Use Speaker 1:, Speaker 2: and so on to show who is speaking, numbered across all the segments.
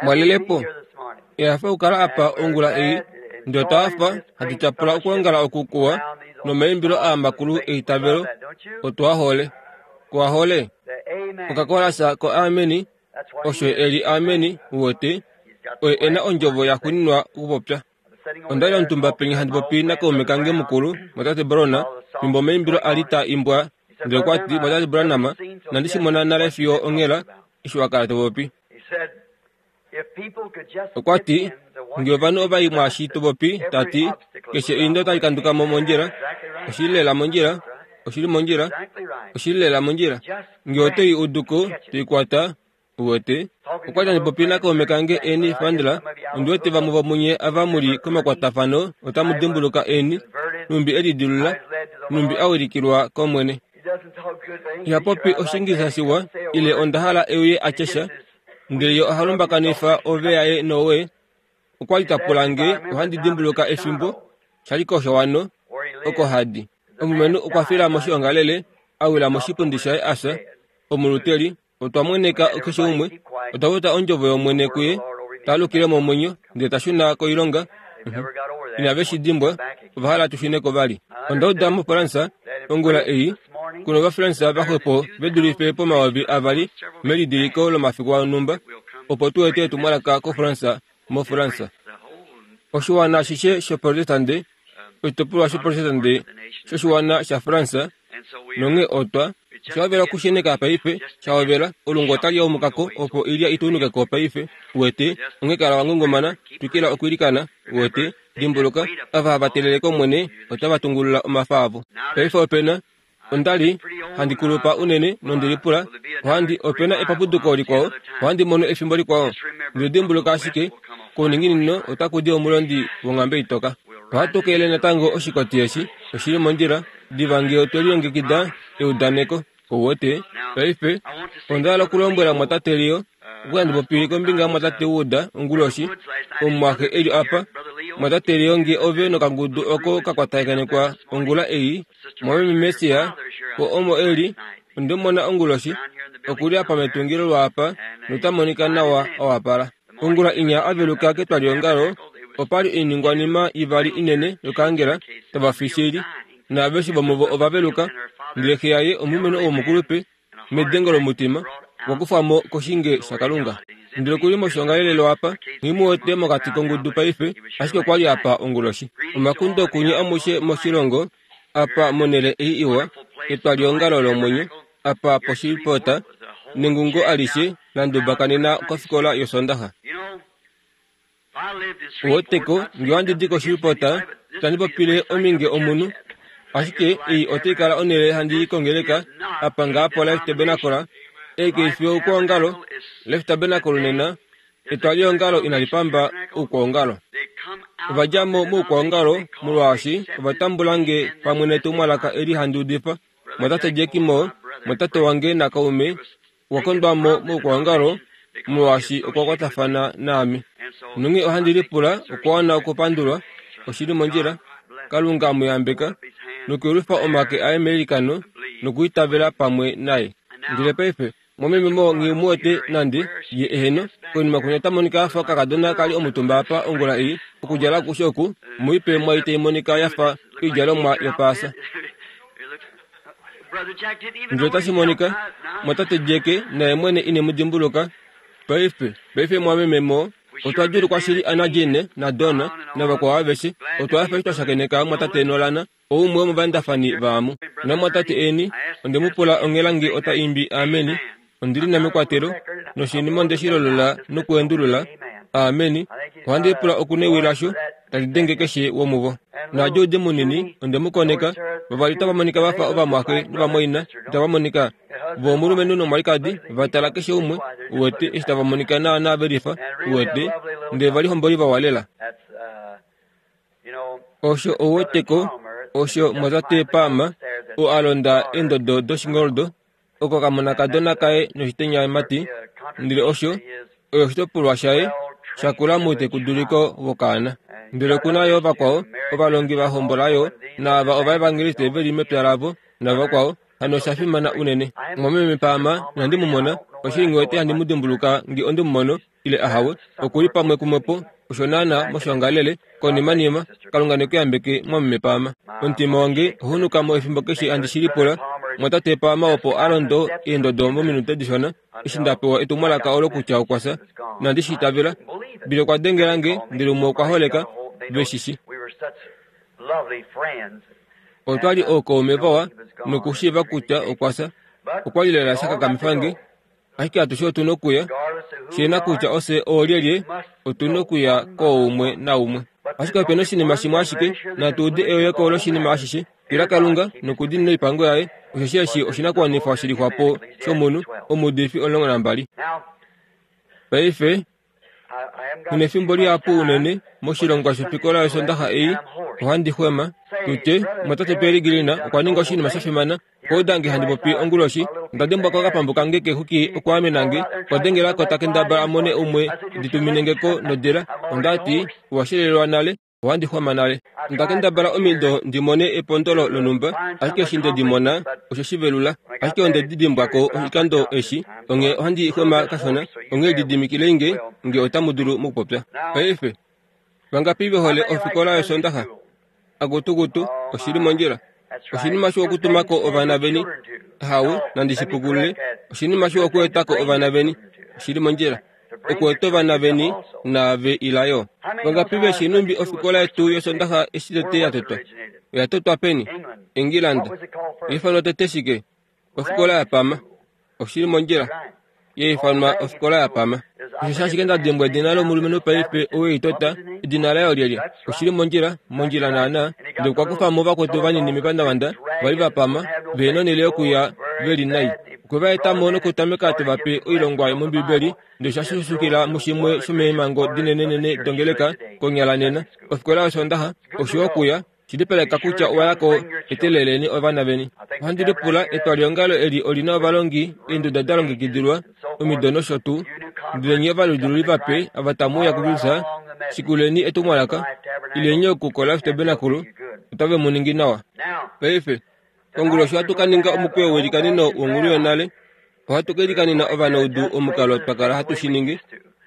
Speaker 1: Mwalelepo Ehafo okukala apa ongula ei, ndele otwa hafa hatu tyapula okwoongala oku kuwa nomaimbilo aa makulu eitavelo. Otu a hole. Ku a hole? Okakolasa ko Ameni, osho e li Ameni, uwete, oye e na ondjovo ya xuninwa okupopya. Onda li omutumba penya handi popi nakaume kange mukulu, Mwatate Brown, fimbo omaimbilo a li taa imbwa, ndele okwa ti, Mwatate Branham, inandi shi mona nale fiyo onghela, eshi wa kala to popi. Okwa ti, Nge ovanhu ova i mwaashi to popi, ta ti, keshe eindo otali kanduka mo mondjila. Oshi li lela mondjila. Oshi li mondjila. Oshi li lela mondjila. Nge oto i udu ko, to i kwata, Uwete, okwa li handi popi nakaume kange Ernie Fandler. Ondi wete vamwe vomunye ava mu li komakwatafano otamu dimbuluka Ernie, nhumbi e lidilula, nhumbi a wilikilwa kOmwene. Iha popi Oshiingilisa shiwa, ile onda hala e uye a tye sha, ndele ye oha lumbakanifa ove yaye nowe. Okwa li ta pula nge ohandi dimbuluka efimbo sha li koshowano oko hadi. Omulumenhu okwa fila moshiongalele, a wila moshipundi shaye a fya, omuluteli. Otwa mweneka keshe umwe, otwa futa ondjovo yOmwene kuye, ta alukile momwenyo, ndele ta shuna koilonga. Inave shi dimbwa, ova hala tu shune ko vali. Onda uda moFransa, ongula ei, kuna Ovafransa vaxwepo ve dulife pomayovi avali melidiliko lomafiku onhumba, opo tu ete etumwalaka koFransa moFransa. Oshiwana ashishe shOprotestande, oshitopolwa shOprotestande shoshiwana shaFransa, nonghee otwa Osha hovela okusheneka paife, sha hovela, olungu otali yaumuka ko opo oilya i tuunuke ko paife, uwete, onghee kala wa ngungumana, twikila okwiilikana, uwete, dimbuluka, ava hava telele kOmwene otava tungulula omafa avo. Paife ope na, onda li handi kulupa unene nondi lipula, ohandi, ope na epapuduko likwao, ohandi mono efimbo likwao. Ndele dimbuluka ashike, kouninginino otaku di omulondi wonghambe itoka. Ohatu keele natango oshikoti eshi, oshi li mondjila. Diva ngee otwe lilongekida eudaneko, ou wete. Paife, onda hala okulombwela mwatate Leo, oku handi popi kombinga yamwatate Wood onguloshi, omumwaxe e li apa. Mwatate Leo, ngee ove nokangudu oko ka kwatakanekwa ongula ei, mwameme Mercier, ko omo e li, onde mu mona onguloshi, oku li apa metungilo lwaapa, nota monika nawa a wapala. Ongula inya a veluka ketwaliongalo, opa li oiningwanima ivali inene yokaangela tava fi shili, naaveshe vomuvo ova veluka. Ndele xe yaye, omulumenhu ou mukulupe, medengo lomutima, okwa kufwa mo koshinge shaKalunga. Ndele oku li moshiongalelelo apa, nghi mu wete mokati kongudu paife, ashike okwa li apa onguloshi. Omakundo kunye amushe moshilongo, apa monhele ei iwa, etwaliongalo lomwenyo, apa poshipota nengungo alishe la ndubakanena kofikola yOsondaxa. Uweteko, nge ohandi di koshipota, itandi popile ominge omunhu, ashike ei otai kala onhele handi i kongeleka apa ngaa poLife Tabernacle. Ei kai fi oukwaongalo, Life Tabernacle nena, Etwaliongalo inali pamba oukwaongalo. Ova dja mo moukwaongalo molwaashi ova tambula nge pamwe netumwalaka eli handi udifa. Mwatate Jack Moore, mwatate wange nakaume, okwa kondwa mo moukwaongalo molwaashi okwa kwatafana naame. Nonghee ohandi lipula okwa wana okupandulwa, oshi li mondjila. Kalunga mu yambeka nokuyelwifa omake aye meilikano nokwiitavela pamwe naye. Ndele paife, Momeme mo nghi mu wete nande, ye eheno, konima kwinya ota monika a fa okakadona ka li omutumba apa ongula ei, okudjala akushe oku, muipe mwai tai monika ya fa oidjalomwa yopaasa. Ndele otashi monika, mwatate Jack naye mwene ine mu dimbuluka. Paife, paife mwameme mo, otwa djuulukwa shili Anna Jeanne naDon navakwao aveshe. Otwa hafa eshi twa shakeneka mwatate Nolan Oumwe womovandafani vaamu. Namwatate eni, onde mu pula onghela nge ota imbi Ameni, ondi li na mekwatelo, noshinima onde shi lolola nokuendulula, Ameni, ohandi lipula oku newi lasho tali denge keshe womuvo. NaaJude munini, onde mu koneka, vavali otava monika va fa ovamwaxe novamwaina, itava monika? Vo omulumenhu nomwalikadi, va tala keshe umwe, uwete, eshi tava monika naanaa ve lifa, uwete, ndele ovalihomboli vawa lela. Osho ou wete ko, osho mwatate Palmer, oo a londa eendodo doshingoldo, oko kamonakadona kaye noshitenyamati, ndele osho, oyo oshitopolwa shaye sha kula moutekuduliko wokaana. Ndele oku na yo vakwao, ovalongi va hombola yo, naava ovaevangeliste ve li mepya lavo, navakwao, hano osha fimana unene. Mwameme Palmer, inandi mu mona. Oshili nghi wete handi mu dimbuluka nge onde mu mono, ile ahawe. Oku li pamwe kumwepo, osho naana moshiongalele, konimanima. Kalunga ne ku yambeke, mwameme Palmer. Omutima wange ohunuka mo efimbo keshe handi shi lipula. Mwatate Palmer opo a londo eendodo mominute dishona, eshi nda pewa etumwalaka olo kutya okwa fya. Inandi shi itavela. Billy okwa dengela nge, ndele umwe okwa holeka. Ve shi shi. Otwa li ookaume vawa nokushiiva kutya okwa fya. Okwa li lela sha kakamifa nge. Ashike atushe otu na okuya, shi na kutya ofye oolyelye, otu na okuya kooumwe naumwe. Ashike ope na oshinima shimwe ashike, natu ude eyoyeko loshinima ashishe, tila Kalunga nokudiinina oipango yaye, osheshi eshi oshinakuwanifwa shi lixwa po shomunhu, omuudifi 12. Paife, Nefimbo lihapu unene moshilongwa shofikola yOsondaxa ei, ohandi xwema. Tutye, Mumwatate Pearry Green okwa ninga oshinima sha fimana. Okwa uda nge handi popi onguloshi. Onda dengwa kokapambu kange keexwiki okwaamena nge. Okwa dengela ko ta kendabala a mone umwe ndi tumine nge ko nodila. Onda ti, Owa shelelwa nale. Ohandi xwama nale. Onda kendabala omido ndi mone epondolo lonhumba, ashike eshi nde di mona, osho shi velula. Ashike onde di dimbwa ko oshikando eshi, onghee ohandi xwema kashona. Onghee lididimikilei nge, nge otamu dulu mokupopya. Paife, vangapi ve hole ofikola yOsondaxa? Akutukutu, oshi li mondjila. Oshinima shiwa okutuma ko ovana veni. Ahawe, nandi shi pukulule. Oshinima shiwa okueta ko ovana veni. Oshi li mondjila. Okueta ovana veni naave ila yo. Vangapi ve shii nhumbi ofikola yetu yOsondaxa eshi tete ya totwa? Oya totwa peni? Engilanda. Oya ifanwa tete shike? Ofikola ya pama. Oshi li mondjila. Ya ifanwa ofikola ya pama. Osheshi ashike nda dimbwa edina lomulumenhu paife ou ei tota, edina laye olyelye? Oshi li mondjila, mondjila naanaa. Ndele okwa kufa mo vakwetu vanini mepandavanda, va li va pama, ve nonhele yokuya ve li nai. Okwe va eta mo nokutameka te va pe oilongwa yomOmbibeli, ndele osha xuxukila mushimwe shomeemhango dinenenene dongeleka konyala nena. Ofikola yOsoondaxa, osho okuya, Shilipaleka kutya owa ya ko eteleleni ovana veni. Ohandi lipula, etwaliongalo eli oli na ovalongi, eenduda da longekidilwa, omido nosho tuu. Ndele nye ovalundululi vape ava tamu uya kuKristus, shikuleni etumwalaka, ileni oku koLife Tabernacle, otave mu ningi nawa. Paife, konguloshi ohatu ka ninga omukweyo welikaneno wonghulu yonale. Ohatu ka ilikanena ovanaudu omukalo twa kala hatu shi ningi,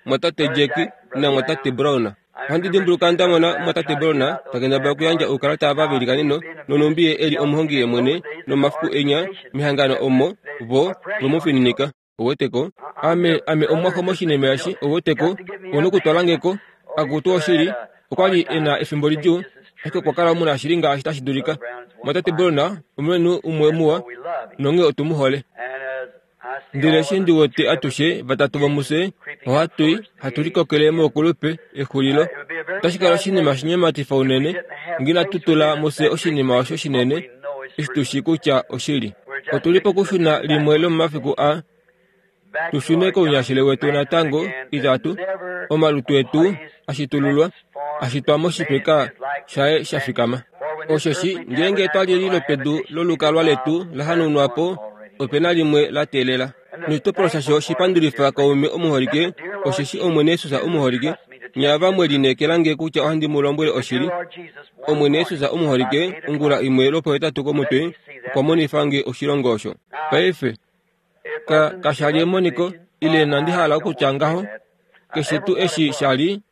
Speaker 1: Mwatate Jack naMwatate Brown. Ohandi dimbuluka nda mona Mwatate Brown ta kendabala okuyandja oukalata ava veilikaneno, nonhumbi ye e li omuhongi yemwene, nomafiku enya mehangano omo vo ve mu fininika. Ouweteko? Ame, ame omumwaxo moshinima eshi, ouweteko, ou nokutwala nge ko. Akutu oshili, okwa li e na efimbo lidjuu, ashike okwa kala omunashili ngaashi tashi dulika. Mwatate Brown omulumenhu umwe muwa, nonghee otu mu hole. Ndele eshi ndi wete atushe vatatu vomufye ohatu i, hatu likokele moukulupe, exulilo, otashi kala oshinima shinyematifa unene nge inatu tula mufye oshinima osho shinene eshi tu shii kutya oshili. Otu li pokushuna limwe lomomafiku aa, tu shune kounyashele wetu natango, itatu, omalutu etu a shitululwa, a shitwa moshifeka shaye sha fikama. Osheshi ngeenge etwali eli lopedu lolukalwa letu la hanaunwa po, ope na limwe la teelela. Noshitopolwa shasho shi pandulifa kaume omuholike, osheshi Omwene Jesus omuholike, nye ava mwe lineekela nge kutya ohandi mu lombwele oshili. Omwene Jesus omuholike, ongula imwe lwopohetatu komutwe, okwa monifa nge oshilongo osho. Paife, ka, kasha li emoniko, ile inandi hala okutya ngaho, keshe tuu eshi sha li,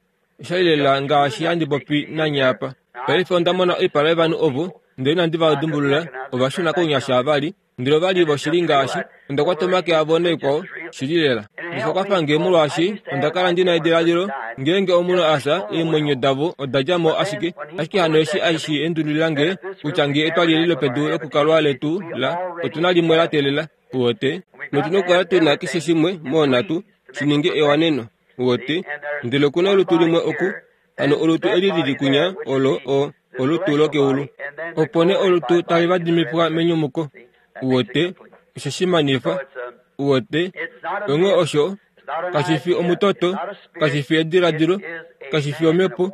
Speaker 1: osha li lela ngaashi handi popi nanye apa. Paife onda mona oipala yovanhu ovo, ndele inandi va dimbulula, ova shuna kounyasha vali, ndele ova li voshili ngaashi onda kwata omake avo naikwao, shili lela. Osha kwafa nge molwaashi onda kala ndi na ediladilo, ngeenge omunhu a fya, eemwenyo davo oda dja mo ashike. Ashike hano eshi ashi endululila nge kutya nge etwali eli lopedu lokukalwa letu la, otu na limwe la teelela, uwete, notu na okukala tu na keshe shimwe moonhatu shi ninge ewaneno, uwete. Ndele oku na olutu limwe oku, hano olutu eli li li kunya olo o, olutu lokeulu. Opo nee olutu tali vadimifwa menyumuko, uwete, osho shi manifa, uwete. Onghee osho kashi fi omutoto, kashi fi ediladilo, kashi fi omhepo,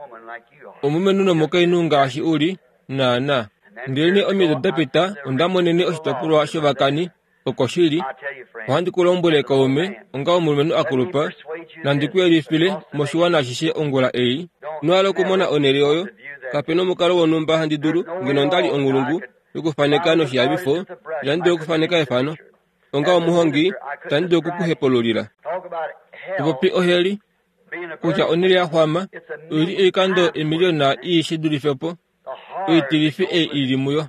Speaker 1: omulumenhu nomukainhu ngaashi u li, naanaa. Ndelenee omido da pita onda monene oshitopolwa shovakani oko shi li. Ohandi ku lombwele kaume, onga omulumenhu a kulupa, nandi ku yelifile moshiwana ashishe ongula ei. Ino hala okumona onhele oyo? Kape nomukalo wonhumba handi dulu, ngeno onda li onghulungu yokufaneka noshihavifo, inandi dula okufaneka efano. Onga omuhongi, itandi dulu oku ku hepululila. Popi oheli, kutya onhele ya xwama oi li oikando emiliyona ii shi dulife po oitilifi ei i li muyo.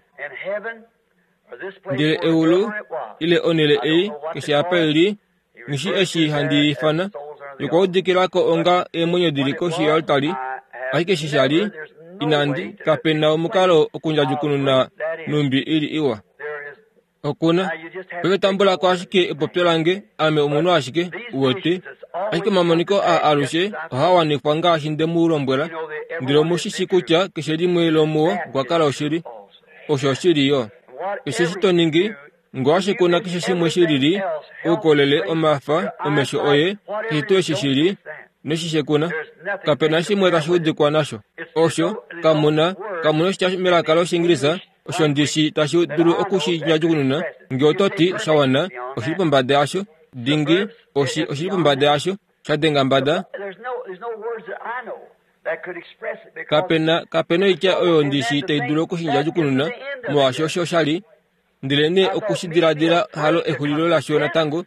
Speaker 1: Ndele eulu, ile onhele ei, keshe apa i li, nghi eshi handi i ifana, yokwa udikila ko onga eemwenyo di li koshi yoaltari, ashike eshi sha li, inandi, kape na omukalo okundjadjukununa nhumbi i li iwa. Okuna. Paife tambula ko ashike epopyo lange, ame omunhu ashike, uwete. Ashike omamoniko aa alushe ohaa wanifwa ngaashi nde mu lombwela, ndele omu shi shi kutya keshe limwe lomuo okwa kala oshili. Osho oshili yo. Keshe eshi to ningi, ngaashi kuna keshe shimwe shi lili, oukolele, omafa, omesho oye, keshe tuu eshi shi li, noshi shekuna, kape na shimwe tashi udikwa nasho. Osho, kamu na, kamu na oshitya melaka lOshiingilisa osho ndi shi tashi dulu oku shi ndjadjukununa. Nge oto ti, sha wana, oshi li pombada yasho. Dingi, oshi, oshi li pombada yasho. Sha denga mbada. Kape na, kape na oitya oyo ndi shi tai dulu oku shi ndjadjukununa, molwaashi osho sha li. Ndelenee oku shi diladila halo exulilo lasho natango.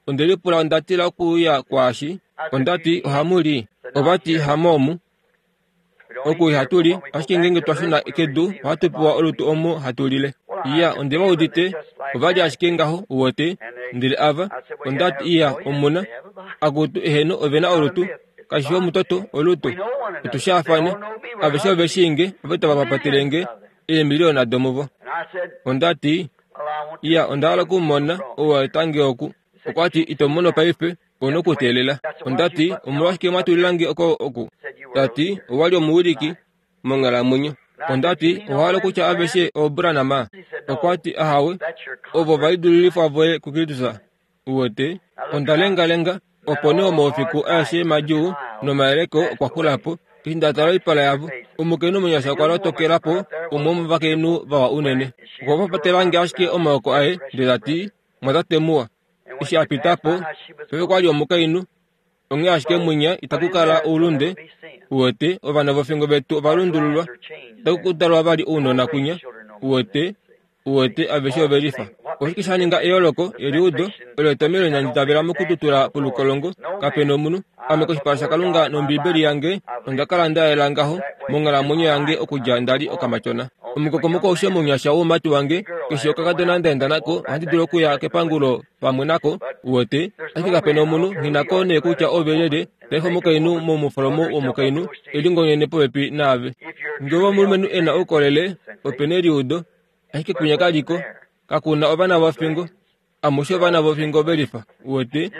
Speaker 1: Onde lipula onda tila okuuya kwaashi. Onda ti, Ohamu li? Ova ti, Hamoomu. Oku ihatu li, ashike ngeenge twa shuna kedu ohatu pewa olutu omo hatu lile. Iya, onde va udite, ova li ashike ngaho, uwete. Ndele ava, onda ti, iya, omuna. Akutu, eheno, ove na olutu. Kashi fi omutoto, olutu. Otu shaafane. Aveshe ove shii nge, ove tava papatele nge, eemiliona domuvo. Onda ti, Iya, onda hala oku mu mona, ou a eta nge oku. Okwa ti, Ito mu mono paife, ou na okuteelela. Onda ti, Omolwashike mwa tulila nge oko oku? Ta ti, Owa li omuwiliki monghalamwenyo. Onda ti, Owa hala okutya aveshe ooBranham? Okwa ti, Ahawe, ovo ovalidululifwa voye kuKristus. Uwete, onda lengalenga, opo nee omaufiku aeshe madjuu nomayeleko okwa xula po. Eshi nda tala oipala yavo, omukainhu omunyasha okwa lotokela po, umwe womovakainhu vawa unene. Okwa papatela nge ashike omaoko aye, ndele ta ti, Mwatate muwa. Eshi a pita po, paife okwa li omukainhu. Onghee ashike mwinya itaku kala oulunde, uwete, ovana vofingo vetu ova lundululwa. Itaku ku dalwa vali ounona kwinya, uwete, uwete, aveshe ove lifa. Oshike sha ninga eyooloko, eliudo, olo etomelo inandi itavela mokututula polukolongo, kape nomunhu. Ame koshipala shaKalunga nOmbiibeli yange, onda kala nda yela ngaho monghalamwenyo yange okudja nda li okamatyona. Omukokomoko aushe mounyasha woumati wange, keshe okakadona nda enda nako, ohandi dulu okuya kepangulo pamwe nako, uwete, ashike kape na omunhu, nghi na ko nee kutya ove lyelye, paife omukainhu momufolomo womukainhu e lingonyene popepi naave. Nge ove omulumenhu e na oukolele, ope na eliudo, ashike kwinya ka li ko, kaku na ovana vofingo. Amushe ovana vofingo ve lifa, uwete,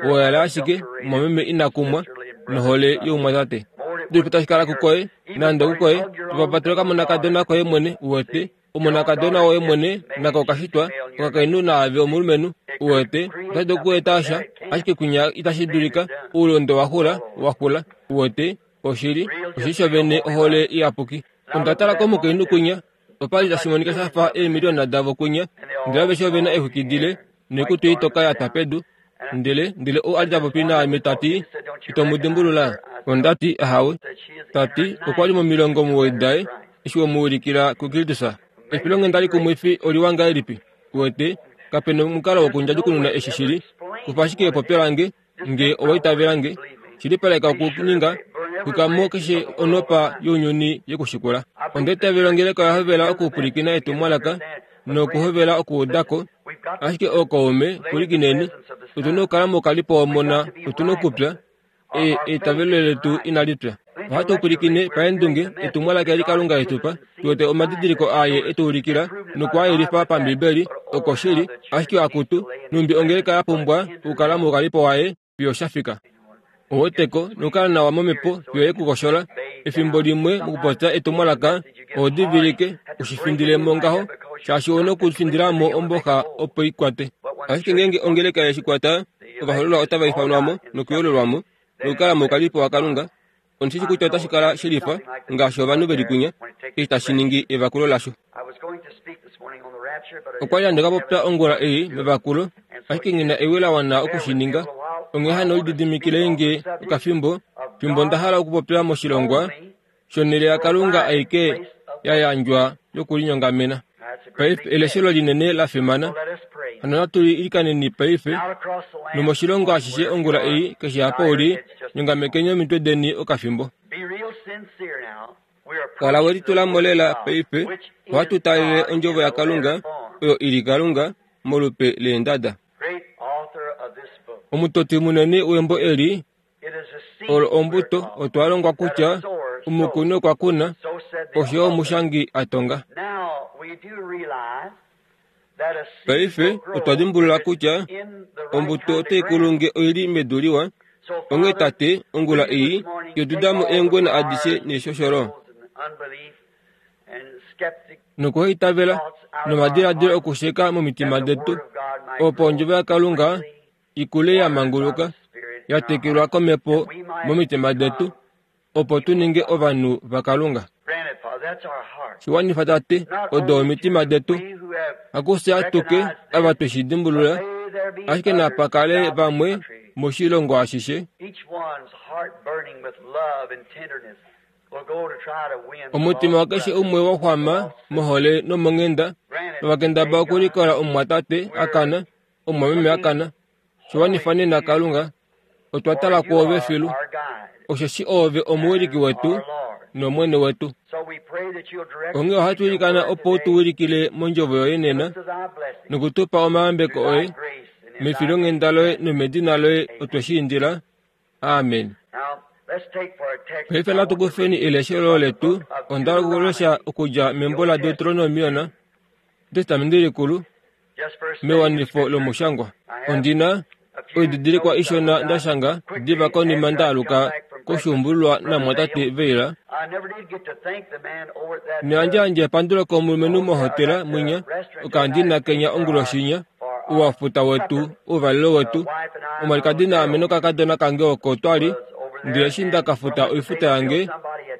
Speaker 1: owa ashike omwameme ina kumwa nohole youmwatate. Dulifa tashi kala kukoye, nande okukoye, topapatela okamonakadona koye mwene, uwete, omonakadona woye mwene nako okashitwa, okakainhu naave omulumenhu, uwete, otashi dulu okueta sha, ashike kwinya itashi dulika, oulunde wa xula, wa xula, uwete, oshili, oshili shovene ohole iyapuki. Onda tala komukainhu kwinya, Opa li tashi monika sha fa eemiliona davo kwinya, ndele aveshe ove na eexwiki dile noikutu itoka ya twa pedu. Ndele, ndele ou a li ta popi naame ta ti, Ito mu dimbulula? Onda ti, Ahawe. Ta ti, Okwa li momilongo omuwoi daye, eshi we mu ulikila kuKristus. Efilonghenda likumwifi oliwa ngahelipi! Uwete, kape nomukalo wokundjadjukununa eshi shi li. Kufa ashike epopyo lange, Nge owa itavela nge, shilipaleka okuninga, xwika mo keshe onhopa younyuni ye ku shikula. Onda itavela ongeleka oya hovela okupwilikina etumwalaka nokuhovela okuuda ko, ashike ookaume, pwilikineni, otu na okukala moukalipo womona, otu na okupya, e, eitavelo letu inali pya. Ohatu pwilikine paendunge etumwalaka eli Kalunga e tu pa, tu wete omadidiliko aye e tu ulikila noku a yelifa paMbibeli, okoshili, ashike akutu, nhumbi ongeleka ya pumbwa okukala moukalipo waye fiyo sha fika. Oweteko nokukala nawa momhepo fiyo ye ku koshola. Efimbo limwe mokupopya etumwalaka, oho divilike u shi findile mo ngaho, shaashi ou na okufindila mo omboxa opo i kwate. Ashike ngeenge ongeleka ye shi kwata, ovahoololwa otava ifanwa mo nokuyoololwa mo, nokukala moukalipo waKalunga, Ondi shi kutya otashi kala shelifa ngaashi ovanhu ve li kwinya eshi tashi ningi evakulo lasho. Okwa li handi ka popya ongula ei mevakulo, ashike nghi na ewi la wana oku shi ninga. Onghee hano lididimikilei nge okafimbo fimbo nda hala okupopya moshilongwa shonhele yaKalunga aike ya yandjwa yokulinyongamena. Paife eleshelo linene la fimana. Hano natu ilikaneni paife, nomoshilongo ashishe ongula ei, keshe apa u li, nyongamekeni omitwe deni okafimbo. Kala we litula mo lela paife, ohatu taalele Ondjovo yaKalunga, oyo i li Kalunga, molupe leendada. Omutoti munene wembo eli olo ombuto, otwa longwa kutya omukuni okwa kuna, osho omushangi a tonga. Paife otwa dimbulula kutya ombuto otai kulu nge oi li medu liwa. Onghee Tate, ongula ei, yoduda mo eengwena adishe neeshosholo, nokuhaitavela, nomadiladilo okusheka momitima detu, opo Ondjovo yaKalunga i kule ya manguluka, ya tekelwa kOmhepo momitima detu, opo tu ninge ovanhu vaKalunga. Shi wanifa, Tate, odo omitima detu. Hakufye atuke ava twe shi dimbulula, ashike napa kale vamwe moshilongo ashishe. Omutima wakeshe umwe wa xwama mohole nomonghenda, nova kendabala okulikola omumwatate a kana, omumwameme a kana. Shi wanifa nena, Kalunga, otwa tala kwoove filu, osheshi oove omuwiliki wetu nOmwene wetu. Onghee ohatu ilikana opo u tu wilikile mondjovo yoye nena noku tu pa omayambeko oye mefilonghenda loye nomedina loye otwe shi indila. Amen. Paife natu kufeni eleshelo letu. Onda hala okulesha okudja membo laDeuteronomion, Etestamenti Likulu, mewanifo lomushangwa. Ondi na oididilikwa ishona nda shanga diva konima nda aluka koshuumbululwa namwatate Veila. Neyandjayandje epandulo komulumenhu mohotela mwinya okandina kenya onguloshinya ouwafuta wetu ouvalelo wetu. Omwalikadi naame nokakadona kange oko twa li, ndele eshi nda ka futa oifuta yange,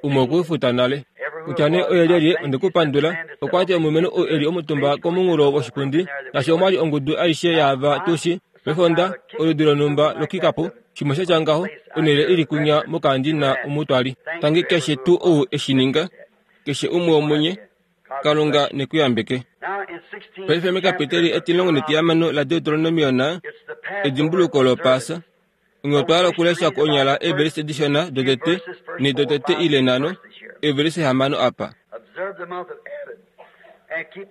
Speaker 1: umwe okwe i futa nale. Kutya nee oye lyelye, onde ku pandula. Okwa ti omulumenhu ou e li omutumba komunghulo woshipundi, naashi omwa li ongudu aishe yaava tu shi, pefonda, oludi lonhumba lokikapu, shimwe sha tya ngaho, onhele i li kwinya mokaandina omu twa li. Tangi keshe tuu ou e shi ninga, keshe umwe womunye, Kalunga ne ku yambeke. Paife mekapiteli etilongo netihamano laDeuteronomion, edimbuluko lOpaasa, Onghee otwa hala okulesha konyala eevelise dishona dotete nedotete ile nhano, eevelise hamano apa.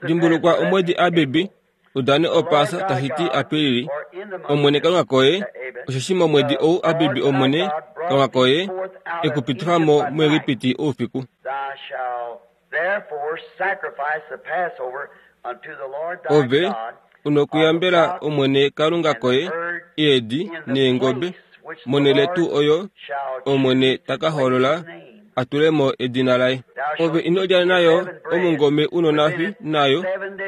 Speaker 1: Dimbulukwa omwedi Abibi, u dane Opaasa, tashi ti Apilili, Omwene Kalunga koye, osheshi momwedi ou Abibi Omwene Kalunga koye e ku pitifa mo muEgipiti oufiku. Ove u nokuyambela Omwene Kalunga koye eedi neengobe monhele tuu oyo Omwene ta ka hoolola a tule mo edina laye. Ove ino lya nayo omungome u nonafi nayo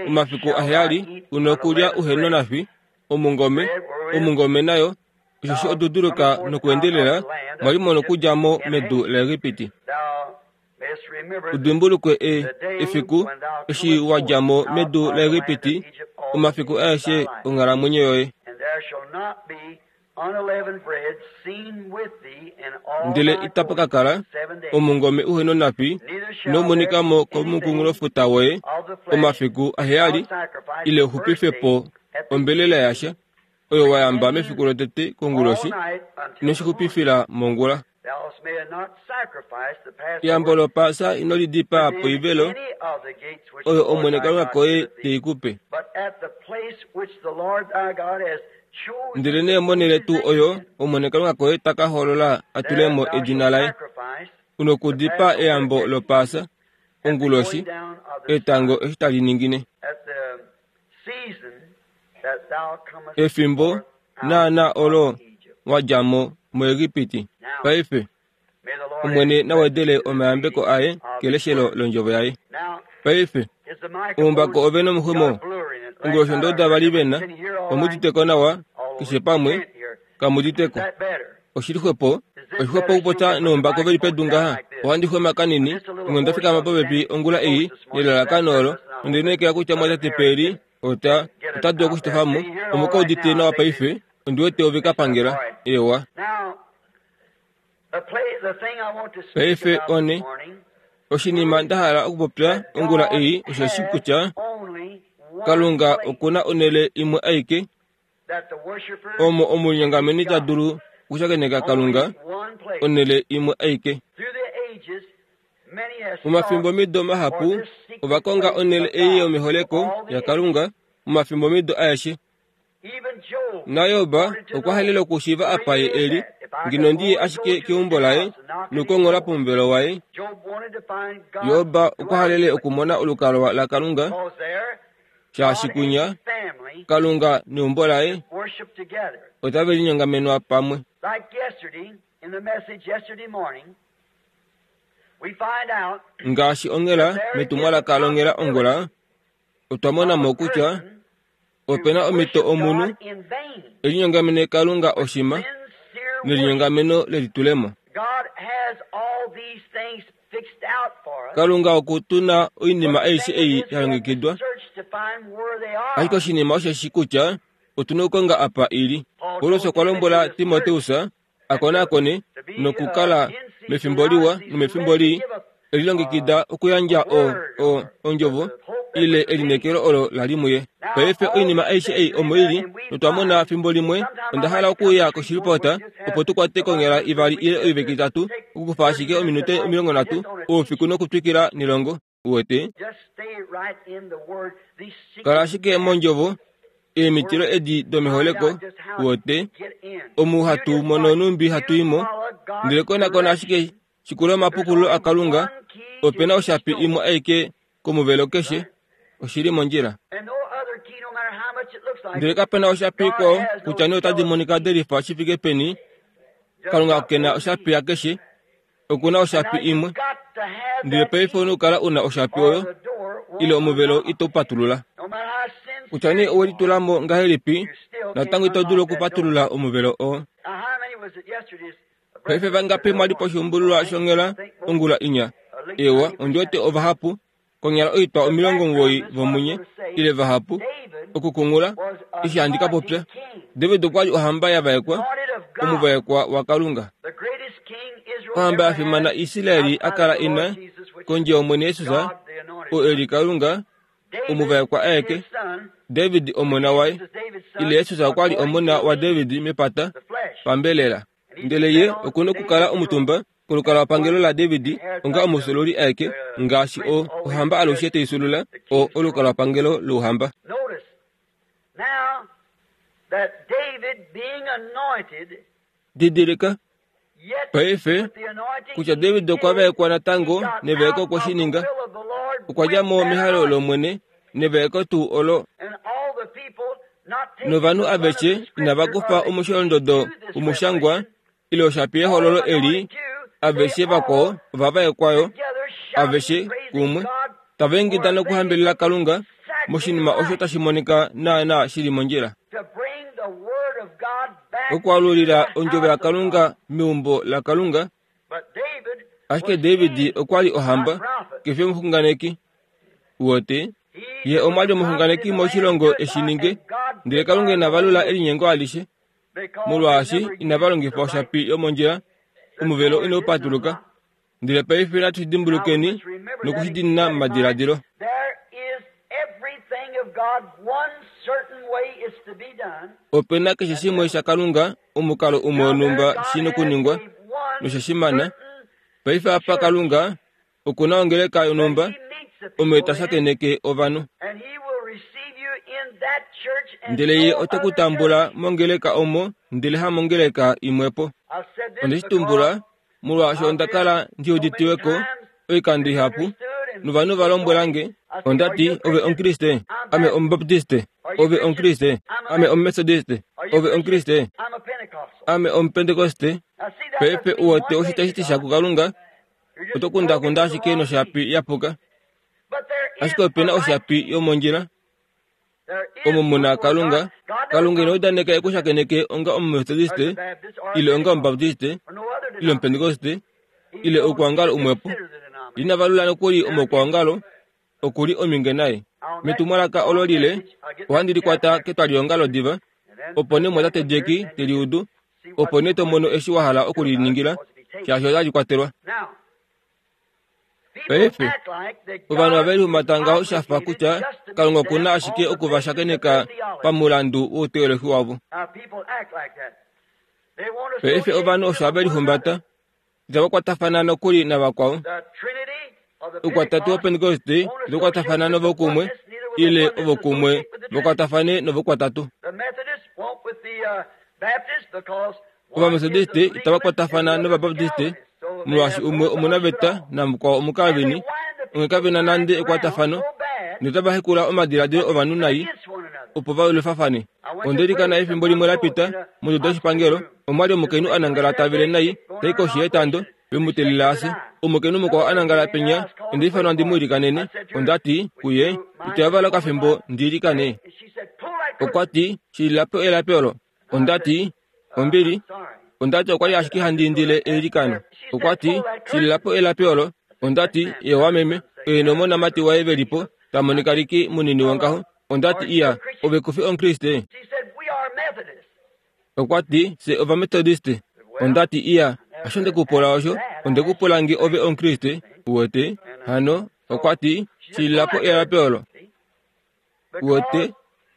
Speaker 1: omafiku aheyali u nokulya uhe nonafi omungome, omungome nayo, osheshi oduduluka nokweendelela mwa li mo nokudja mo medu laEgipiti. U dimbulukwe e, efiku eshi wa dja mo medu laEgipiti, omafiku aeshe onghalamwenyo yoye. Ndele itapa ka kala omungome uhe nonafi inau monika mo komukunghulofuta woye omafiku aheyali, ile u xupife po ombelela yasha oyo wa yamba mefiku lotete konguloshi, ino shi xupifila mongula. Eyambo lOpaasa ino li dipaa poivelo oyo Omwene Kalunga koye te i ku pe. Ndelenee monhele tuu oyo Omwene Kalunga koye ta ka hoolola a tule mo edina laye, u nokudipaa eyambo lOpaasa onguloshi, etango eshi tali ningine. Efimbo naanaa olo wa dja mo muEgipiti. Paife, Omwene na wedele omayambeko aye keleshelo londjovo yaye. Paife, oumbako ove nomuxumo. Onguloshi ondoda va li ve na, omu udite ko nawa, keshe pamwe, kamu udite ko. Oshi li xwepo, oshixwepo okupopya noumbako ve li pedu ngaha. Ohandi xwema kanini, onghee onda fikama popepi ongula ei nelalakano olo, nonde lineekela kutya mwatate Perry ota, ota dulu oku shi tofa mo. Omu ka udite nawa paife, ondi wete ove ka pangela. Eewa. Paife one, oshinima nda hala okupopya ongula ei osheshi kutya, Kalunga oku na onhele imwe aike omo omulinyongameni ta dulu okushakeneka Kalunga, onhele imwe aike. Momafimbomido mahapu ova konga onhele ei yomeholeko yaKalunga momafimbomido aeshe. NaJob okwa halele okushiiva apa ye e li, ngeno ndi ye ashike keumbo laye nokukonghola pomuvelo waye. Job okwa halele okumona olukalwa laKalunga, shaashi kunya Kalunga neumbo laye otave linyongamenwa pamwe. Ngaashi onghela metumwalaka longhela ongula, otwa mona mo kutya ope na omhito omunhu e linyongamene Kalunga oshima nelinyongameno lelitulemo. Kalunga oku tu na oinima aishe ei ya longekidwa, ashike oshinima osheshi kutya otu na okukonga apa i li. Paulus okwa lombwela Timoteus a konakone nokukala mefimbo liwa nomefimbo lii, e lilongekida okuyandja o, o, ondjovo ile elineekelo olo la li muye. Paife oinima aishe ei omo i li, notwa mona fimbo limwe, onda hala okuuya koshilipota opo tu kwate konyala ivali ile oiveke itatu, okukufa ashike ominute 30 oufiku nokutwikila nelongo. Uwete? Kala ashike mondjovo, eemitilo edi domeholeko, uwete, omu hatu mono numbi hatu i mo, ndele konakona ashike shikula omapukululo aKalunga, ope na oshapi imwe aike komuvelo keshe, oshi li mondjila. Ndele kape na oshapi ikwao, kutya nee otadi monika de lifa shi fike peni, Kalunga ke na oshapi yakeshe, oku na oshapi imwe. Ndele paife ou na okukala u na oshapi oyo, ile omuvelo ito patulula. Kutya nee owe litula mo ngahelipi, natango ito dulu okupatulula omuvelo oo. Paife vangapi mwa li poshuumbululwa shonghela ongula inya? Eewa, ondi wete ovahapu, konyala oitwa 90 vomunye, ile vahapu, okukungula, eshi handi ka popya. David okwa li ohamba ya vaekwa, omuvaekwa waKalunga. Ohamba ya fimana Israel a kala ina, kondje yOmwene Jesus, oo e li Kalunga, omuvaekwa aeke, David omona waye, ile Jesus okwa li omona waDavid mepata, pambelela. Ndele ye oku nokukala omutumba kolukalwapangelo laDavid onga omusululi aeke, ngaashi o, ohamba alushe tai sulula o, olukalwapangelo louhamba. Didilika, paife, kutya David okwa vaekwa natango nevaeko okwe shi ninga. Okwa dja mo mehalo lOmwene nevaeko tuu olo. Novanhu aveshe inava kufa omusholondodo womushangwa ile oshapi yehololo eli, aveshe vakwao ova vaekwa yo, aveshe kumwe, tava ingida nokuhambelela Kalunga moshinima osho tashi monika naanaa shi li mondjila. Okwaalulila ondjovo yaKalunga meumbo laKalunga. Ashike David okwa li ohamba, ke fi omuxunganeki. Uwete? Ye omwa li omuxunganeki moshilongo e shi ninge, ndele Kalunga ina valula elinyengo alishe. Molwaashi inava longifa oshapi yomondjila, omuvelo inau patuluka. Ndele paife natu shi dimbulukeni noku shi diinina momadiladilo. Ope na keshe shimwe shaKalunga, omukalo umwe wonhumba shi nokuningwa, nosha shimana. Paife apa Kalunga oku na ongeleka yonhumba omo ta shakeneke ovanhu. Ndele ye ote ku tambula mongeleka omo, ndele hamongeleka imwepo. Onde shi tumbula molwaashi onda kala ndi uditiwe ko oikando ihapu novanhu va lombwela nge, onda ti, Ove Omukriste? Ame Omubaptiste. Ove Omukriste? Ame Omumetodiste. Ove Omukriste? Ame Omupentekoste. Paife u wete osho tashi ti sha kuKalunga, oto kundakunda ashike noshapi ya puka. Ashike ope na oshapi yomondjila omo mu na Kalunga. Kalunga ina udaneka e ku shakeneke onga Omumetodiste, ile onga Omubaptiste, ile Omupentekoste, ile oukwaongalo umwepo. Ina valula nokuli omaukwaongalo, oku li omhinge naye. Metumwalaka olo lile, ohandi li kwata ketwaliongalo diva, opo nee omumwatate Jack te li udu, opo nee to mono eshi wa hala oku li ningila, shaashi otali kwatelwa. Paife, ovanhu ove lihumbata ngaho sha fa kutya Kalunga oku na ashike oku va shakeneka pamulandu wouteolohi wavo. Paife ovanhu osho have lihumbata, itava kwatafana nokuli navakwao. Oukwatatu wOpentekoste itau kwatafana novokumwe, ile ovokumwe va kwatafane novokwatatu. Ovametodiste itava kwatafana nOvabaptiste, molwaashi umwe omunaveta namukwao Omukalvini, onghee kave na nande ekwatafano, notava hekula omadiladilo ovanhu nai opo va lwifafane. Onde likana efimbo limwe la pita, monduda yoshipangelo, omwa li omukainhu a nangala ta vele nai, ta i koshi yetando, ve mu teelela a fye. Omukainhu mukwao a nangala penya, onda ifanwa ndi mu ilikanene. Onda ti kuye, Ito yavala okafimbo ndi ilikane? Okwa ti, Shilila po elapi olo. Onda ti, Ombili. Onda ti okwa li ashike handi indile eilikano. Okwa ti, Shilila po elapi olo. Onda ti, Eewa meme, oye nomonamati waye ve li po, ta monika liki munini wongaho. Onda ti, Iya, ove ku fi Omukriste? Okwa ti, Fye Ovametodiste. Onda ti, Iya, hasho nde ku pula osho, onde ku pula nge ove Omukriste. Uwete? Hano, okwa ti, Shilila po elapi olo. Uwete,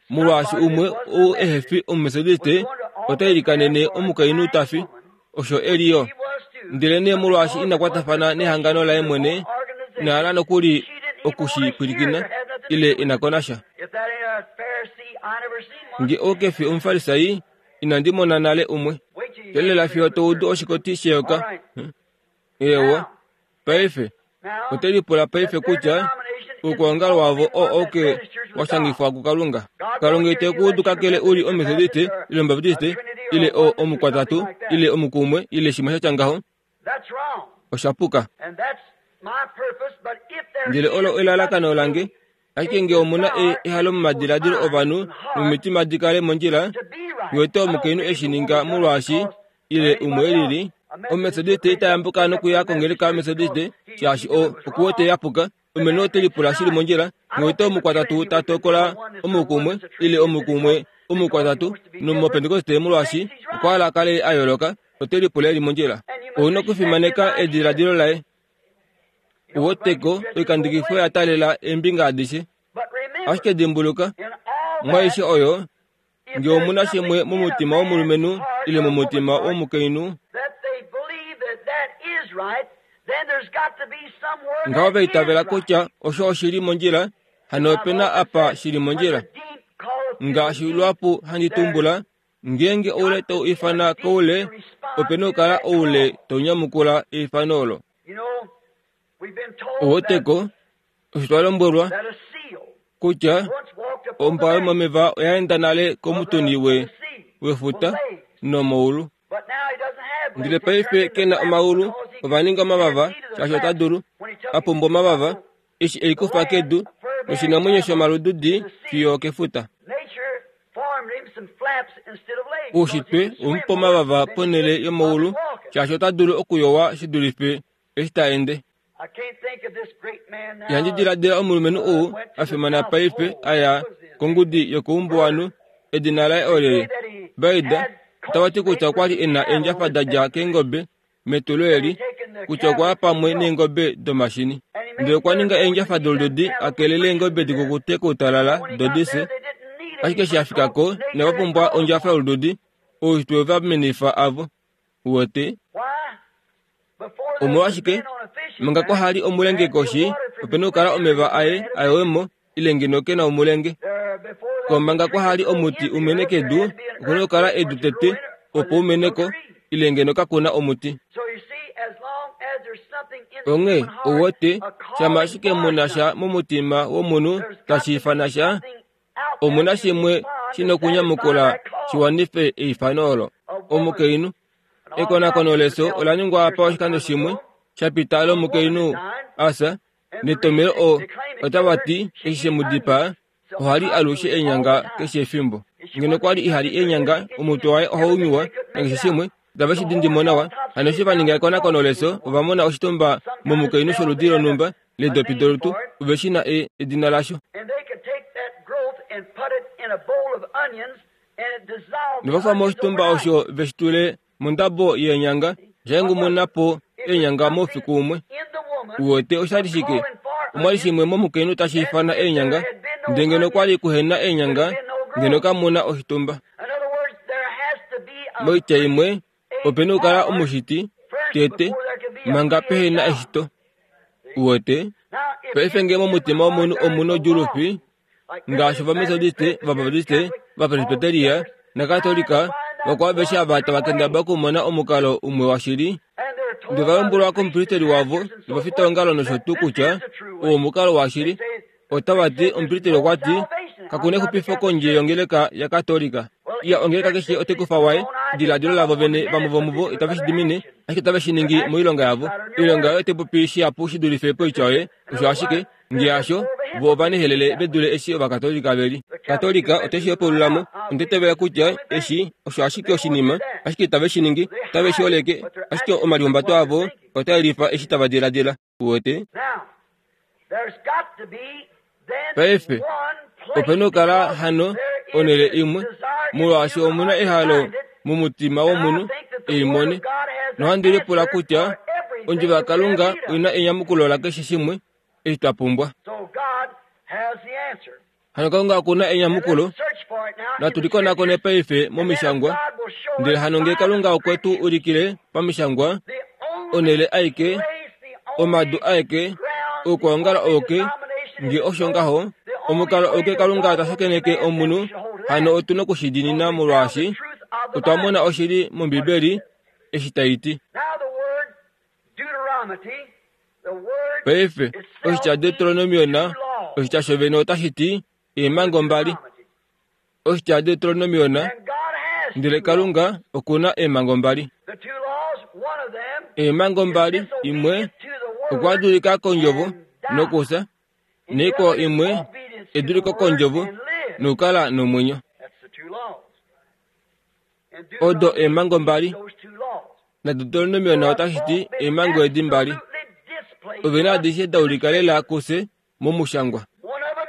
Speaker 1: molwaashi umwe ou ehe fi Omumetodiste ota ilikanene omukainhu ta fi, osho e li yo. Ndelenee molwaashi ina kwatafana nehangano laye mwene, ina hala nokuli oku shi pwilikina, ile ina ko nasha. Nge ou ke fi Omufarisai, inandi mona nale umwe. Teelela fiyo to udu oshikoti sheyoka. Eewa, paife, ote lipula paife kutya oukwaongalo wavo oo auke wa shangifwa kuKalunga. Kalunga ite ku udu kakele u li Ometodiste, ile Omubaptiste, ile o, Omukwatatu, ile Omukumwe, ile shimwe sha tya ngaho. Osha puka. Ndele olo elalakano lange. Ashike nge omu na e, ehalo momadiladilo ovanhu nomitima di kale mondjila, uwete omukainhu e shi ninga molwaashi ile umwe e lili, Ometodiste ita yambuka nokuya kongeleka yOmetodiste shaashi o, oku wete ya puka. Omene ote lipula shili mondjila, uwete omukwatatu ta tokola omukumwe ile omukumwe omukwatatu nomOpentekoste molwaashi okwa hala a kale a yooloka, ote lipula e li mondjila. Ou na okufimaneka ediladilo laye. Uweteko oikandikifo ya taalela eembinga adishe. Ashike dimbuluka, mwaaishe oyo, nge omu na shimwe momutima womulumenhu ile momutima womukainhu, ngaho va itavela kutya osho oshi li mondjila, hano ope na apa shi li mondjila. Ngaashi luhapu handi tumbula, Ngeenge oule tau ifana koule, ope na okukala oule tau nyamukula eifano olo. Oweteko, osho twa lombwelwa kutya ombwa yomomeva oya enda nale komutuni we wefuta nomoulu. Ndele paife ke na omaulu, ova ninga omavava shaashi ota dulu, a pumbwa omavava eshi e likufa kedu noshinamwenyo shomalududi fiyo okefuta. Oushitwe omupa omavava ponhele yomaulu shaashi ota dulu okuyowa shi dulife eshi ta ende. Ihandi diladila omulumenhu ou a fimana paife a ya kongudi yokoumbuwanhu, edina laye olyelye? Baida, otava ti kutya okwa li e na eendjafa da dja keengobe metulo eli kutya okwa ya pamwe neengobe domashini. Ndele okwa ninga eendjafa dolududi a kelele eengobe di kukute koutalala do di fye. Ashike eshi a fika ko, inava pumbwa ondjafa yolududi, oushitwe we va menifa avo. Uwete? Omolwashike, manga kwa hali omulenge koshi, ope na okukala omeva aye a yowe mo, ile ngeno ke na omulenge. Ko manga kwa hali omuti u mene kedu, oku na okukala edu tete opo u mene ko, ile ngeno kaku na omuti. Onghee, ou wete, shama ashike mu na sha momutima womunhu tashi ifana sha, omu na shimwe shi nokunyamukula shi wanife eifano olo. Omukainhu Ekonakono leso ola ningwa apa oshikando shimwe sha pita lomukainhu a fya, netomhelo o otava ti eshi she mu dipaa oha li alushe eenyanga keshe efimbo. Ngeno okwa li iha li eenyanga, omutwe waye ohau nyuwa nakeshe shimwe, itave shi dindi mo nawa. Hano eshi va ninga ekonakono leso, ova mona oshitumba momukainhu sholudi lonhumba leedopi dolutu, ove shi na e, edina lasho. Nova fa moshitumba osho ve shi tule mondabo yeenyanga, osha hengumuna po eenyanga moufiku umwe. Uwete osha li shike? Omwa li shimwe momukainhu tashi ifana eenyanga, ndele ngeno kwa li kuhe na eenyanga, ngeno kamu na oshitumba. Moitya imwe, ope na okukala omushiti, tete, manga pehe na eshito. Uwete? Paife ngee momutima womunhu omu na odjuulufi, ngaashi Ovametodiste, Ovabaptiste, Ovapresbiteria naKatolika, vakwao aveshe ava tava kendabala okumona omukalo umwe washili, ndele ova lombwelwa komupristeli wavo novafitaongalo nosho tuu kutya oo omukalo washili. Otava ti, Omupristeli okwa ti, Kaku na exupifo kondje yongeleka yaKatolika. Iya, ongeleka keshe otai kufa waye, ediladilo lavo vene, vamwe vomuvo itave shi dimine, ashike otave shi ningi moilonga yavo. Oilonga yoye otai popi shihapu shi dulife poitya yoye. Osho ashike. Nge hasho, vo ovanehelele ve dule eshi Ovakatolika ve li. Katolika ote shi hepaulula mo. Onda itavela kutya eshi osho ashike oshinima, ashike itave shi ningi, otave shi holeke, ashike omalihumbato avo otaa yelifa eshi tava diladila. Uwete? Paife, ope nokukala hano onhele imwe, molwaashi omu na ehalo momutima womunhu e i mone. Nohandi lipula kutya Ondjovo yaKalunga oi na enyamukulo lakeshe shimwe eshi twa pumbwa. Hano Kalunga oku na enyamukulo. Natu li konakone paife mOmishangwa. Ndele hano ngee Kalunga okwe tu ulikile pamishangwa onhele aike, omadu aeke, oukwaongalo auke, nge osho ngaho, omukalo auke Kalunga ta shakeneke omunhu, hano otu noku shi diinina molwaashi otwa mona oshili mOmbibeli eshi tai ti. Paife, oshitya Deuteronomiona, oshitya shovene otashi ti eemhango mbali. Oshitya Deuteronomiona, ndele Kalunga oku na eemhango mbali. Eemhango mbali, imwe okwa dulika kondjovo nokufya, naikwao imwe eduliko kondjovo nokukala nomwenyo. Odo eemhango mbali. NaDeuteronomiona otashi ti eemhango edi mbali. Ove na adishe da ulika lela kufye momushangwa.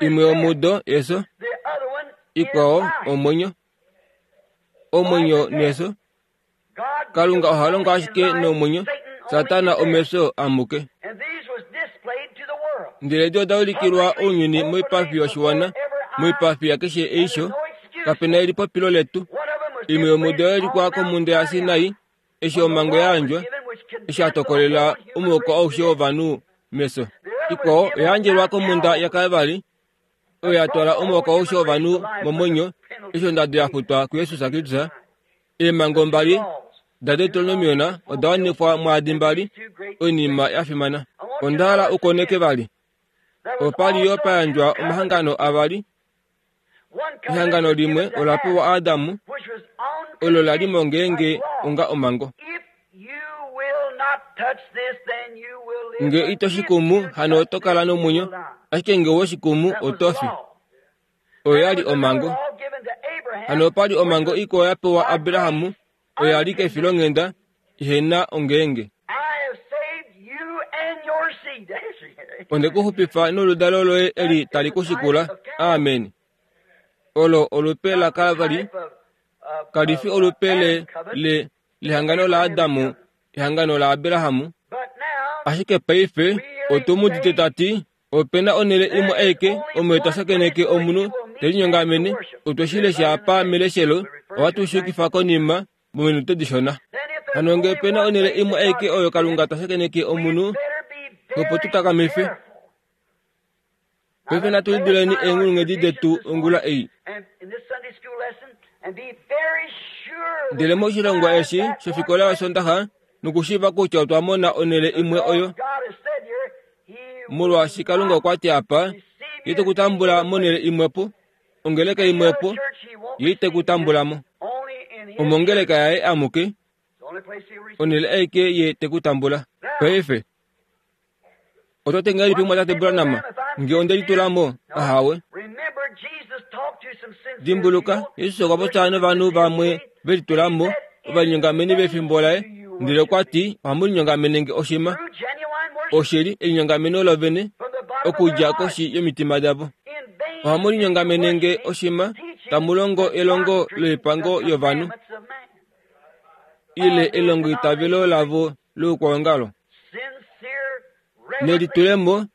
Speaker 1: Imwe yomudo efyo, ikwao omwenyo. Omwenyo nefyo. Kalunga oha longo ashike nomwenyo, Satana omefyo amuke. Ndele edi oda ulikilwa ounyuni moipafi yoshiwana, moipafi yakeshe eisho. Kape na elipopilo letu. Imwe yomudo oya ulikwa komhunda yaSinai, eshi omhango ya yandjwa, eshi a tokolela omuhoko aushe wovanhu mefyo. Ikwao oya yandjelwa komhunda yaKalvari, oyo ya twala omuhoko aushe wovanhu momwenyo, eshi ondado ya futwa kuJesus Kristus. Eemhango mbali daDeuteronomion oda wanifwa mwaadi mbali, oinima ya fimana. Onda hala u koneke vali. Opa li yo pa yandjwa omahangano avali. Ehangano limwe ola pewa Adam, olo la li mo ngeenge onga omhango. Nge ito shi kumu, hano oto kala nomwenyo, ashike nge owe shi kumu, oto fi. Oyo ya li omhango. Hano opa li omhango ikwao ya pewa Abraham, oyo ya li kefilonghenda ihe na ongeenge. Onde ku xupifa noludalo loye eli tali ku shikula. Amen. Olo olupe laKalvari, kali fi olupe le, le, lehangano laAdam, ehangano laAbraham. Ashike paife otu mu udite ta ti, Ope na onhele imwe aike omo twa shakeneke omunhu te linyongamene. Otwe shi lesha apa meleshelo, ohatu shi yukifa konima mominute dishona. Hano ngee ope na onhele imwe aike oyo Kalunga ta shakeneke omunhu, opo tu takamife. Paife natu liduleni eenghulunghedi detu ongula ei. Ndele moshilongwa eshi shofikola yOsondaxa, nokushiiva kutya otwa mona onhele imwe oyo Molwaashi Kalunga okwa ti apa, Ye te ku tambula monhele imwepo, ongeleka imwepo, Ye ite ku tambula mo. Omongeleka yaye amuke, onhele aike Ye te ku tambula. Paife, oto ti ngahelipi Mumwatate Branham, nge onde litula mo? Ahawe. Dimbuluka, Jesus okwa popya novanhu vamwe ve litula mo, ovalinyongameni vefimbo laye, ndele okwa ti, Ohamu linyongamene nge oshima. Oshili, elinyongameno lovene, okudja koshi yomitima davo. Ohamu linyongamene nge oshima, tamu longo elongo loipango yovanhu, ile elongoitavelo lavo loukwaongalo. Nelitulemo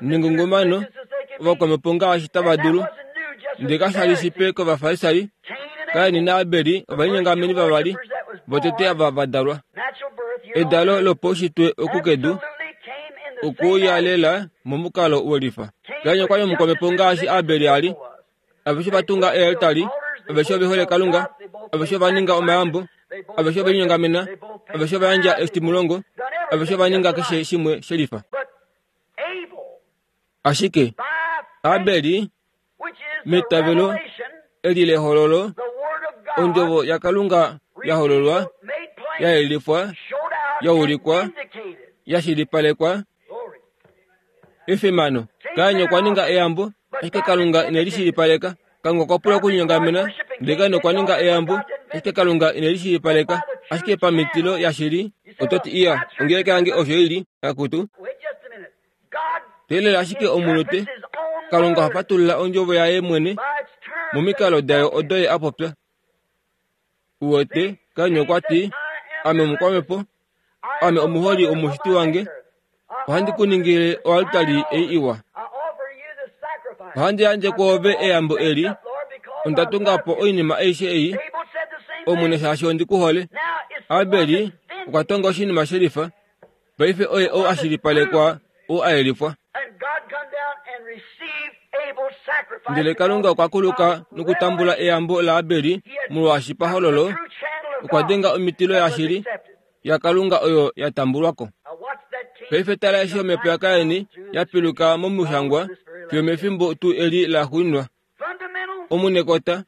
Speaker 1: nengungumano ovakwamhepo ngaashi tava dulu. Ndele kasha li shipe kOvafarisai, Kain naAbel ovalinyongameni vavali votete ava va dalwa. Edalo lopaushitwe oku kedu okuuya lela momukalo welifa. Kain okwa li omukwamhepo ngaashi Abel a li. Aveshe ova tunga eealtari, aveshe ove hole Kalunga, aveshe ova ninga omayambo, aveshe ove linyongamena, aveshe ova yandja eshitimulongo, aveshe ova ninga keshe shimwe shelifa. Ashike Abel meitavelo eli lehololo, ondjovo yaKalunga ya hololwa, ya yelifwa, ya ulikwa, ya shilipalekwa, Efimano! Kain okwa ninga eyambo, ashike Kalunga ine li shilipaleka. Kalunga okwa pula okulinyongamena, ndele Kain okwa ninga eyambo, ashike Kalunga ine li shilipaleka. Ashike pamitilo yashili, oto ti, Iya, ongeleka yange osho i li, akutu. Teelela ashike omunute. Kalunga oha fatulula ondjovo yaye mwene momikalo dayo odo ye a popya. Uwete, Kain okwa ti, Ame omukwamhepo, Ame omuholi omushiti wange, ohandi ku ningile oaltari ei iwa. Ohandi yandje kwoove eyambo eli. Onda tunga po oinima aishe ei, Omwene, shaashi ondi ku hole. Abel okwa tonga oshinima shelifa. Paife oye ou a shilipalekwa, ou a yelifwa. Ndele Kalunga okwa kuluka nokutambula eyambo laAbel molwaashi pahololo okwa denga omitilo yashili yaKalunga oyo ya tambulwa ko. Paife tala eshi omhepo yaKain ya piluka momushangwa fiyo mefimbo tuu eli la xuuninwa. Omunekota,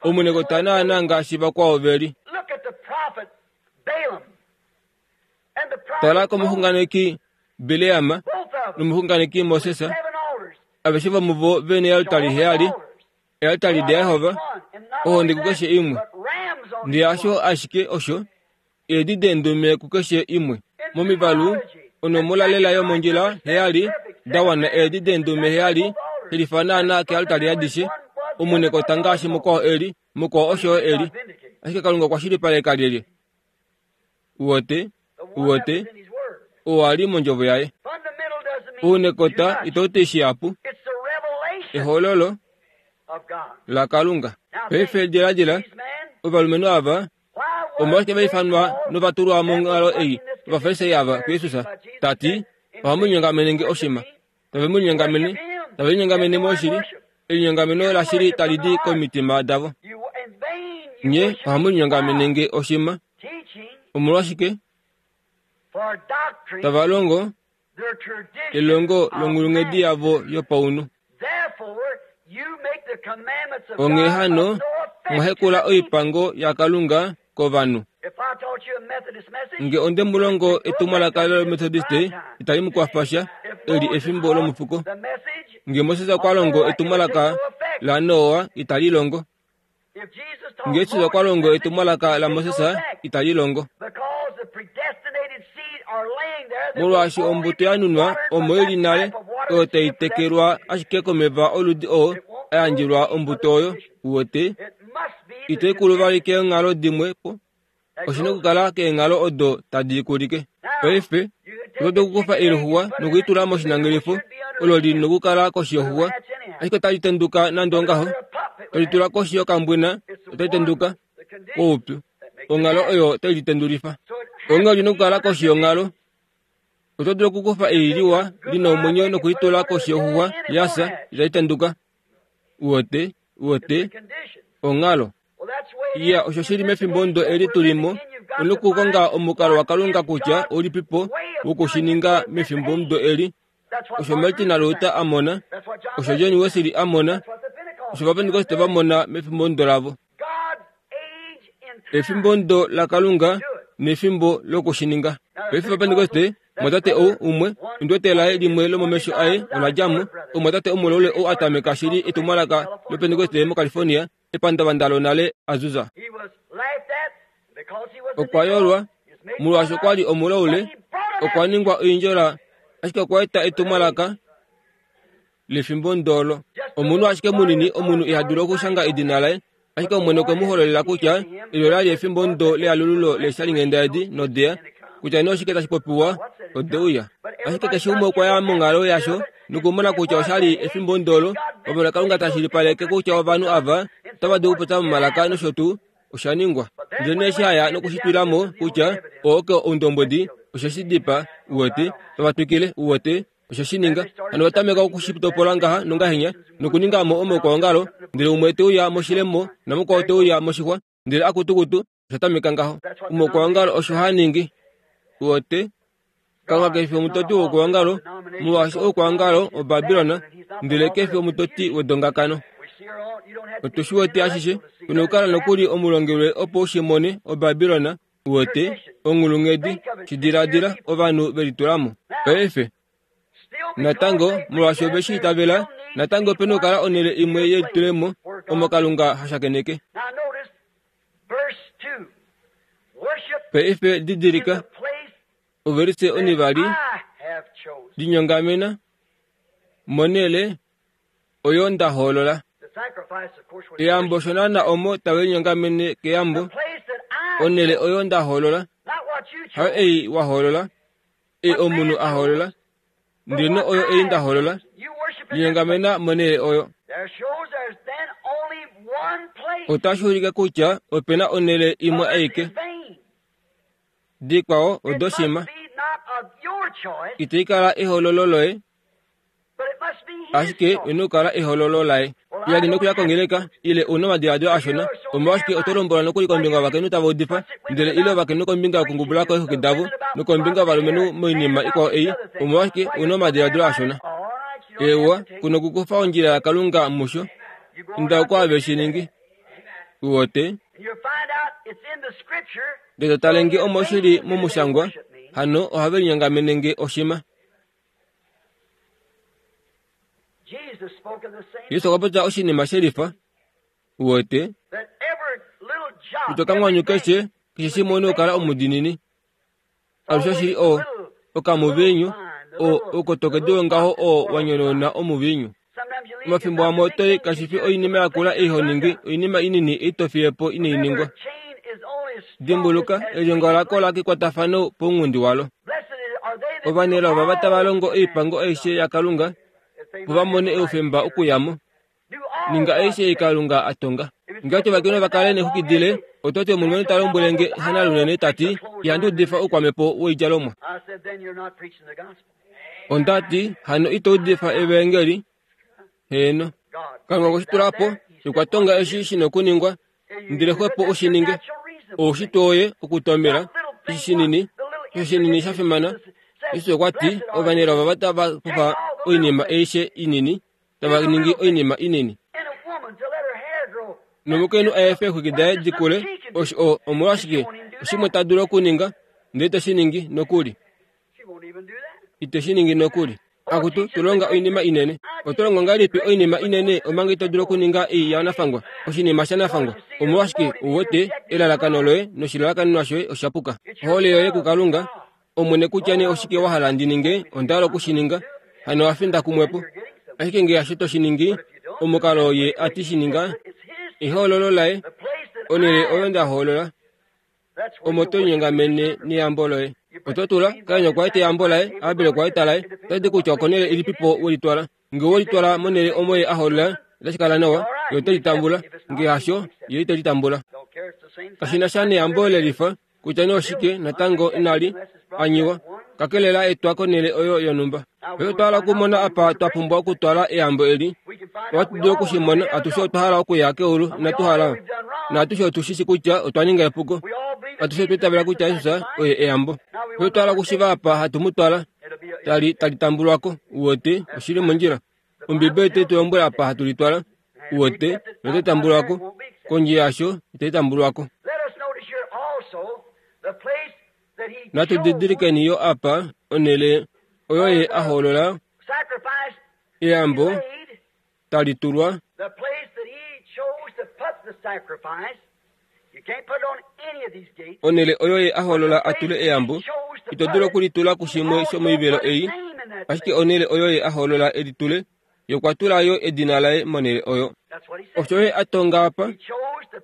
Speaker 1: omunekota naanaa ngaashi vakwao ve li. Tala komuxunganeki Bileam nomuxunganeki Moses, aveshe vomuvo ve neealtari heyali, ealtari daJehova, ohonde kukeshe imwe. Ndele hasho ashike osho, eedi deendume kukeshe imwe. Momivalu, onomola lela yomondjila heyali da wana eedi deendume heyali, shelifa naanaa kealtari adishe, omunekota ngaashi mukwao e li, mukwao osho yo e li. Ashike Kalunga okwa shilipaleka lyelye? Uwete, uwete, oo a li mondjovo yaye. Ounekota itau ti shihapu. Ehololo laKalunga. Paife diladila, ovalumenhu ava omolwashike va ifanwa nova tulwa monghalo ei Ovafarisai ava kuJesus, ta ti, Ohamu linyongamene nge oshima. Tave mu linyongamene, tave linyongamene moshili, elinyongameno lashili tali di komitima davo. Nye ohamu linyongamene nge oshima. Omolwashike tava longo elongo longhulunghedi yavo yopaunhu? Onghee hano, mwa hekula oipango yaKalunga kovanhu. Nge onde mu longo etumwalaka lOmethodiste, itali mu kwafa sha, eli efimbo lomufuko. Nge Moses okwa longo etumwalaka laNoa, itali longo. Nge Jesus okwa longo etumwalaka laMoses, itali longo. Molwaashi ombuto ya nunwa omo i li nale, oyo tai tekelwa ashike komeva oludi oo a yandjelwa ombuto oyo, uwete, Ito kulu vali keenghalo dimwe po. Oshi na okukala keenghalo odo tadi i kulike. Paife, oto dulu okukufa eluxuwa noku li tula moshinangelifo olo li nokukala koshi yoxuwa, ashike otali tenduka nande ongaho. To li tula koshi yokambwena, otali tenduka koupyu. Onghalo oyo otai li tendulifa. Onghee oli na okukala koshi yonghalo. Oto dulu okukufa ei liwa li na omwenyo noku li tula koshi yoxuwa ya fya, itali tenduka. Uwete? Uwete? Onghalo. Iya, osho shi li mefimbo ndo eli tu li mo, u nokukonga omukalo waKalunga kutya ulipipo woku shi ninga mefimbo mudo eli. Osho Martin Luther a mona, osho John Wesley a mona, osho Ovapentekoste va mona mefimbo ndo lavo. Efimbo ndo laKalunga nefimbo loku shi ninga. Paife Ovapentekoste, omwatate ou umwe, ondi wete laye limwe lomomesho aye ola dja mo, omwatate omulaule ou a tameka shili etumwalaka lOpentekoste moCalifornia, epandavanda lonale Azusa. Okwa yolwa, molwaashi okwa li omulaule, okwa ningwa oindjola, ashike okwa eta etumwalaka lefimbo ndolo. Omunhu ashike munini, omunhu iha dulu okushanga edina laye, ashike Omwene okwe mu hololela kutya eli ola li efimbo ndo lealululo leeshalinghenda edi nodeya, kutya nee oshike tashi popiwa. Ode uya. Ashike keshe umwe okwa ya monghalo yasho nokumona kutya osha li efimbo ndolo omo Kalunga ta shilipaleke kutya ovanhu ava otava dulu okupopya momalaka nosho tuu. Osha ningwa. Ndele nee eshi a ya nokushitwila mo kutya oo ke oundombwedi, oshe shi dipaa, uwete, tava twikile, uwete, oshe shi ninga. Hano va tameka oku shi topola ngaha nongahenya, nokuninga mo omaukwaongalo, ndele umwe te uya moshilemo namukwao te uya moshixwa, ndele akutukutu, osha tameka ngaho. Omaukwaongalo osho haa ningi. Uwete? Kalunga ke fi omutoti woukwaongalo, molwaashi oukwaongalo oBabilon, ndele ke fi omutoti wedongakano. Otu shi wete ashishe. Tu na okukala nokuli omulongelwe opo u shi mone, oBabilon, uwete, onghulunghedi, shi diladila, ovanhu ve litula mo. Paife, natango, molwaashi ove shi itavela, natango ope na okukala onhele imwe yelitulemo omo Kalunga ha shakeneke. Paife didilika, ovelise onivali, linyongamena monhele oyo nda hoolola. Eyambo osho naana omo tave linyongamene keyambo, onhele oyo nda hoolola, hayo ei wa hoolola, ei omunhu a hoolola, ndele oyo ei nda hoolola, linyongamena monhele oyo. Otashi ulike kutya ope na onhele imwe aike. Dikwao odoshima. Itai kala ehoololo loye, ashike ino kala ehololo laye. Ya li nokuya kongeleka ile u na omadiladilo ashona, omolwashike oto lombwelwa nokuli kombinga yovakainhu tava udifa, ndele ile ovakainhu kombinga yokungubula ko eexwiki davo, nokombinga yovalumenhu moinima ikwao ei, omolwashike u na omadiladilo ashona? Eewa, ku nokukufa ondjila yaKalunga musho. Inda oko have shi ningi. Uwete? Ndele to tale nge omo shi li momushangwa, hano ohave linyongamene nge oshima. Jesus okwa popya oshinima she lifa uwete kutya okamwanyu keshe keshe shimwe ouna okukala omudiinini alushe oshili o okamuviinyu o oukotokedu wongaho oo wa nyonona omuviinyu omafimbo amwe oto kashi fi oinima yakula ei ho ningi oinima inini ei to fiye po inai ningwa Dimbuluka, elyongo la kola kekwatafano pounghundi walo. Ovanelao ovava tava longo oipango aishe yaKalunga, opo va mone oufemba okuya mo. Ninga aishe ei Kalunga a tonga. Ngeenge ovakainhu ova kale neexwiki dile, oto ti omulumenhu ta lombwele nge hanalunene ta ti, Ihandi udifa oukwamhepo woidjalomwa. Onda ti, Hano ito udifa evaengeli? Heeno. Kalunga okwe shi tula po, nokwa tonga eshi shi na okuningwa, ndele xwepo u shi ninge. Oushitwe woye okutomela eshi shinini, osho shinini sha fimana. Jesus okwa ti, Ovanelao ovava tava kufa oinima aishe inini, tava ningi oinima inini. Nomukainhu a efe eexwiki daye di kule, osho o, omolwashike, oshimwe ta dulu okuninga, ndele te shi ningi nokuli. Ite shi ningi nokuli. Akutu, tu longa oinima inene. Oto longo ngahelipi oinima inene omanga ito dulu okuninga ei yanafangwa, oshinima shanafangwa? Omolwashike u wete elalakano loye noshilalakanenwa shoye osha puka? Ohole yoye kuKalunga, Omwene kutya nee oshike wa hala ndi ninge, onda hala oku shi ninga. Hano owa finda kumwe po. Ashike nge hasho to shi ningi, omukalo ye a ti shi ninga, ehoololo laye, onhele oyo nda hoolola, omo to linyongamene neyambo loye. Oto tula, Kain okwa eta eyambo laye, Abel okwa eta laye. Otashi ti kutya okonhele ilipipo we litwala. Nge owe litwala monhele omo ye a hoolola, otashi kala nawa, ye ote li tambula. Nge hasho, ye ite li tambula. Kashi na sha neyambo le lifa, kutya nee oshike, natango inali anyiwa, kakele la etwa konhele oyo yonhumba. Paife otwa hala okumona apa twa pumbwa okutwala eyambo eli. Ohatu dulu oku shi mona, atushe otwa hala okuya keulu, inatu hala? Naatushe otu shi shi kutya otwa ninga epuko. Atushe otwa itavela kutya Jesus oye eyambo. Paife otwa hala okushiva apa hatu mu twala, tali, tali tambulwa ko. Uwete, oshi li mondjila. Ombibeli otai tu lombwele apa hatu li twala. Uwete, notai tambulwa ko. Kondje yasho, itai tambulwa ko. Natu didilikeni yo apa onhele oyo ye a hoolola eyambo tali tulwa. Onhele oyo ye a hoolola a tule eyambo, ito dulu oku li tula kushimwe shomoivelo ei, ashike onhele oyo ye a hoolola e li tule, Ye okwa tula yo edina laye monhele oyo. Osho ye a tonga apa,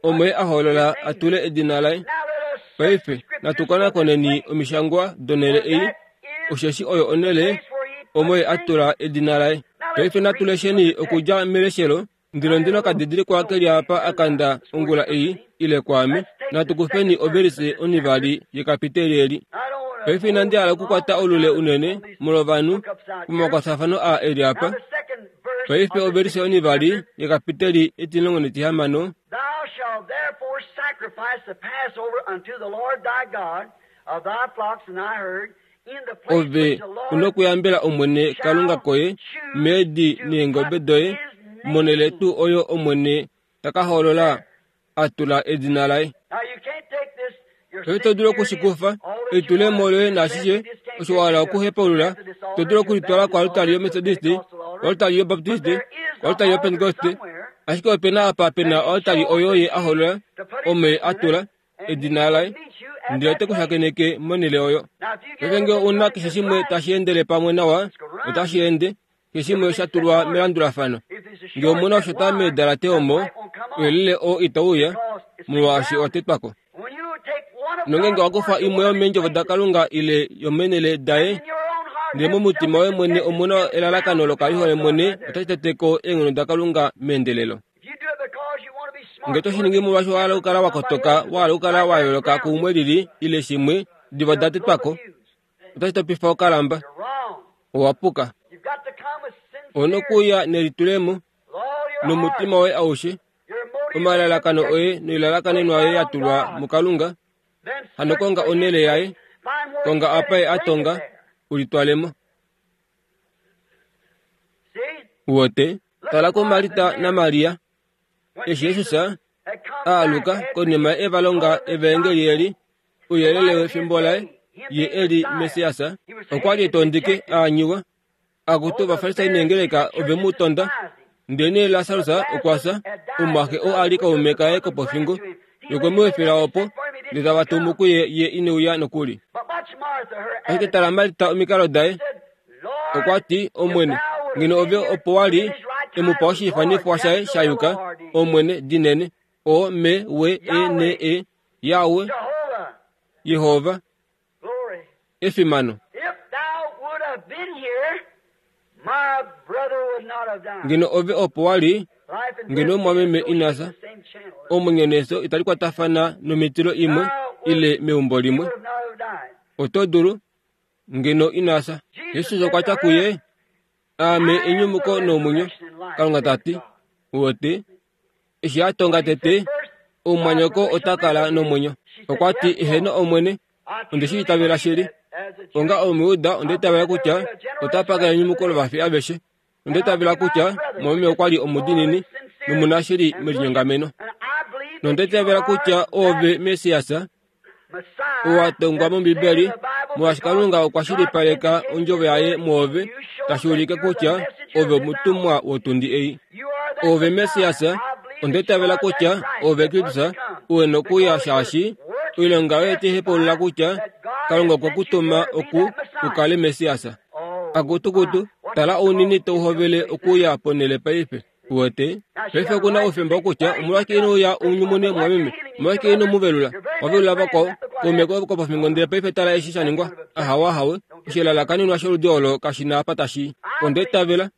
Speaker 1: omo ye a hoolola a tule edina laye. Paife natu konakoneni omishangwa donhele ei. Osheshi oyo onhele omo ye a tula edina laye. Paife natu lesheni okudja meleshelo ndilo ndino ka didilikwa ke li apa a kanda ongula ei, ile kwaame. Natu kufeni ovelise onivali yekapiteli eli. Paife inandi hala okukwata olule unene molwovanhu pomakwatafano aa e li apa. Paife ovelise onivali yekapiteli etimulongo netihamano.
Speaker 2: Thou shalt therefore sacrifice the Passover unto the Lord thy God of thy flocks and thy herd in the place
Speaker 1: Ove
Speaker 2: which the
Speaker 1: u
Speaker 2: Lord
Speaker 1: nokuyambela Omwene Kalunga koye meedi neengobe doye monhele tuu oyo Omwene ta ka hoolola a tula edina laye.
Speaker 2: Now you can't take this your
Speaker 1: Paife to dulu oku shi kufa, elitulemo loye naashishe osho wa hala okuhepaulula, to dulu okulitwala koaltari yOmetodiste, koaltari yObaptiste, koaltari yOpentekoste, ashike ope na apa pe na oaltari oyo ye a holola, omo ye a tula edina laye, ndele ote ku shakeneke monhele oyo. Paife ngee ou na keshe shimwe tashi endele pamwe nawa, otashi ende, Keshe shimwe osha tulwa melandulafano. Ngee omu na oshota meedalate omo, ouyelele oo itau uya, molwaashi owa tetwa ko. Nongeenge owa kufa imwe yomeendjovo daKalunga ile yomeenhele daye, ndele momutima woye mwene omu na elalakano lokalihole mwene, otashi tete ko eenghono daKalunga meendelelo. Nge to shi ningi molwaashi wa hala okukala wa kotoka, wa hala okukala wa yooloka kuumwe lili ile shimwe, diva oda tetwa ko. Otashi topifa okalamba. Owa puka. Ou na okuuya nelitulemo nomutima woye aushe, omalalakano oye noilalakanenwa yoye ya tulwa muKalunga. Hano konga onhele yaye, konga apa ye a tonga, u litwale mo. Uwete? Tala kuMarta naMaria. Eshi Jesus a aluka konima e va longa evaengeli eli, ouyelele wefimbo laye, ye e li Messias, okwa li e tondike a anyiwa. Akutu Ovafarisai neengeleka ove mu tonda. Ndelenee Lasarus okwa fya, omumwaxe oo a li kaume kaye kopofingo. Ye okwe mu efela opo, ndele tava tumu kuye ye ine uya nokuli. Ashike tala Marta omikalo daye. Okwa ti, Omwene, ngeno ove opo wa li, e mu pa oshiifanifwa shaye sha yuka, Omwene, dinene, O M W E N E, Yahweh, Yehova, efimano. Ngeno ove opo wa li, ngeno omumwameme ina fya. Omwenyo nefyo itali kwatafana nomitilo imwe ile meumbo limwe. Oto dulu, ngeno ina fya. Jesus okwa tya kuye, Aame enyumuko nomwenyo, Kalunga ta ti. Uwete? Eshi a tonga tete, omumwanyoko ota kala nomwenyo. Okwa ti, Eheno Omwene, onde shi itavela shili. Onga Omujuda onda itavela kutya ota paka enyumuko lovafi aveshe. Onda itavela kutya mwameme okwa li omudiinini nomunashili melinyongameno. Nonda itavela kutya oove Messias, owa tongwa mOmbibeli, molwaashi Kalunga okwa shilipaleka ondjovo yaye mwoove, tashi ulike kutya ove omutumwa wotundi ei. Ove Messias, onda itavela kutya ove Kristus, u nokuya shaashi oilonga yoye otai hepaulula kutya Kalunga okwe ku tuma oku u kale Messias. Akutukutu, tala ounini tau hovele okuuya ponhele paife. Uwete? Paife oku na oufemba wokutya, Omolwashike ino uya u nyumune mumwameme? Omolwashike ino mu velula? Wa velula vakwao, kaume koye kopofingo, ndele paife tala eshi sha ningwa. Ahawe, ahawe. Oshelalakanenwa sholudi olo kashi na apa tashi i. Onda itavela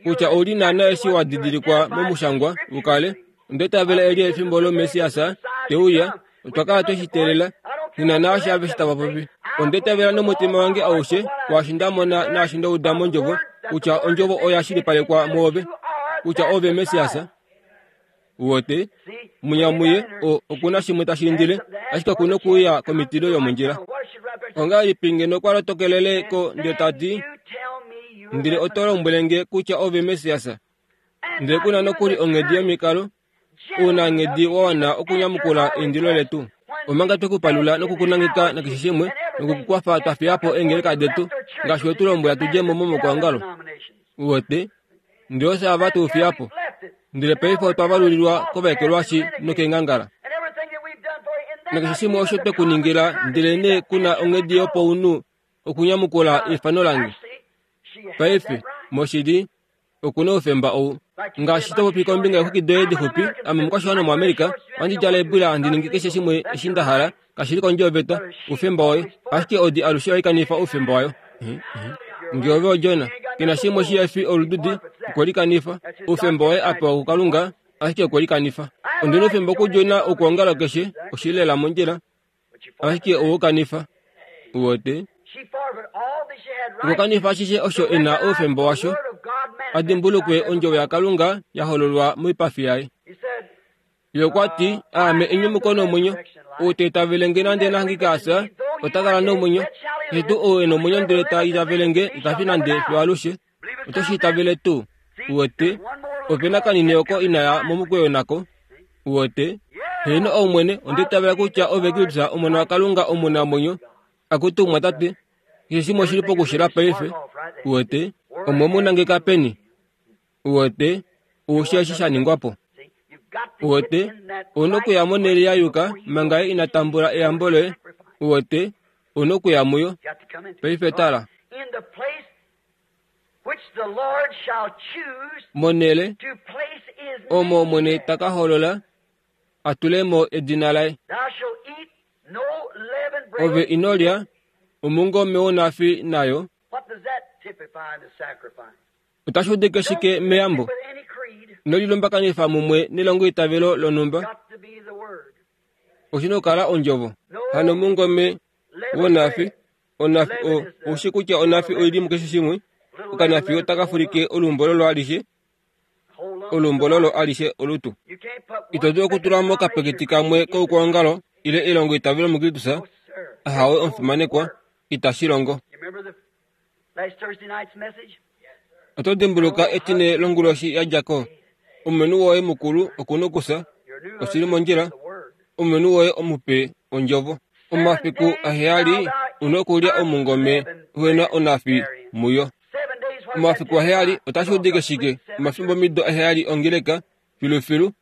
Speaker 1: kutya ou li naana eshi wa didilikwa momushangwa u kale. Onda itavela eli efimbo lOmessias te uya. Otwa kala twe shi teelela. Nghi na naashi aveshe tava popi. Onda itavela nomutima wange aushe kwaashi nda mona naashi nda uda mOndjovo, kutya Ondjovo oya shilipalekwa mwoove, kutya ove Messias. Uwete? Munyamuye, o, oku na shimwe tashi indile, ashike oku nokuuya komitilo yomondjila. Ongahelipi ngeno kwa lotokelele ko ndele ta ti, Ndele oto lombwele nge kutya ove Messias? Ndele ku na nokuli onghedi yomikalo u na nghedi wa wana okunyamukula eindilo letu. Omanga twe ku palula noku ku nangeka nakeshe shimwe noku ku kwafa twa fiya po eengeleka detu ngaashi we tu lombwela tu dje mo momaukwaongalo. Uwete? Ndele ofye ava tu fiya po. Ndele paife otwa valulilwa kovaekelwashi nokeengangala. Nakeshe shimwe osho twe ku ningila, ndelenee ku na onghedi yopaunhu okunyamukula eifano lange. Paife, moshili, oku na oufemba ou. Ngaashi to popi kombinga yoxwiki doye dixupi, ame omukwashiwana womuAmerica, ohandi djala eebwila handi ningi keshe shimwe eshi nda hala, kashi li kondje yoveta, oufemba woye. Ashike odi alushe ohai kanifa oufemba wayo. Nge ove odjona, ke na shimwe shi efi olududi, okwe likanifa. Oufemba waye a pewa kuKalunga, ashike okwe likanifa. Ondi na oufemba okudjona okwoongalo keshe, oshi li lela mondjila, ashike owe u kanifa. Uwete? Okwa kanifa ashishe osho e na oufemba washo, a dimbulukwe ondjovo yaKalunga ya hololwa moipafi yaye. Ye okwa ti, Aame enyumuko nomwenyo. Ou ta itavele nge nande na hangike a fya, ota kala nomwenyo. Keshe tuu ou e nomwenyo ndele ta itavele nge, ita fi nande fiyo alushe. Oto shi itavele tuu? Uwete, ope na kanini oko ina ya momukweyo nako. Uwete? Heeno, Omwene, onda itavela kutya Ove Kristus, Omona waKalunga omunamwenyo. Akutu, mwatate, keshe shimwe oshi li pokushila paife. Uwete? Omwe mu nangeka peni? Uwete, oushi eshi sha ningwa po. Uwete, ou okuya monhele ya yuka manga ye ina tambula eyambo loye. Uwete, ou okuya muyo. Paife tala. Monhele omo Omwene ta ka holola a tule mo edina laye. Ove ino lya omungome wonafi nayo. Otashi udike shike meyambo? Ino lilumbakanifa mumwe nelongoitavelo lonhumba. Oshi na okukala ondjovo. Hano omungome wonafi, onafi o, ou shi kutya onafi oi li mukeshe shimwe. Okanafi otaka fulike olumbololo alishe, olumbololo alishe olutu. Ito dulu okutula mo okapeketi kamwe koukwaongalo ile elongoitavelo muKristus. Ahawe, omufimanekwa, itashi longo. Oto dimbuluka etine longuloshi ya dja ko? Omumenhu woye mukulu oku nokusa, oshi li mondjila, omumenhu woye omupe ondjovo. Omafiku aheyali u nokulya omungome uhe na onafi muyo. Omafiku aheyali otashi udike shike? Omafimbomido aheyali ongeleka, filufilu.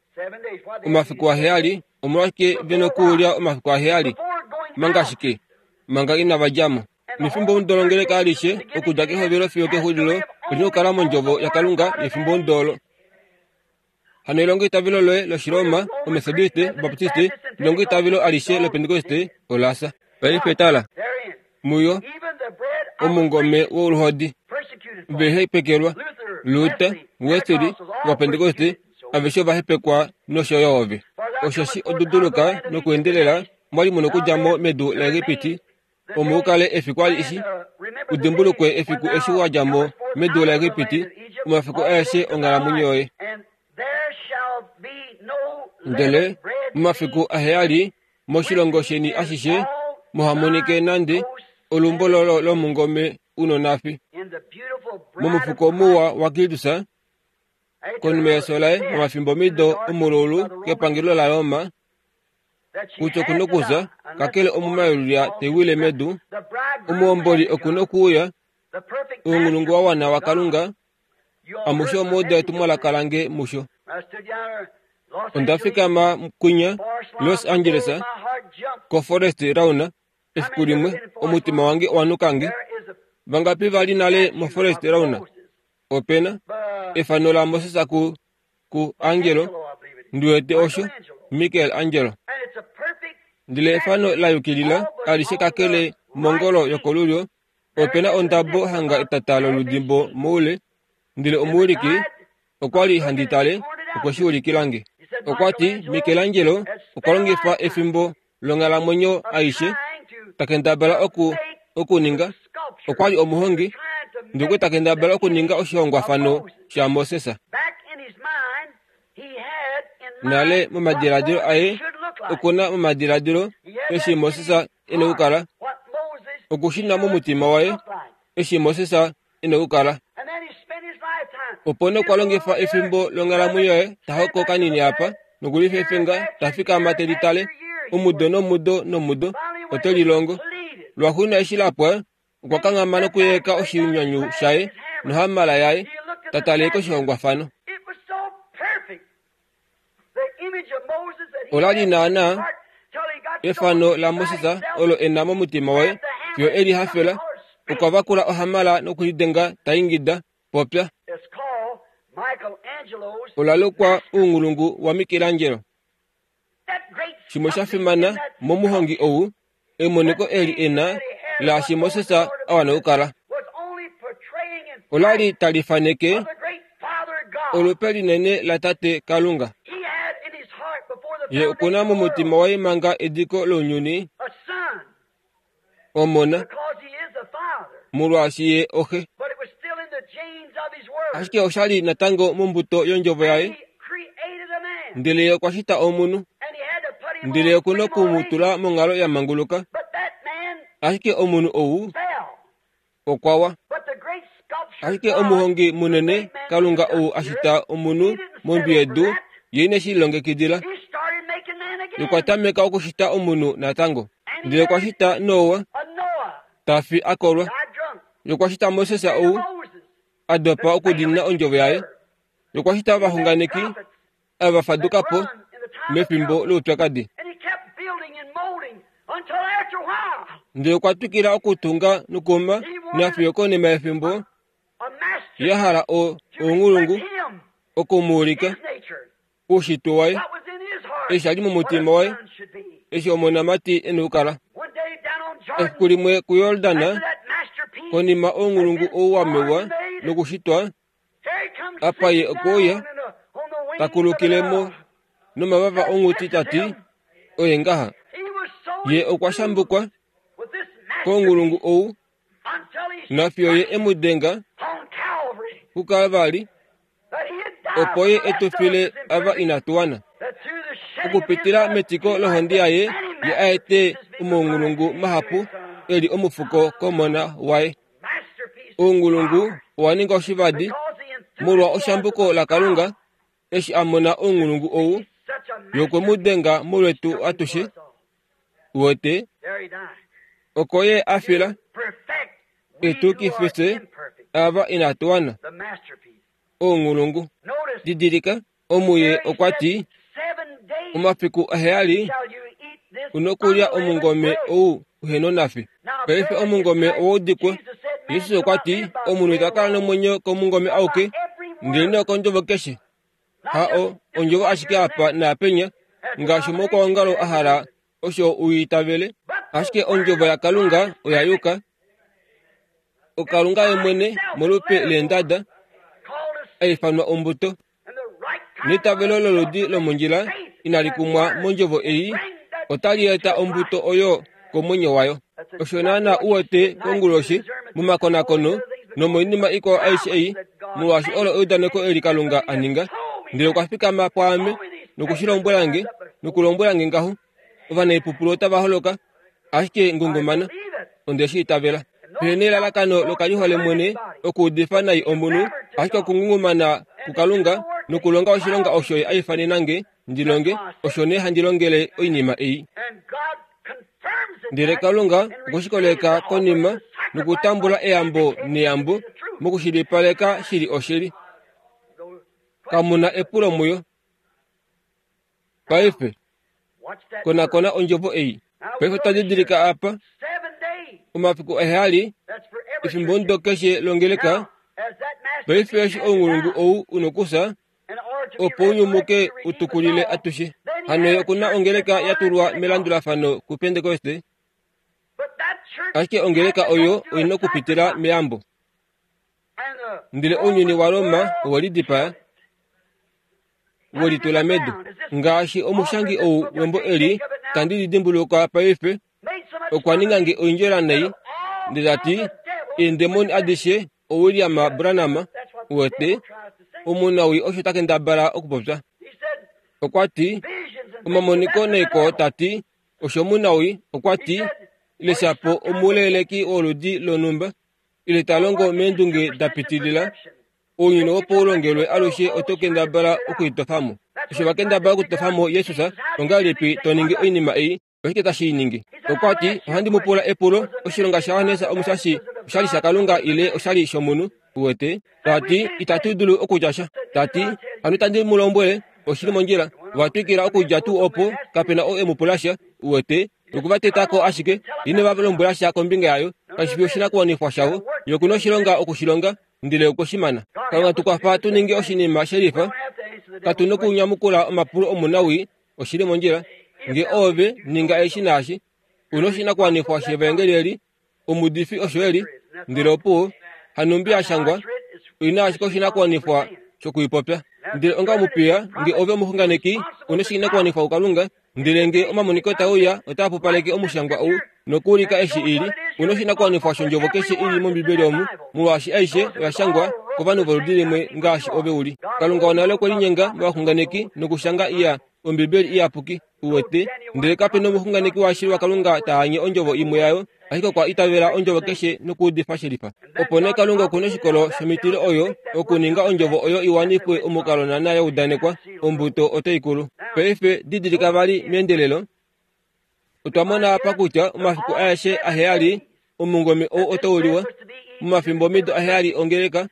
Speaker 1: Omafiku aheyali, omolwashike ve nokulya omafiku aheyali? Manga shike? Manga inava dja mo. Nefimbomudo longeleka alishe, okudja kehovelo fiyo kexulilo, oli na okukala mondjovo yaKalunga yefimbomudo olo. Hano elongoitavelo loye lOshiroma, Omethodiste, Obaptiste, nelongoitavelo alishe lOpentekoste ola fya. Paife tala, muyo, omungome woluhodi, ve hepekelwa, Luther, Wesley, Ovapentekoste, aveshe ova hepekwa nosho yo ove. Osheshi oduduluka nokuendelela mwa li mu nokudja mo medu laEgipiti, omo u kale efiku alishe, u dimbulukwe efiku eshi wa dja mo medu laEgipiti, omafiku aeshe onghalamwenyo yoye. Ndele momafiku aheyali moshilongo sheni ashishe muha monike nande olumbololo lomungome u nonafi. Momufuko muwa waKristus, konima yefyo laye momafimbomido omululu kepangelo laRoma, kutya oku nokuza, kakele omumayulia te wile medu, omuhomboli oku nokuuya, ounghulungu wa wana waKalunga, amushe omwa uda etumwalaka lange musho. Onda fikama kwinya Los Angeles, koForest Lawn, efiku limwe, omutima wange owa nuka nge. Vangapi va li nale moForest Lawn? Ope na efano laMoses ku ku Angelo, ndi wete osho, Michael Angelo. Ndele efano la yukilila alishe kakele mongolo yokolulyo, ope na ondabo hanga etata loludimbo moule, ndele omuwiliki okwa li handi tale okwe shi ulikila nge. Okwa ti, Michelangelo okwa longifa efimbo longhalamwenyo aishe ta kendabala oku okuninga, okwa li omuhongi, ndele ta kendabala okuninga oshihongwafano shaMoses. Nale momadiladilo aye oku na momadiladilo eshi Moses e na okukala, oku shi na momutima waye eshi Moses e na okukala. Opo nee okwa longifa efimbo longhalamwenyo yaye ta hoko kanini apa nokulifefenga ta fikama te litale omudo nomudo nomudo ote lilongo. Lwaxuuninwa eshi la pwa, okwa kanghama nokuyeleka oshinyanyu shaye nohamala yaye ta tale koshihongwafano. Ola li naanaa efano laMoses olo e na momutima waye fiyo e li hafela. Okwa vakula ohamala nokulidenga ta ingida, Popya! Ola lukwa ounghulungu waMichelangelo. Shimwe sha fimana momuhongi ou, emoniko eli e na laashi Moses a wana okukala. Ola li tali faneke olupe linene laTate Kalunga. Ye oku na momutima waye manga ediko lounyuni Omona, molwaashi ye oxe. Ashike osha li natango mombuto yondjovo yaye, ndele ye okwa shita omunhu, ndele oku noku mu tula monghalo ya manguluka. Ashike omunhu ou okwa wa. Ashike omuhongi munene, Kalunga ou a shita omunhu mondwi yedu, ye ine shi lilongekidila. Ye okwa tameka okushita omunhu natango. Ndele okwa shita Noa, ta fi a kolwa. Ye okwa shita Moses ou a dopa okudiinina ondjovo yaye. Ye okwa shita ovaxunganeki ava va faduka po mefimbo loupyakadi. Ndele okwa twikila okutunga nokuuma nafiyo konima yefimbo ya hala ounghulungu oku mu ulika oushitwe waye, eshi sha li momutima waye, eshi omonamati e na okukala. Efiku limwe kuJordan, konima ounghulungu ou wa mewa nokushitwa, apa ye okwe uya, ta kulukile mo nomavava onghuti ta ti, Oye ngaha. Ye okwa shambukwa kounghulungu ou, nafiyo ye e mu denga kuKalvari, opo ye e tu file ava inatu wana. Okupitila metiko lohonde yaye, ye a ete omaunghulungu mahapu e li omufuko komona waye. Ounghulungu owa ninga oshivadi molwa oshambuko laKalunga eshi a mona ounghulungu ou, ye okwe mu denga molwetu atushe. Uwete, oko ye a fila, e tu kife fye ava inatu wana. Ounghulungu. Didilika, omuye okwa ti, Omafiku aheyali u nokulya omungome ou uhe nonafi. Paife omungome owa udikwa. Jesus okwa ti, Omunhu ita kala nomwenyo komungome auke, ndelenee okondjovo keshe. Ha o, ondjovo ashike apa naapenya, ngaashi omukwaongalo a hala osho u itavele, ashike ondjovo yaKalunga oya yuka. OKalunga ye mwene molupe leendada, a ifanwa ombuto. Neitavelo loludi lomondjila inali kumwa mondjovo ei, otali eta ombuto oyo komwenyo wayo. Osho naana u wete konguloshi momakonakono nomoinima ikwao aishe ei, molwaashi olo eudaneko eli Kalunga a ninga. Ndele okwa fikama pwaame noku shi lombwela nge, nokulombwela nge ngaho, Ovanaipupulu otava holoka, ashike ngungumana. Onde shi itavela. Pehe nelalakano lokalihole mwene okuudifa nai omunhu, ashike okungungumana kuKalunga nokulonga oshilonga osho Ye a ifanena nge ndi longe, osho nee handi longele oinima ei. Ndele Kalunga okwe shi koleka konima nokutambula eyambo neyambo mokushilipaleka shi li oshili. Kamu na epulo muyo. Paife, konakona ondjovo ei. Paife otwa didilika apa, omafiku aheyali, efimbomudo keshe longeleka. Paife eshi ounghulungu ou u nokufya, opo u nyumuke u tukulile atushe. Hano ye oku na ongeleka ya tulwa melandulafano kuPentekoste, ashike ongeleka oyo oi na okupitila meyambo. Ndele ounyuni waRoma owe lidipaa, we litula medu. Ngaashi omushangi ou wembo eli, tandi li dimbuluka paife, okwa ninga nge oindjola nai, ndele ta ti, Eendemoni adishe oWilliam Branham, uwete, omunawii osho ta kendabala okupopya. Okwa ti, Omamoniko naikwao ta ti, osho omunawii, okwa ti, ile shapo omuleeleki woludi lonhumba, ile ta longo meendunge da pitilila, Ounyuni opo u longelwe alushe oto kendabala okuitofa mo. Osho va kendabala okutofa mo Jesus, ongahelipi to ningi oinima ei? Oshike tashi i ningi? Okwa ti, Ohandi mu pula epulo, oshilonga shaJohannes Omushashi osha li shaKalunga ile osha li shomunhu? Uwete? Ta ti, Itatu dulu okutya sha. Ta ti, Hano itandi mu lombwele, oshi li mondjila. Ova twikila okudja tuu opo, kape na ou e mu pula sha. Uwete? Noku va teta ko ashike, ine va lombwela sha kombinga yayo. Kashi fi oshinakuwanifwa shavo. Ye oku na oshilonga oku shi longa. ndele okwe shi mana. Kalunga tu kwafa tu ninge oshinima she lifa. Katu nokunyamukula omapulo omunawii, oshi li mondjila. Nge oove, ninga eshi naashi. U noshinakuwanifwa shevaengeli eli, omuudifi osho e li, ndele opuwo, hanumbi ya shangwa. Oi na ashike oshinakuwanifwa shokuipopya. Ndele onga omupiya, nge ove omuxunganeki, u noshinakuwanifwa kuKalunga, ndele nge omamoniko tae uya otaa pupaleke omushangwa ou nokuulika eshi i li, u noshinakuwanifwa shondjovo keshe i li mOmbibeli omu, molwaashi aishe oya shangwa kovanhu voludi limwe ngaashi ove u li. Kalunga wonale okwe linyenga movaxunganeki nokushanga iya Ombibeli iyapuki, uwete, ndele kape nomuxunganeki washili waKalunga ta anye ondjovo imwe yayo, ashike okwa itavela ondjovo keshe nokuudifa shelifa. Opo nee Kalunga oku noshikolo shomitilo oyo okuninga ondjovo oyo i wanifwe omukalo naana ya udanekwa, ombuto otai kulu. Paife didilika vali meendelelo, otwa mona apa kutya omafiku aeshe aheyali omungome ou otau liwa momafimbomido aheyali ongeleka.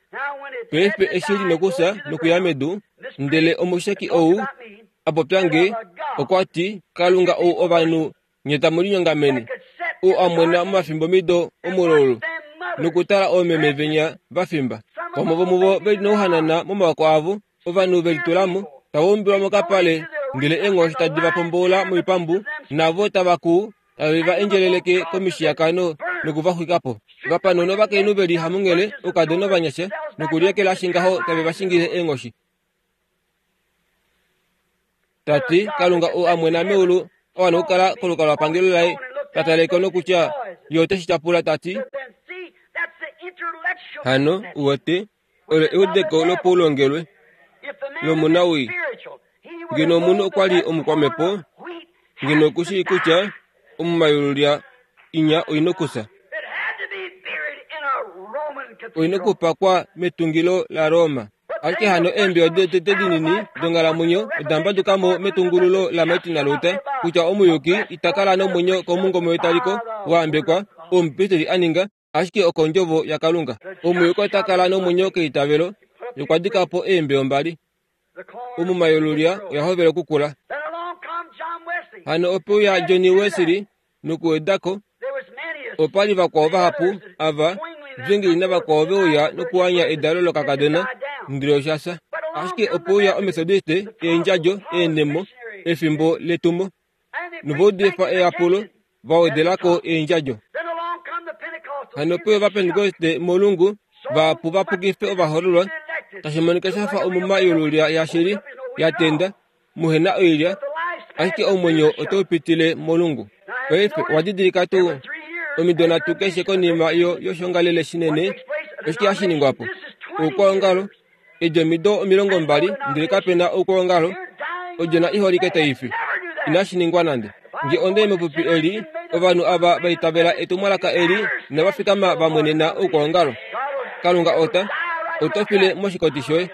Speaker 1: Paife eshi li nokufya nokuya medu, ndele omusheki ou a popya nge, okwa ti, Kalunga ou ovanhu nye tamu linyongamene, ou a mwena momafimbomido omulaulu nokutala oomeme venya va fimba, vamwe vomuvo ve li nouhanana momavako avo, ovanhu ve litula mo, tava umbilwa mokapale, ndele eenghoshi tadi va pomboula moipambu, navo tava kuu, tave va endjeleleke komishiyakano noku va xwika po. Vapanhu novakainhu ve li hamunghele, oukadona ovanyasha, nokuliekelashi ngaho tave va shingile eenghoshi. Ta ti, Kalunga ou a mwena meulu a wana okukala kolukalwapangelo laye, ta tale ko nokutya ye ote shi tyapula, ta ti, Hano, u wete, olo eudeko lopaulongelwe lomunawii. Ngeno omunhu okwa li omukwamhepo, ngeno oku shii kutya omumayululya inya oi nokufya. Oi nokupakwa metungilo laRoma. Ashike hano eembiya dotete dinini donghalamwenyo oda mbaduka mo metungululo laMartin Luther kutya omuyuki ita kala nomwenyo komungome wetaliko wa ambekwa oo omupristeli a ninga, ashike okondjovo yaKalunga. Omuyuki ota kala nomwenyo keitavelo. Okwa dika po eembeyo mbali. Omuma yolulya oya hovela okukula. Hano ope uya Johnny Wesley nokuweda ko. Opa li vakwao vahapu ava, Zwingli navakwao ve uya nokuanya edalo lokakadona, ndele osha fya. Ashike ope uya Omethodiste, eendjadjo, eenhemo, efimbo letumo. Nova udifa eyapulo, va wedela ko eendjadjo. Hano ope uya Ovapentekoste molungu, vahapu va pukife ovahoololwa, tashi monika sha fa omuma yolulya yashili, ya tenda, muhe na oilya, ashike omwenyo otau pitile molungu. Paife owa didilika tuu omido nhatu keshe konima yo yoshongalele shinene oshike hashi ningwa po? Oukwaongalo, edi omido 20 ndele kape na oukwaongalo, odjona iholike tai fi. Inashi ningwa nande. Nge onda i mepupi eli, ovanhu ava va itavela etumwalaka eli inava fikama va mwenena oukwaongalo. Kalunga ota, oto file moshikoti shoye.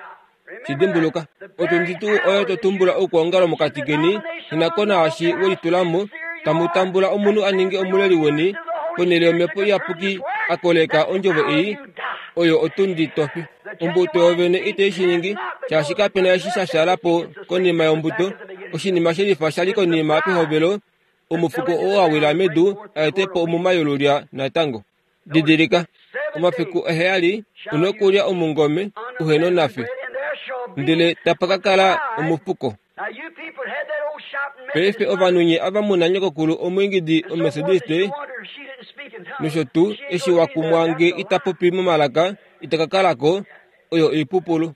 Speaker 1: Shi dimbuluka, otundi tuu oyo to tumbula oukwaongalo mokati keni, ina ko naashi we litula mo, tamu tambula omunhu a ninge omuleli weni, ponhele yOmhepo Iyapuki a koleka ondjovo ei, oyo otundi to fi. Ombuto yovene itai shi ningi, shaashi kape na eshi sha shala po konima yombuto, oshinima she lifa sha li konima pehovelo, omufuko oo wa wila medu a ete po omuma yolulya natango. Didilika, omafiku aheyali u nokulya omungome uhe nonafi, ndele tapa ka kala omufuko. Paife ovanhu nye ava mu na nyokokulu omwiingidi Omethodiste nosho tuu, eshi wa kumwa nge ita popi momalaka, ita ka kala ko, oyo oipupulu.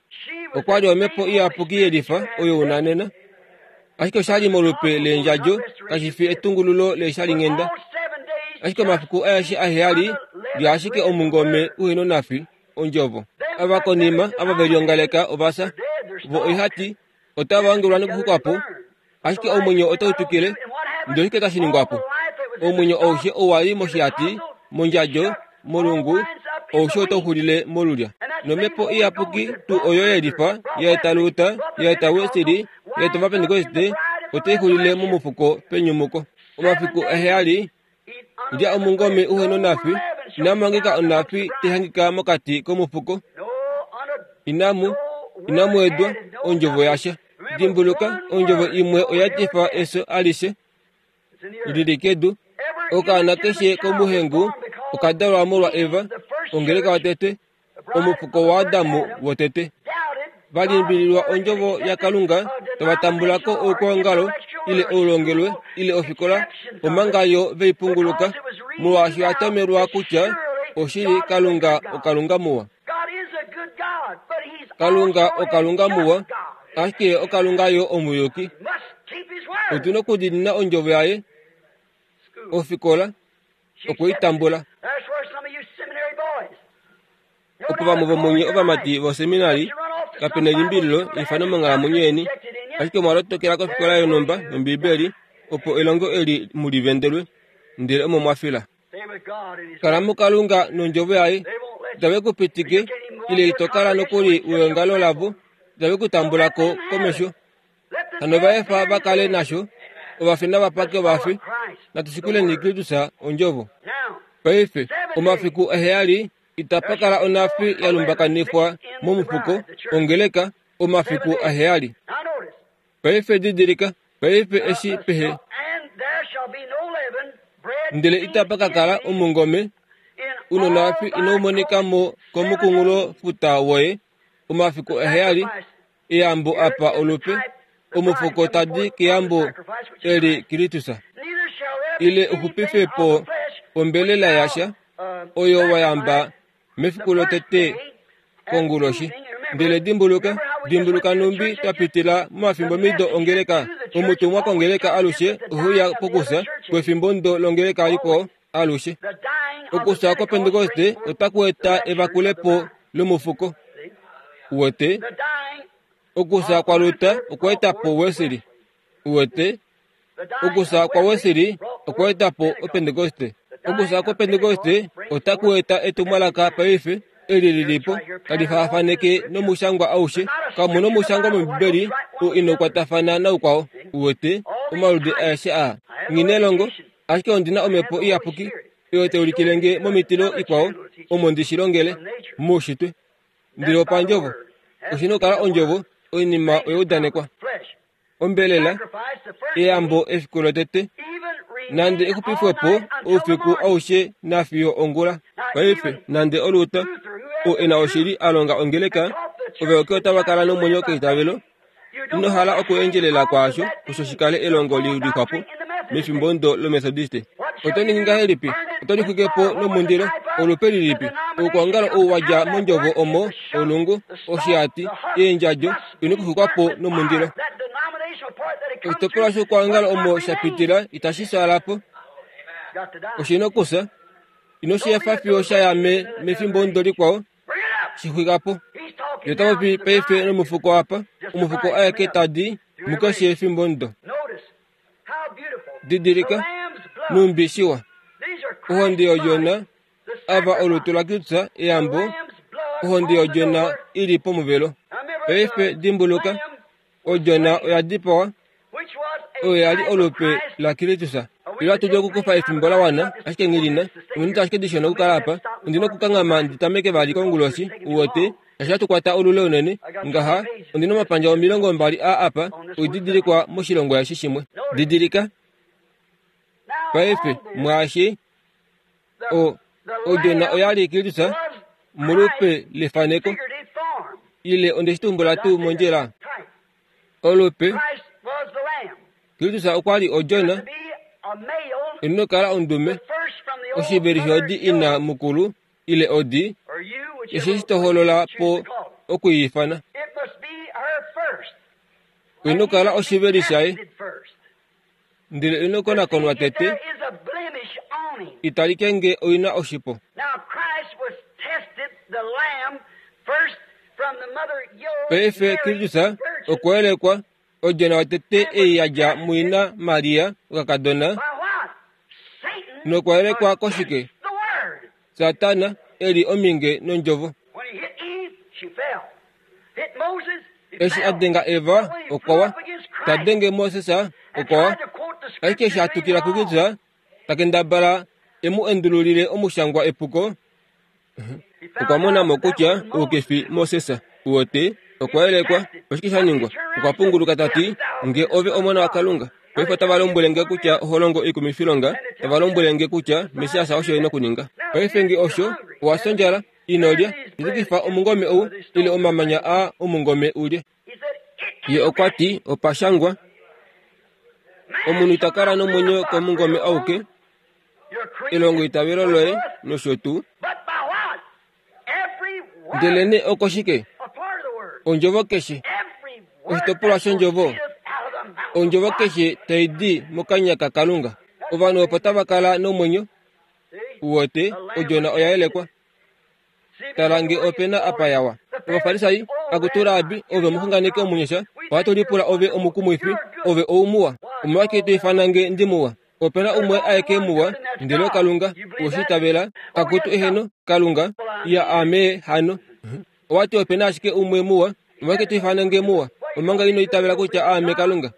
Speaker 1: Okwa li Omhepo Iyapuki yelifa oyo u na nena. Ashike osha li molupe leendjadjo, kashi fi etungululo leeshalinghenda. Ashike omafiku aeshe aheyali, lya ashike omungome uhe nonafi, Ondjovo. Ava konima, ava ve liongaleka ova fya. Vo oihati, otava ongelwa nokuxuka po, ashike omwenyo otau twikile. Ndele oshike tashi ningwa po? Omwenyo aushe owa li moshihati, mondjadjo, molungu, aushe otau xulile molulya. Nomhepo Iyapuki tuu oyo ye lifa, ya eta Luther, ya eta Wesley, ya eta Ovapentekoste, otai xulile momufuko penyumuko. Omafiku aheyali, lya omungome uhe nonafi, inamu hangika onafi tai hangika mokati komufuko. Inamu, inamu wedwa ondjovo yasha. Dimbuluka, ondjovo imwe oya etifa efyo alishe li li kedu. Okaana keshe komuhengu oka dalwa molwa Eva, ongeleka yotete, omufuko waAdam wotete. Va limbililwa ondjovo yaKalunga, tava tambula ko oukwaongalo, ile oulongelwe, ile ofikola, omanga yo ve i punguluka, molwaashi oya tomelwa kutya oshili Kalunga oKalunga muwa. Kalunga oKalunga muwa, ashike oKalunga yo omuyuki. Otu na okudiinina ondjovo yaye. Ofikola okwe i tambula. Opo vamwe vomunye ovamati voseminari, kape nelimbililo eifano monghalamwenyo yeni, ashike omwa lotokela kofikola yonhumba yOmbibeli opo elongo eli mu li vendelwe, ndele omo mwa fila. Kala muKalunga nondjovo yaye. Itave ku pitike ile ito kala nokuli weongalo lavo, itave ku tambula ko komesho. Hano va efa va kale nasho, ovafi nava pake ovafi. Natu shikuleni Kristus ondjovo. Paife, omafiku aheyali itapa kala onhafi ya lumbakanifwa momufuko, ongeleka, omafiku aheyali. Paife didilika, paife eshi pehe ndele itapa ka kala omungome unonhafi inau monika mo komukunghulofuta woye omafiku aheyali eyambo apa olupe omufuko tadi keyambo eli Kristus ile uxupife po ombelela yasha oyo wa yamba mefiku lotete konguloshi. Ndele dimbuluka, dimbuluka nhumbi twa pitila momafimbomido ongeleka. Omutumwa kongeleka alushe ohe uya pokufya kwefimbo ndo longeleka likwao alushe. Okufya kwoPentekoste otaku eta evakulepo lomufuko. Uwete? Okufya kwaLuther okwa eta po Wesley. Uwete? Okufya kwaWesley okwa eta po Opentekoste. Okufya kwoPentekoste otaku eta etumwalaka paife eli li li po tali faafaneke nomushangwa aushe. Kamu nomushangwa mOmbibeli oo inau kwatafana naukwao. Uwete? Omaludi aeshe aa. Nghi nelongo, ashike ondi na Omhepo Iyapuki oyo tai ulikile nge momitilo ikwao omo ndi shi longele moushitwe. Ndele opandjovo, oshi na okukala ondjovo, oinima oya udanekwa. Ombelela, eyambo efiku lotete, nande exupifwe po oufiku aushe nafiyo ongula. Paife, nande Oluta, oo e na oshili a longa ongeleka, ovayoki otava kala nomwenyo keitavelo. Ino hala okuendjelela kwaasho osho shi kale elongo li lixwa po mefimbo ndo lOmethodiste. Oto ningi ngahelipi? Oto lixwike po nomundilo. Olupe lilipi? Oukwaongalo ou wa dja mondjovo omo, olungu, oshihati, eendjadjo, ino kuxwikwa po nomundilo. Oshitopolwa shoukwaongalo omo sha pitila itashi fyaala po. Oshi na okufya. Ino shi efa fiyo sha ya me, mefimbo ndo likwao. Shi xwika po. Ye ota popi paife nomufuko apa, omufuko aeke ta di mukeshe efimbo ndo. Didilika, nhumbi shiwa. Ohonde yOdjona, ava olutu laKristus, eyambo, ohonde yOdjona i li pomuvelo. Paife dimbuluka, Odjona oya dipawa, oyo ya li olupe laKristus. Ile atu dulu okukufa efimbo la wana, ashike nghi li na ominute ashike dishona okukala apa. Ondi na okukanghama ndi tameke vali konguloshi, uwete, tashi hatu kwata olule unene. Ngaha, ondi na omapandja 20 aa apa, oididilikwa moshilongwa eshi shimwe. Didilika. Paife, mwaashi, o, odjona oya li Kristus molupe lefaneko. Ile onde shi tumbula tuu mondjila? Olupe, Kristus okwa li odjona, ino kala ondume, oshiveli shodi ina mukulu ile odi, eshi shi to holola po oku i ifana. Ino kala oshiveli shaye. Ndele ino konakonwa tete, italike nge oi na oshipo. Paife Kristus okwa yelekwa, odjona yotete ei ya dja muina Maria, okakadona, nokwa yelekwa koshike? Satana e li ominge nondjovo. Eshi a denga Eva, okwa wa. Ta denge Moses, okwa wa. Ashike eshi a tukila kuKristus, ta kendabala e mu endululile omushangwa epuko, okwa mona mo kutya ou ke fi Moses. Uwete, okwa yelekwa. Oshike sha ningwa? Okwa punguluka ta ti, Nge ove Omona waKalunga. Paife otava lombwele nge kutya oho longo oikumifilonga, tava lombwele nge kutya Messias osho e na okuninga. Paife nge osho, owa fya ondjala, ino lya, shitukifa omungome ou, ile omamanya aa omungome u lye. Ye okwa ti, Opa shangwa, Omunhu ita kala nomwenyo komungome auke, elongoitavelo loye nosho tuu. Ndelenee okoshike? Ondjovo keshe, oshitopolwa shondjovo, ondjovo keshe tai di mokanya kaKalunga. Ovanhu opo tava kala nomwenyo. Uwete, odjona oya yelekwa. Tala nge ope na apa yawa. Ovafarisai, akutu Rabi, ove omuxunganeki omunyasha, ohatu lipula ove omukumwifi, ove oumuwa. Omolwashike to ifana nge ndi muwa? Ope na umwe aeke muwa, ndele oKalunga. Owe shi itavela? Akutu eheno, Kalunga. Ya ame hano. Owa ti ope na ashike umwe muwa, omolwashike to ifana nge muwa, omanga ino itavela kutya aame Kalunga?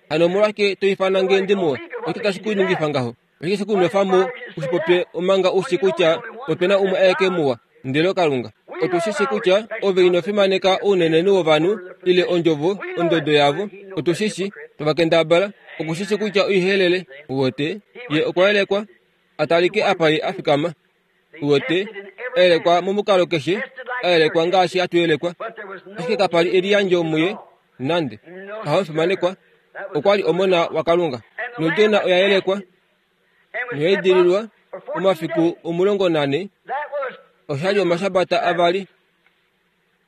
Speaker 1: Hano omolwashike to ifana nge ndi muwa? Oshike tashi ku ningifa ngaho? Oshike she ku nwefa mo u shi popye omanga u shi kutya ope na umwe aeke muwa, ndele oKalunga? Otu shi shi kutya ove ino fimaneka ounenenhu wovanhu ile ondjovo, ondodo yavo. Otu shi shi, tava kendabala. Oku shi shi kutya oihelele. Uwete, ye okwa yelekwa a talike apa ye a fikama. Uwete, a yelekwa momukalo keshe, a yelekwa ngaashi hatu yelekwa. Ashike kapa li eliyandjo muye nande. Haho fimanekwa, okwa li omona waKalunga. Nodjona oya yelekwa noya idililwa omafiku 14, osha li omashabata avali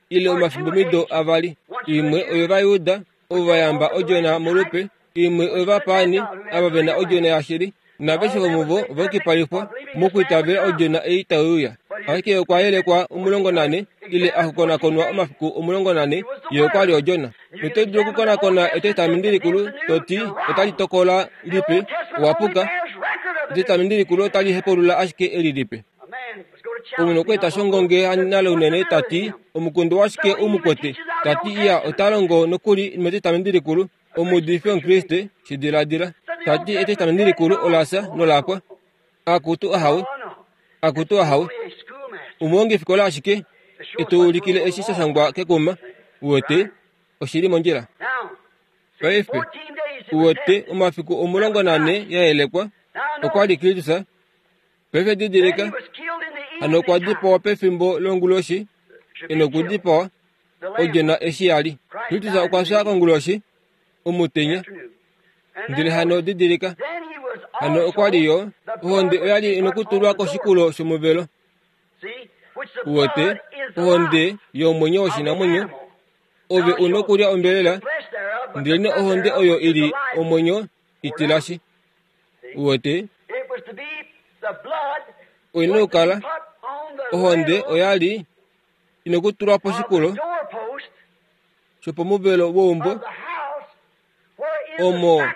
Speaker 1: ile omafimbomido avali. Imwe oyovajuda ovo va yamba odjona molupe, imwe oyovapaani ava ve na odjona yashili, naaveshe vomuvo ova yukipalifwa mokwiitavela odjona ei tai uya. Ashike okwa yelekwa 14 ile a konakonwa omafiku 14, ye okwa li odjona. Noto dulu okukonakona Etestamenti Likulu to ti otali tokola lipe, owa puka. Etestamenti Likulu otali hepaulula ashike eli lipe. Omunhu okwa eta shongonge nale unene ta ti, Omukundu washike u mu kwete? Ta ti, Iya, ota longo nokuli mEtestamenti Likulu. Omuudifi Omukriste, shi diladila. Ta ti, Etestamenti Likulu ola fya nola pwa. Akutu ahawe, akutu ahawe. Omuhongifikola ashike e tu ulikile eshi sha shangwa kekuma. Uwete, oshi li mondjila. Paife, uwete, omafiku 14 ya yelekwa, okwa li Kristus. Paife didilika, hano okwa dipawa pefimbo longuloshi, e nokudipawa, odjona eshi ya li. Kristus okwa fya konguloshi, omutenya. Ndele hano didilika, hano okwa li yo, ohonde oya li inokutulwa koshikulo shomuvelo. Uwete, ohonde yomwenyo woshinamwenyo, ove u nokulya ombelela, ndelenee ohonde oyo i li omwenyo i tilashi. Uwete, oi nokukala, ohonde oya li inokutulwa poshikulo shopomuvelo weumbo omo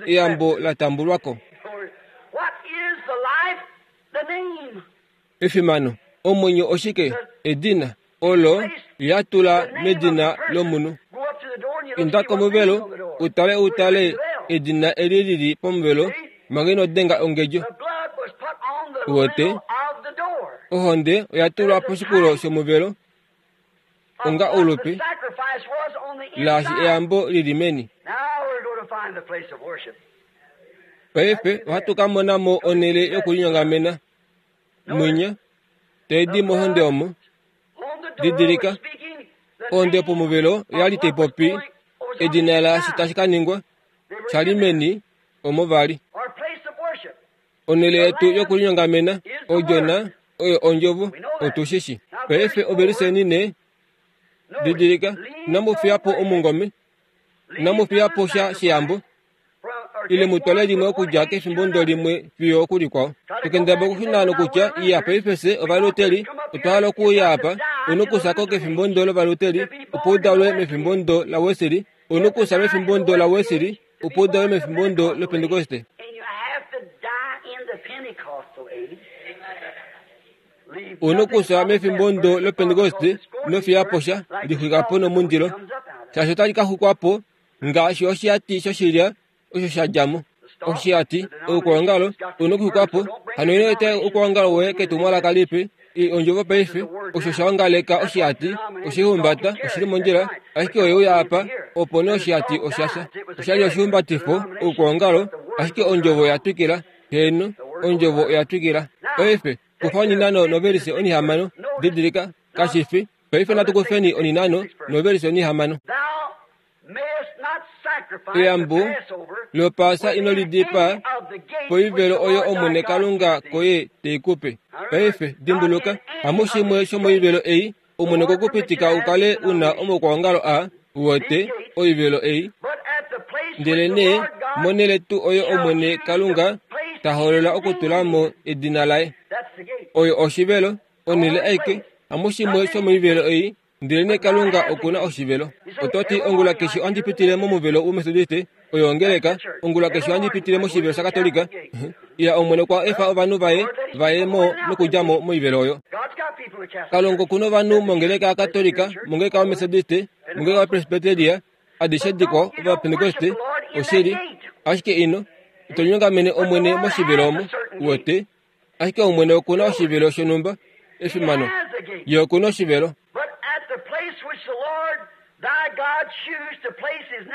Speaker 1: eyambo la tambulwa ko. Efimano, omwenyo oshike? Edina olo ya tula medina lomunhu. Inda komuvelo, utale utale edina eli lili pomuvelo, manga ino denga ongedjo. Uwete, ohonde oya tulwa poshikulo shomuvelo onga oulupi, laashi eyambo lili meni. Paife ohatu ka mona mo onhele yokulinyongamena. Mwinya, tai di mohonde omo. Didilika, ohonde yopomuvelo oya li tai popi edina laashi tashi ka ningwa, sha li meni omo vali. Onhele yetu yokulinyongamena, odjona, oyo ondjovo, otu shi shi. Paife oveliseni ne, didilika, inamu fiya po omungome, inamu fiya po sha sheyambo, ile mu twale limwe okudja kefimbo ndo limwe fiyo okulikwao. Tokendaba okushuna nokutya, iya, paife fye Ovaluteri otwa hala okuuya apa, u nokufya ko kefimbo ndo lOvaluteri, opo u dalwe mefimbo ndo laWeseli, u nokufya mefimbo ndo laWeseli, opo u dalwe mefimbo ndo lOpentekoste. U nokufya mefimbo ndo lOpentekoste, ino fiya po sha, lixwika po nomundilo, shaashi otali ka xwikwa po ngaashi oshihati shoshilya osho sha dja mo. Oshihati, oukwaongalo, u nokuxwikwa po. Hano ino eta oukwaongalo woye ketumwalaka lipe, i ondjovo paife, osho sha ongaleka oshihati, oshihumbata, oshi li mondjila, ashike oye uya apa, opo nee oshihati osha fya. Osha li oshihumbatifo, oukwaongalo, ashike ondjovo oya twikila. Heeno, ondjovo oya twikila. Paife, kufa oninano novelise onihamano. Didilika, kashi fi. Paife natu kufeni oninano novelise onihamano. Eyambo lOpaasa ino li dipaa poivelo oyo Omwene Kalunga koye te i ku pe. Paife, dimbuluka, hamushimwe shomoivelo ei. Omwene okwe ku pitika u kale u na omaukwaongalo a, uwete, oivelo ei. Ndelenee monhele tuu oyo Omwene Kalunga ta hoolola okutula mo edina laye. Oyo oshivelo, onhele aike, hamushimwe shomoivelo ei, ndelenee Kalunga oku na oshivelo. Oto ti, Ongula keshe ohandi pitile momuvelo wOmetodiste, oyo ongeleka. Ongula keshe ohandi pitile moshivelo shaKatolika. Iya, Omwene okwa efa ovanhu vaye va ye mo nokudja mo moivelo oyo. Kalunga oku na ovanhu mongeleka yaKatolika, mongeleka yOmetodiste, mongeleka yaPresbyteria, adishe dikwao, Ovapentekoste, oshili. Ashike ino, ito nyongamene Omwene moshivelo omo, uwete. Ashike Omwene oku na oshivelo shonhumba, efimano. Ye oku na oshivelo.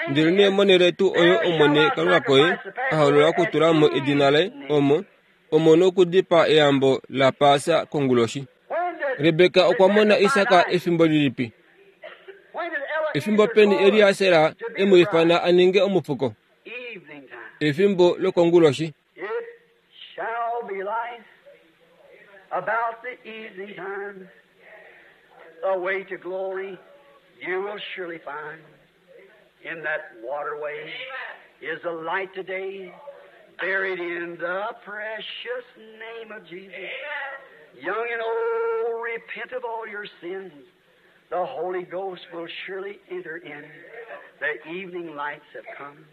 Speaker 1: Ndelenee monhele tuu oyo Omwene Kalunga koye a hoolola okutula mo edina laye, omo, omo nokudipaa eyambo laPaasa konguloshi. Rebeka okwa mona Isak efimbo lilipi? Efimbo peni Eliaser e mu ifana a ninge omufuko? Efimbo lokonguloshi.
Speaker 2: It shall be light about the evening time. The way to glory you will surely find. In that waterway is a light today, buried in the precious name of Jesus. Young and old, repent of all your sins. The Holy Ghost will surely enter in. The evening lights have come.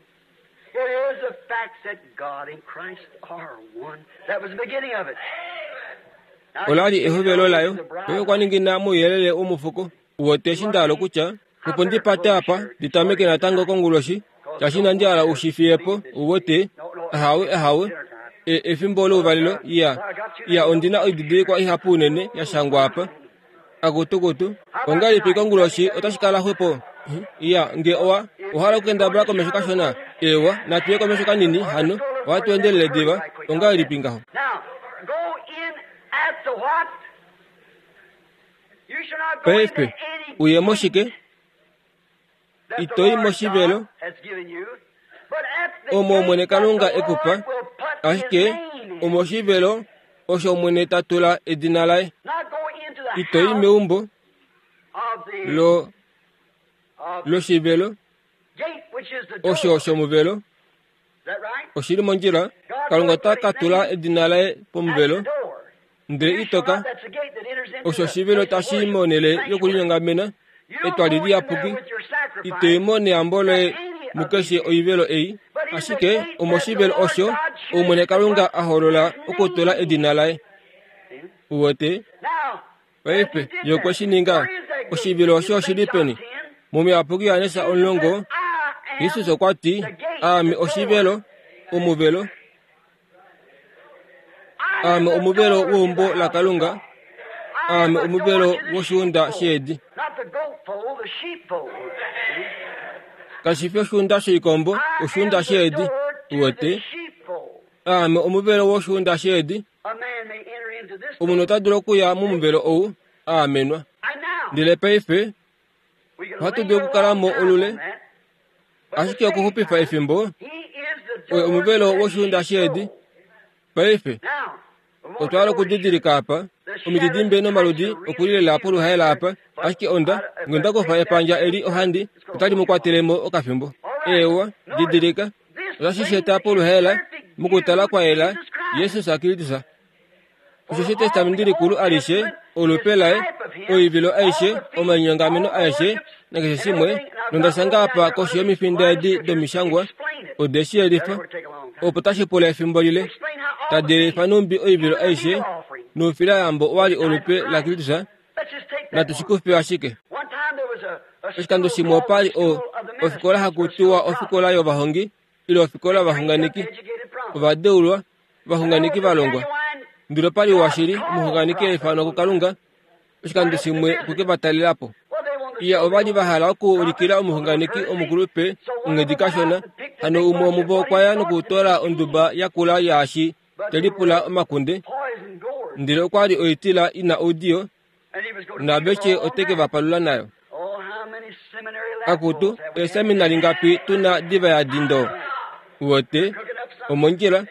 Speaker 2: It is a fact that God and Christ are one. That was the beginning of it.
Speaker 1: Ola li ehovelo layo. Oye okwa ningina mouyelele womufuko. Uwete eshi nda hala okutya? Opo ndi pate apa, ndi tameke natango konguloshi, shaashi inandi hala u shi fiye po, uwete. Ahawe, ahawe. E, efimbo louvalelo, iya. Iya, ondi na oididilikwa ihapu unene ya shangwa apa. Akutukutu, ongahelipi konguloshi otashi kala xwepo? Iya, nge owa ohala okukendabala komesho kashona, eewa, natu ye komesho kanini hano, ohatu endelele diva. Ongahelipi ngaho? Paife, uye moshike? Ito i moshivelo omo Omwene Kalunga e ku pa, ashike omoshivelo osho Omwene ta tula edina laye. Ito i meumbo lo loshivelo osho shomuvelo oshi li mondjila. Kalunga ota ka tula edina laye pomuvelo, ndele ito ka. Osho oshivelo tashi i monhele yokulinyongamena, etwali liyapuki. Ito i mo neyambo loye mukeshe oivelo ei, ashike omoshivelo osho Omwene Kalunga a hoolola okutula edina laye. Uwete? Paife, ye okwe shi ninga. Oshivilo osho oshi li peni? Momuyapuki Johannes omulongo, Jesus okwa ti, Aame oshivelo, omuvelo. Aame omuvelo weumbo laKalunga. Aame omuvelo woshiunda sheedi. Kashi fi oshiunda shoikombo, oshiunda sheedi. Uwete? Aame omuvelo woshiunda sheedi. Omunhu ota dulu okuya momuvelo ou a amenwa. Ndele paife ohatu dulu okukala mo olule, ashike okuxupifa efimbo, oye omuvelo woshiunda sheedi. Paife otwa hala okudidilika apa omididimbe nomaludi oku li lela poluhaela apa, ashike onda nge onda kufa epandja eli ohandi otali mu kwatele mo okafimbo. Eewa, didilika. Otashi shi eta poluhaela mokutala kwa yela Jesus Kristus. Osheshi Etestamenti Likulu alishe, olupe laye, oivilo aishe, omalinyongameno aeshe, nakeshe shimwe, nonda shanga apa koshi yomifinda edi domishangwa, ode shi yelifa, opo tashi pula efimbo lile, tadi yelifa nhumbi oivilo aishe noufilayambo owa li olupe laKristus. Natu shi kufe ashike. Oshikando shimwe opa li o, ofikola haku tiwa ofikola yovahongi ile ofikola yovaxunganeki, ovadeulwa, ovaxunganeki va longwa. Ndele opa li washili omuxunganeki a ifanwa kuKalunga oshikando shimwe oku ke va talela po. Iya, ova li va hala okuulikila omuxunganeki omukulupe onghedi kashona. Hano umwe womuvo okwa ya nokutoola onduba yakula yaashi te lipula omakunde, ndele okwa li oitila i na oudiyo naaveshe ote ke va palula nayo. Akutu, eeseminari ngapi tu na diva ya dindo? Uwete, omondjila,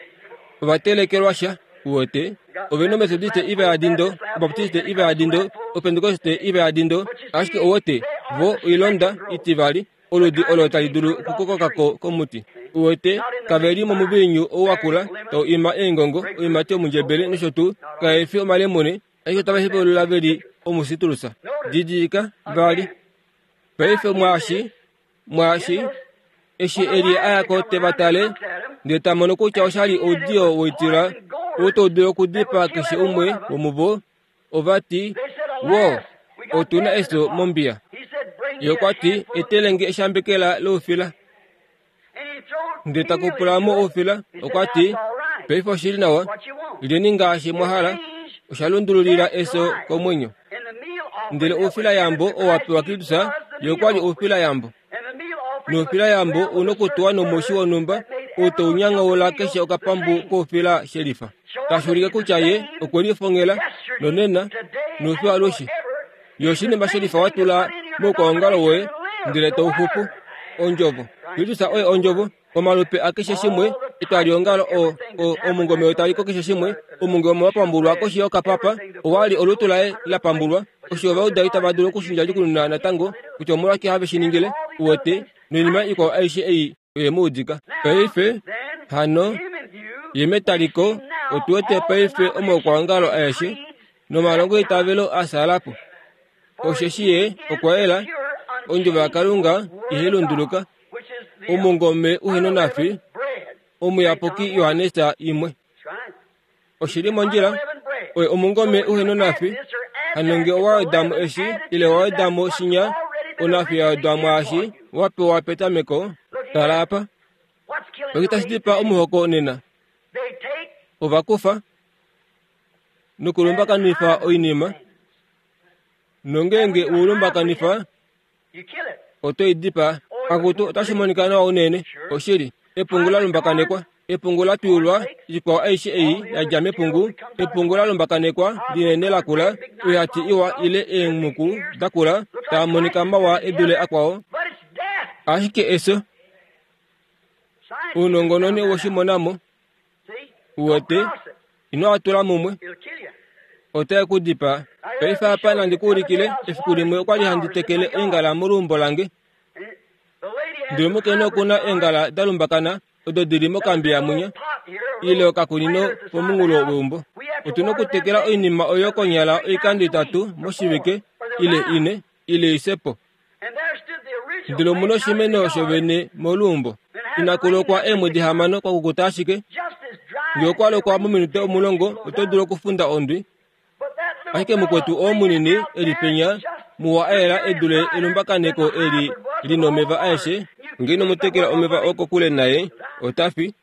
Speaker 1: ova telekelwa sha. Uwete, ove na Ometodiste iva ya dindo, Obaptiste iva ya dindo, Opentekoste ive yadi ndo, ashike uwete, vo oilonda itivali, oludi olo tali dulu okukokoka ko komuti. Uwete, kave li momuviinyu ou wa kula, tau ima eengongo, oiimati yomundjebele nosho tuu, kae fi omalemune, ashike otava hepaulula ve li omusitulusa. Didilika, vali. Paife mwaashi, mwaashi, eshi Elia a ya ko te va tale, ndele ta mono kutya osha li oudiyo woitila ou tau dulu okudipaa keshe umwe womuvo, ova ti, Woo, otu na efyo mombiya. Ye okwa ti, Etele nge eshambekela loufila. Ndele ta kupula mo oufila, okwa ti, Paife oshi li nawa, lyeni ngaashi mwa hala. Osha lundululila efyo komwenyo. Ndele oufilayambo oo wa pewa Kristus, ye okwa li oufilayambo. Noufilayambo u nokutuwa nomushi wonhumba ou tau nyangaula keshe okapambu koufila shelifa, tashi ulike kutya ye okwe lifongela nonena noufi alushe. Ye oshinima shelifa wa tula moukwaongalo woye ndele tau xupu. Ondjovo. Kristus oye Ondjovo. Omalupe akeshe shimwe, etwaliongalo, o, o, omungome wetaliko keshe shimwe, omungome wa pambulwa koshi yokapapa, owa li olutu laye la pambulwa. Osho ovaudali tava dulu okushindjadjukununa natango kutya omolwashike have shi ningile, uwete, noinima ikwao aishe ei oye mu udika. Paife, hano, ye metaliko, otu wete paife omaukwaongalo aeshe nomalongoitavelo a sala po. Osheshi ye okwa yela, ondjovo yaKalunga ihai lunduluka, omungome uhe nonafi, omuyapuki Johannes imwe. Oshi li mondjila, oye omungome uhe nonafi, hano nge owa weda mo eshi, ile wa weda mo shinya, onafi ya wedwa mwaashi wa pewa petameko. Tala apa. Oshike tashi dipaa omuhoko nena? Ova kufa nokulumbakanifa oinima, nongeenge u lumbakanifa, oto i dipaa. Akutu, otashi monika nawa unene. Oshili, epungu la lumbakanekwa, epungu la twiyulwa, ikwao aishe ei ya dja mepungu, epungu la lumbakanekwa linene lakula, oihati iwa ile eemhuku dakula, taa monika mawa e dule akwao. Ashike efyo, ounongononi owe shi mona mo. Uwete, ino a tula mumwe. Otae ku dipaa. Paife apa nandi ku ulikile, efiku limwe okwa li handi tekele eengala moluumbo lange. Ndele omukainhu oku na eengala da lumbakana odo di li mokambi yamwinya, ile okakunino pomunghulo weumbo. Otu na okutekela oinima oyo konyala oikando itatu moshivike, ile ine, ile i fye po. Ndele omu na oshimeno shovene moluumbo. Inaku lokwa eemwedi hamano kwa kukuta ashike. Nge okwa lokwa mominute omulongo, oto dulu okufunda ondwi. Ashike mukwetu oo munini e li penya, muwa a yela e dule elumbakaneko eli li nomeva aeshe. Nge ino mu tekela omeva oo kokule naye, ota fi.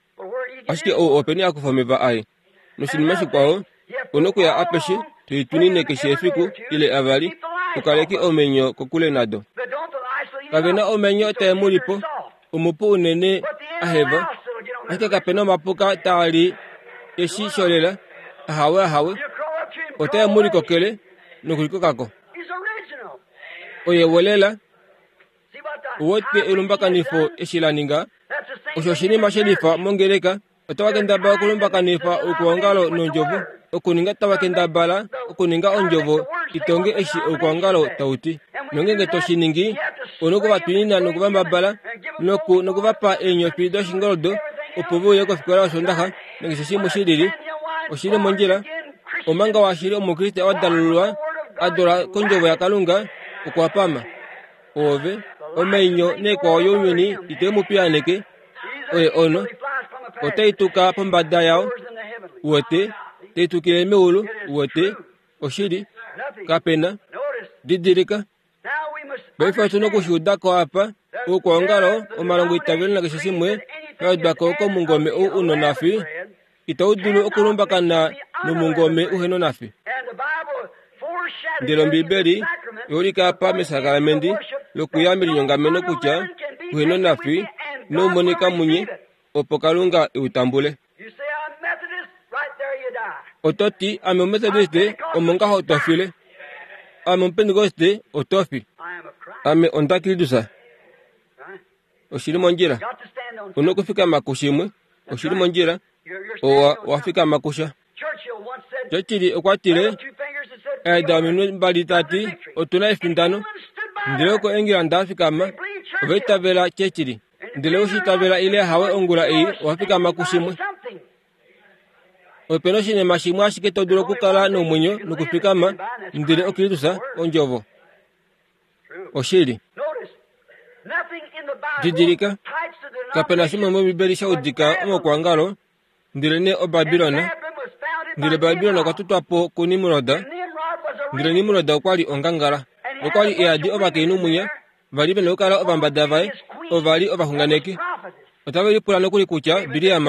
Speaker 1: Ashike ou openi a kufa omeva aye? Noshinima shikwao, u nokuya apeshe to i twinine keshe efiku ile avali, u kaleke omenyo kokule nado. Kave na omenyo tae mu li po, omupu unene a heva, ashike kape na omapuka taa li eshi sholela, ahawe ahawe, otae mu likokele nokulikokako. Oye wolela. Uwete elumbakanifo eshi la ninga? Osho oshinima she lifa mongeleka. Otava kendabala okulumbakanifa oukwaongalo nondjovo, okuninga tava kendabala okuninga ondjovo i tonge eshi oukwaongalo tau ti. Nongeenge to shi ningi, u noku va twinina noku va mbabala, noku, noku va pa eenyofi doshingoldo opo ve uye kofikola yOsoondaxa, nakeshe shimwe shi lili. Oshi li mondjila. Omanga washili Omukriste wa dalululwa, a dula kOndjovo yaKalunga, okwa pama. Oove, omainyo neekwao younyuni ite mu piyaaneke, oye ono, otai tuka pombada yao, uwete, tai tukile meulu, uwete, oshili, kape na. Didilika, paife otu noku shi uda ko apa, oukwaongalo, omalongoitavelo nakeshe shimwe, ya wedwa ko komungome ou u nonafi, itau dulu okulumbakana nomungome uhe nonafi. Ndele Ombibeli oya ulika apa mesakramenti lokuya melinyongameno kutya uhe nonafi inau monika munye, opo Kalunga e u tambule. Oto ti, Ame Omumetodiste, omo ngaho to file. Ame Omupentekoste, oto fi. Ame onda Kristus. Oshi li mondjila. U na okufikama kushimwe. Oshi li mondjila. Owa, wa fikama kusha. Churchill okwa tile, Aida ominwe mbali ta ti, Otu na efindano. Ndele oko England a fikama, ova itavela Churchill. Ndele oshi itavela ile hawe ongula ei owa fikama kushimwe. Ope na oshinima shimwe ashike to dulu okukala nomwenyo nokufikama, ndele oKristus, Ondjovo. Oshili. Didilika, kape na shimwe mOmbibeli sha udika omakwangalo, ndelenee oBabilon. Ndele Babilon okwa tutwa po kuNimrod, ndele Nimrod okwa li ongangala. Okwa li e yadi ovakainhu mwinya, va li ve na okukala ovambada vaye, ova li ovaxunganeki. Otave lipula nokuli kutya Bileam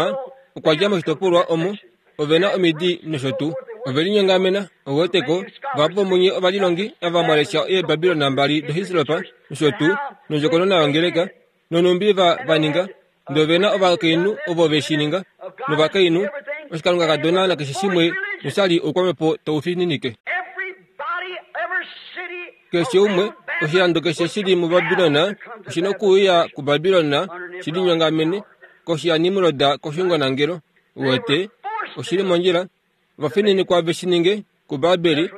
Speaker 1: okwa dja moshitopolwa omo ove na omidi nosho tuu. Ove linyongamena, ou wete ko, vahapu vomunye ovalilongi ava mwa lesha eeBabilon mbali doHislop nosho tuu, nondjokonona yongeleka, nonhumbi va, va ninga. Ndele ove na ovakainhu ovo ve shi ninga, novakainhu, oshikalungakadona nakeshe shimwe, nosha li oukwamhepo tau fininike. Keshe umwe, oshilando keshe shi li muBabilon oshi na okuuya kuBabilon shi linyongamene koshi yaNimrod koshungonangelo. Uwete, oshi li mondjila. Ova fininikwa ve shi ninge kuBabeli,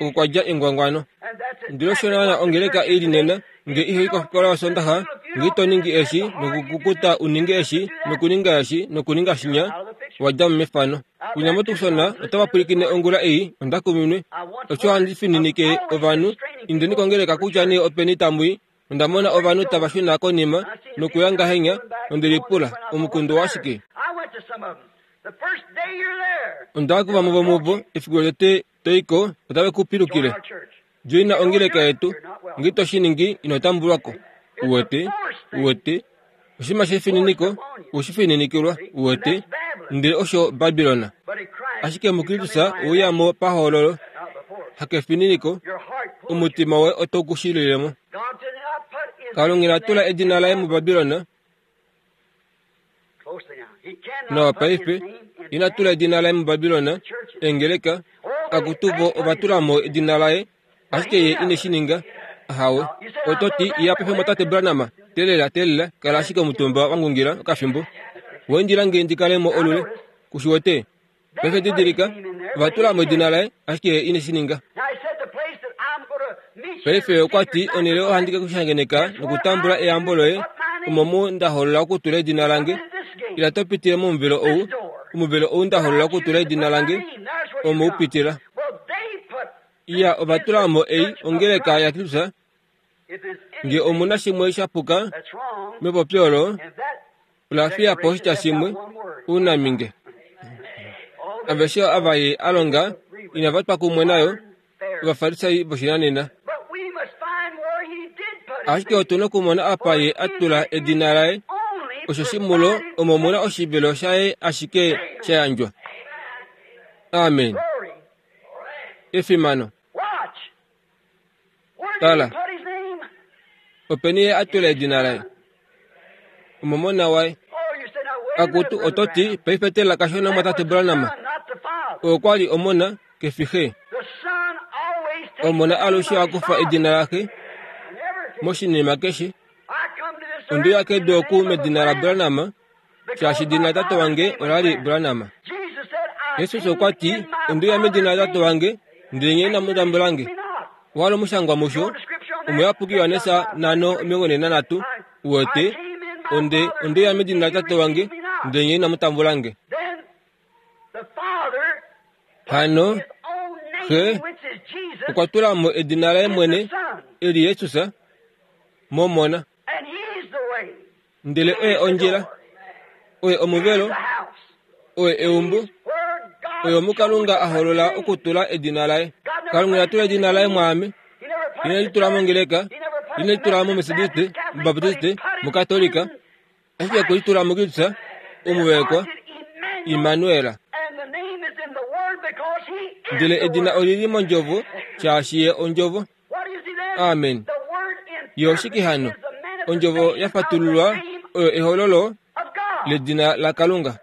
Speaker 1: oko kwa dja engwangwano. Ndele osho naana ongeleka i li nena, nge ihoi kofikola yOsondaxa, nge ito ningi eshi, nokukukuta u ninge eshi, nokuninga eshi, nokuninga shinya, wa dja mo mefano. Kunya moTucson otava pwilikine ongula ei, onda kuminwe. Osho handi fininike ovanhu, indeni kongeleka kutya nee openi tamu i. Onda mona ovanhu tava shuna konima nokuya ngahenya, nonde lipula, Omukundu owashike? Onda ya kuvamwe vomuvo, efiku lotete to i ko, otave ku pilukile. Joina ongeleka yetu. Nge ito shi ningi, ino tambulwa ko. Uwete? Uwete? Oshinima shefininiko, u shi fininikilwa, uwete, ndele osho Babilon. Ashike muKristus ouya mo pahoololo, hakefininiko, omutima woye otau ku shilile mo. Kalunga ina tula edina laye muBabilon. Nawa paife, ina tula edina laye muBabilon, eengeleka, akutu vo ova tula mo edina laye, ashike ye ine shi ninga. Ahawe. Oto ti, Iya paife mwatate Branham, teelela, teelela, kala ashike omutumba wa ngungila okafimbo. Wa indila nge ndi kale mo olule. Ku shi wete? Paife didilika, ova tula mo edina laye, ashike ye ine shi ninga. Paife okwa ti, Onhele ohandi ke ku shangeneka nokutambula eyambo loye, omo mu nda hoolola okutula edina lange. Ila to pitile momuvelo ou, omuvelo ou nda hoolola okutula edina lange, omo u pitila. Iya, ova tula mo ei ongeleka yaKristus. Nge omu na shimwe sha puka mepopyo olo, ola fiya po oshitya shimwe, uunaminge. Aveshe ava ye a longa inava twa kumwe nayo, Ovafarisai voshinanena. Ashike otu na okumona apa ye a tula edina laye, osheshi mulo omo mu na oshivelo shaye ashike sha yandjwa. Amen. Efimano. Tala, openi ye a tula edina laye? Omomona waye. Akutu, oto ti, paife tela kashona mwatate Branham. Okwa li omona, ke fi xe. Omona alushe a kufa edina laxe moshinima keshe. Onde uya kedu oku medina laBranham, shaashi edina latate wange ola li Branham. Jesus okwa ti, Onde uya medina latate wange, ndele nye inamu tambula nge. Owa li omushangwa musho, Omuyapuki Johannes 5:43, uwete, Onde, onde uya medina latate wange, ndele nye inamu tambula nge. Hano, Xe okwa tula mo edina laye mwene, eli Jesus, mOmona. Ndele oye ondjila, oye omuvelo, oye eumbo, oye omu Kalunga a holola okutula edina laye. Kalunga ina tula edina laye mwaame, ine li tula mongeleka, ine li tula moMethodiste, moBaptiste, moKatolika, ashike okwe li tula muKristus, omuvaekwa, Immanuel. Ndele edina oli li mondjovo, shaashi ye ondjovo. Amen. Ye oshike hano? Ondjovo ya fatululwa oyo ehololo ledina laKalunga.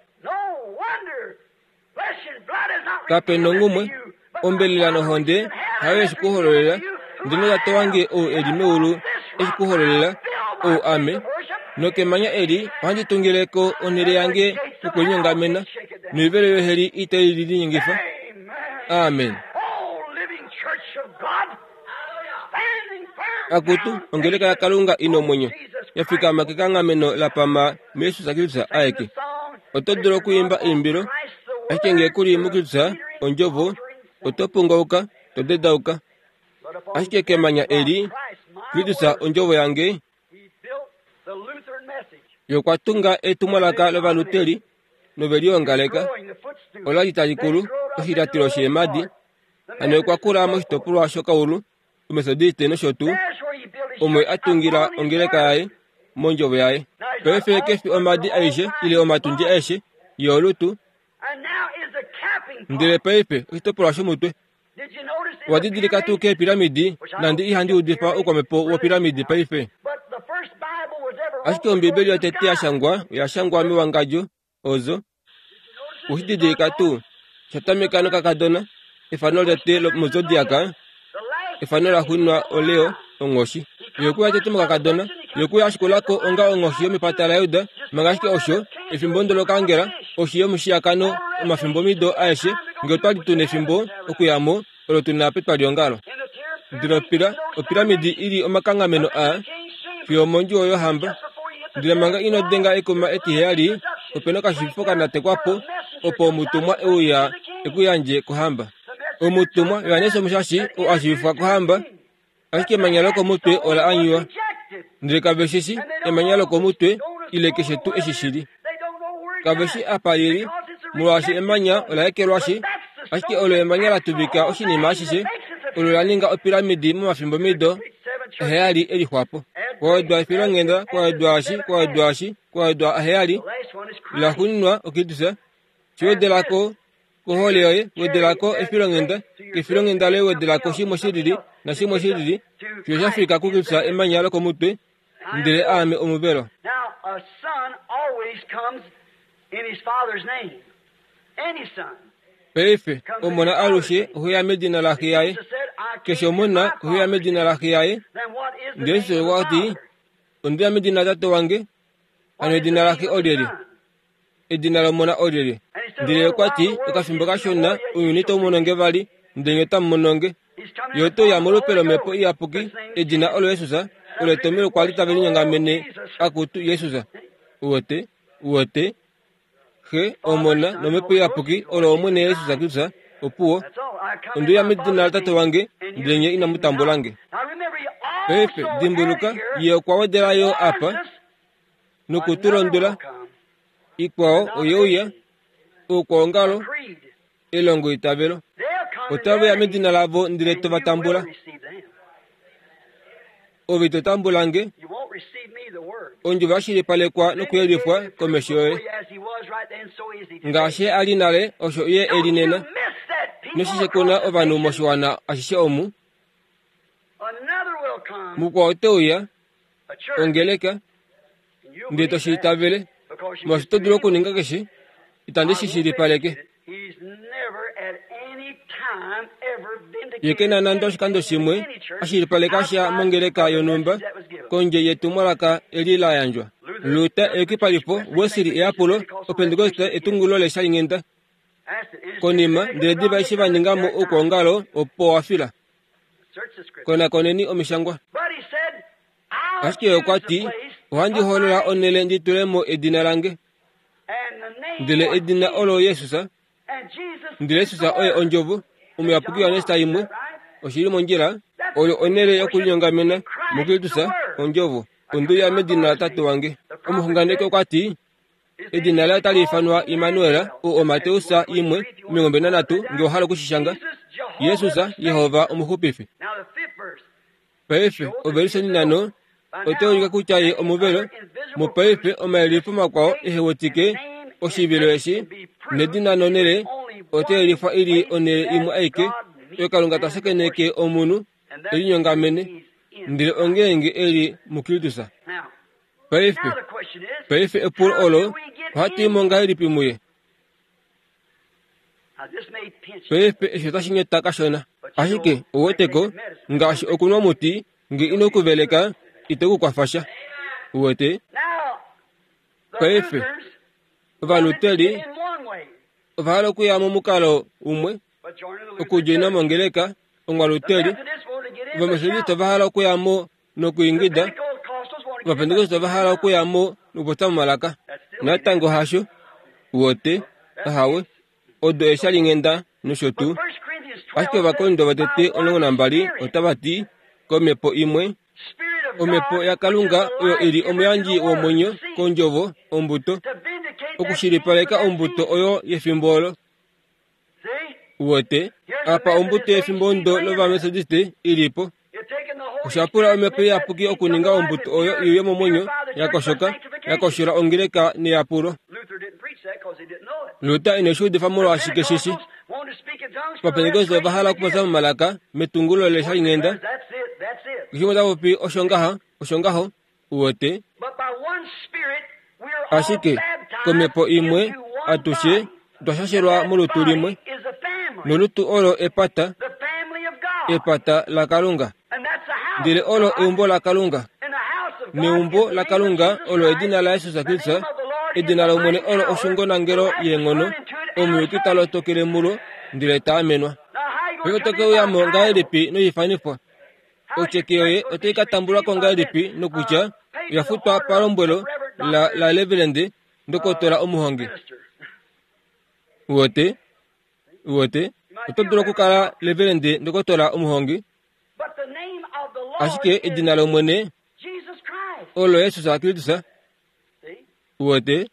Speaker 1: Kape nongumwe, ombelela nohonde hayo yeshi ku hololela, ndele Tate wange ou e li meulu eshi ku hololela, ou ame. Nokemanya eli ohandi tungile ko onhele yange yokulinyongamena, noivelo yoheli itai li linyengifa. Amen. Akutu, ongeleka yaKalunga i nomwenyo, ya fikama kekanghameno la pama muJesus Kristus aeke. Oto dulu okwiimba eimbilo, ashike ngee ku li muKristus, Ondjovo, oto pungauka, to dedauka. Ashike kemanya eli, Kristus Ondjovo yange, Ye okwa tunga etumwalaka lOvaluteri nove liongaleka. Ola li tali kulu, oshilyatelo sheemadi. Hano okwa kula moshitopolwa shokaulu, Ometodiste nosho tuu, omo a tungila ongeleka yaye mondjovo yaye. Paife ke fi omadi aishe ile omatundi aeshe, ye olutu. Ndele paife oshitopolwa shomutwe. Owa didilika tuu keepiramidi, nande ihandi udifa oukwamhepo wopiramidi paife. Ashike Ombibeli yotete ya shangwa oya shangwa mewangadjo, ozo. Owe shi didilika tuu? Osha tameka nokakadona, efano lotete mozodiaka, efano la xunwa oLeo, onghoshi. Ye okwe uya tete mokakadona, ye okwe uya a shikula ko onga onghoshi yomepata laJuda, manga ashike osho, efimbo ndo lokaangela, oshi yomushiyakano omafimbomido aeshe, nge otwa li tu nefimbo okuya mo, olo tu na petwaliongalo. Ndele opira, opiramidi i li omakanghameno a fiyo omondjuwo yohamba. Ndele manga ino denga ekuma etiheyali, ope na okashifo ka natekwa po, opo omutumwa e uya e ku yandje kohamba. Omutumwa Johannes Omushashi oo a shiivifwa kohamba, ashike emanya lokomutwe ola anyiwa. Ndele kave shi shi emanya lokomutwe ile keshe tuu eshi shi li. Kave shi apa li li, molwaashi emanya ola ekelwashi, ashike olo emanya la tuvika oshinima ashishe, olo la ninga opiramidi momafimbomido aheyali e lixwa po. Kwa wedwa efilonghenda, kwa wedwa eshi, kwa wedwa eshi, kwa wedwa aheyali, la xuuninwa oKristus. Shi wedela ko Kohole yoye wedela ko efilonghenda, kefilonghenda loye wedela ko shimwe shi lili nashimwe shi lili, fiyo sha fika kuKristus emanya lokomutwe, ndele aame omuvelo. Paife, omona alushe ohe ya medina laxe yaye. Keshe omona ohe ya medina laxe yaye. Ndele Jesus okwa ti, Onde ya medina laTate wange, hano edina laxe olyelye? Edina lOmona olyelye? Ndele okwa ti, Okafimbo kashona, ounyuni itau mono nge vali, ndele nye otamu mono nge. Ye ote uya molupe lOmhepo Iyapuki, edina olo Jesus, olo etomhelo kwa li tave linyongamene, Akutu, Jesus. Uwete? Uwete? Xe, Omona, nOmhepo Iyapuki, olo Omwene Jesus Kristus. Opuwo. Onde uya medina laTate wange, ndele nye inamu tambula nge. Paife, dimbuluka, Ye okwa wedela yo apa, noku tu londwela. Ikwao oye uya, oukwaongalo, elongoitavelo. Otave ya medina lavo ndele to va tambula. Ove ito tambula nge. Ondjovo ya shilipalekwa nokuyelifwa komesho yoye. Ngaashi a li nale, osho ye e li nena. Noshishe kuna ovanhu moshiwana ashishe omu. Mukwao ote uya, ongeleka, ndele to shi itavele, molwaashi oto dulu okuninga keshe, itandi shi shilipaleke. Ye ke na nande oshikando shimwe a shilipaleka sha mongeleka yonhumba kondje yetumwalaka eli la yandjwa. Luther eyukipalifo, Wesley eyapulo, Opentekoste etungulo leshalinghenda. Konima, ndele diva eshi va ninga mo oukwaongalo, opo wa fila. Konakoneni Omishangwa. Ashike okwa ti, Ohandi hoolola onhele ndi tule mo edina lange. Ndele edina olo Jesus. Ndele Jesus oye Ondjovo, Omuyapuki Johannes imwe. Oshi li mondjila. Oyo onhele yokulinyongamena muKristus, Ondjovo. Onde uya medina laTate wange. Omuxunganeki okwa ti, Edina laye otali ifanwa Immanuel, oo oMateus 1, 23, nge owa hala oku shi shanga. Jesus, Jehova Omuxupifi. Paife, ovelishe nhano otai ulike kutya ye omuvelo. Mopaife omayelifo makwao ehe wetike oshivilo eshi, nedina nonhele otai yelifwa i li onhele imwe aike oyo Kalunga ta shakeneke omunhu e linyongamene, ndele ongeenge e li muKristus. Paife, paife epulo olo, ohatu i mo ngahelipi muye? Paife eshi otashi nyeta kashona. Ashike, ou weteko, ngaashi okunwa omuti, nge ino ku veleka, ito ku kwafa sha. Uwete? Paife, Ovaluteri ova hala okuya momukalo umwe, okudjoina mongeleka. Ongwaluteli, Ovametodiste ova hala okuya mo nokuingida, Ovapentekoste ova hala okuya mo nokupopya momalaka. Natango hasho. Uwete? Ahawe. Odo eeshalinghenda nosho tuu. Ashike Ovakorinto votete 12 otava ti, Komhepo imwe, Omhepo yaKalunga oyo i li omuyandji womwenyo kondjovo, ombuto, okushilipaleka ombuto oyo yefimbo olo. Uwete, apa ombuto yefimbo ondo lOvametodiste i li po. Osha pula Omhepo Iyapuki okuninga ombuto oyo i uye momwenyo, ya koshoka, ya koshola ongeleka neyapulo. Luther ine shi udifa molwaashi keshi shi. Ovapentekoste ova hala okupopya momalaka metungulo leshalinghenda. Keshe umwe ota popi osho ngaha, osho ngaho, uwete. Ashike komhepo imwe atushe otwa shashelwa molutu limwe, nolutu olo epata, epata laKalunga. Ndele olo eumbo laKalunga. Neumbo laKalunga olo edina laJesus Kristus, edina lOmwene olo oshungonangelo yeenghono, omuyuki ta lotokele mulo ndele ta amenwa. Paife oto ke uya mo ngahelipi noifanifwa? Otyeke yoye otai ka tambulwa ko ngahelipi nokutya oya futwa palombwelo la, la Reverend Ndokotola Omuhongi? Uwete? Uwete? Oto dulu okukala Reverend Ndokotola Omuhongi, Ashike edina lOmwene olo Jesus Kristus. Uwete?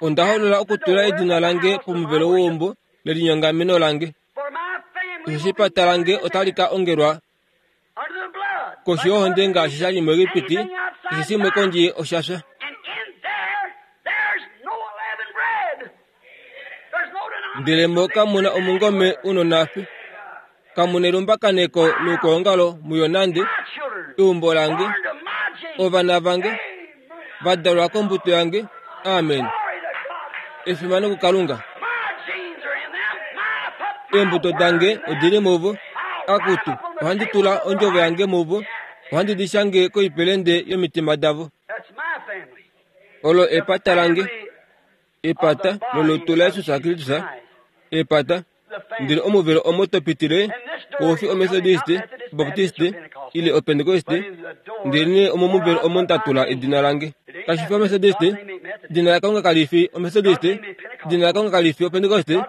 Speaker 1: Onda hoolola okutula edina lange pomuvelo weumbo lelinyongameno lange. Osheshi epata lange otali ka ongelwa koshi yohonde ngaashi sha li muEgipiti, keshe shimwe kondje osha fya. Ndele mo kamu na omungome u nonhafi, kamu nelumbakaneko loukwaongalo muyo nande, eumbo lange, ovana vange, va dalwa kombuto yange. Amen. Efimano kuKalunga. Eembuto dange odi li muvo. Akutu, ohandi tula ondjovo yange muvo, ohandi di shange koipelende yomitima davo. Olo epata lange. Epata lolutu laJesus Kristus, epata, ndele omuvelo omo to pitile, koufi Omethodiste, Obaptiste, ile Opentekoste, ndelenee omomuvelo omo nda tula edina lange. Kashi fi Omethodiste, edina laKalunga kali fi Omethodiste, edina laKalunga kali fi Opentekoste,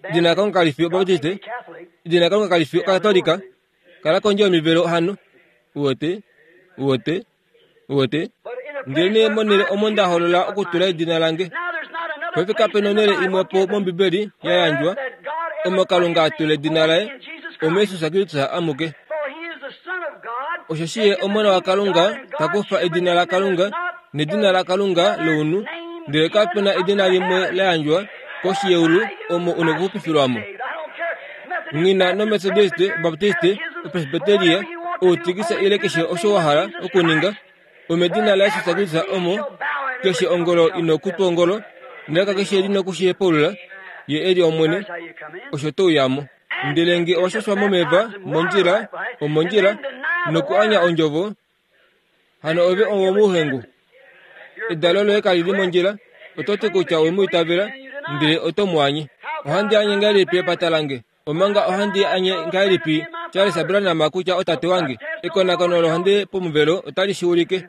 Speaker 1: edina laKalunga kali fi Obaptiste, edina laKalunga kali fi Okatolika. Kala kondje yomivelo hano. Uwete? Uwete? Uwete? Ndelenee monhele omo nda hoolola okutula edina lange. Paife kape nonhele imwe po mOmbibeli ya yandjwa omo Kalunga a tula edina laye, omuJesus Kristus amuke. Osheshi ye Omona waKalunga ta kufa edina laKalunga nedina laKalunga lounhu, ndele kape na edina limwe la yandjwa koshi yeulu omo u nokuxupifilwa mo. Nghi na nOmetodiste, Obaptiste, Opresbiteria, outikisa ile keshe osho wa hala okuninga, omedina laJesus Kristus omo keshe ongolo i nokutwa ongolo, nelaka keshe li noku shi hepaulula, Ye e li Omwene, osho to uya mo. Ndele nge owa shashwa momeva, mondjila, omondjila, noku anya ondjovo, Hano ove owomuhengu. Edalo loye kali li mondjila. Oto ti kutya owe mu itavela, ndele oto mu anye. Ohandi anye ngahelipi epata lange? Omanga ohandi anye ngahelipi Charles Branham kutya otate wange? Ekonakono lohonde pomuvelo otali shi ulike.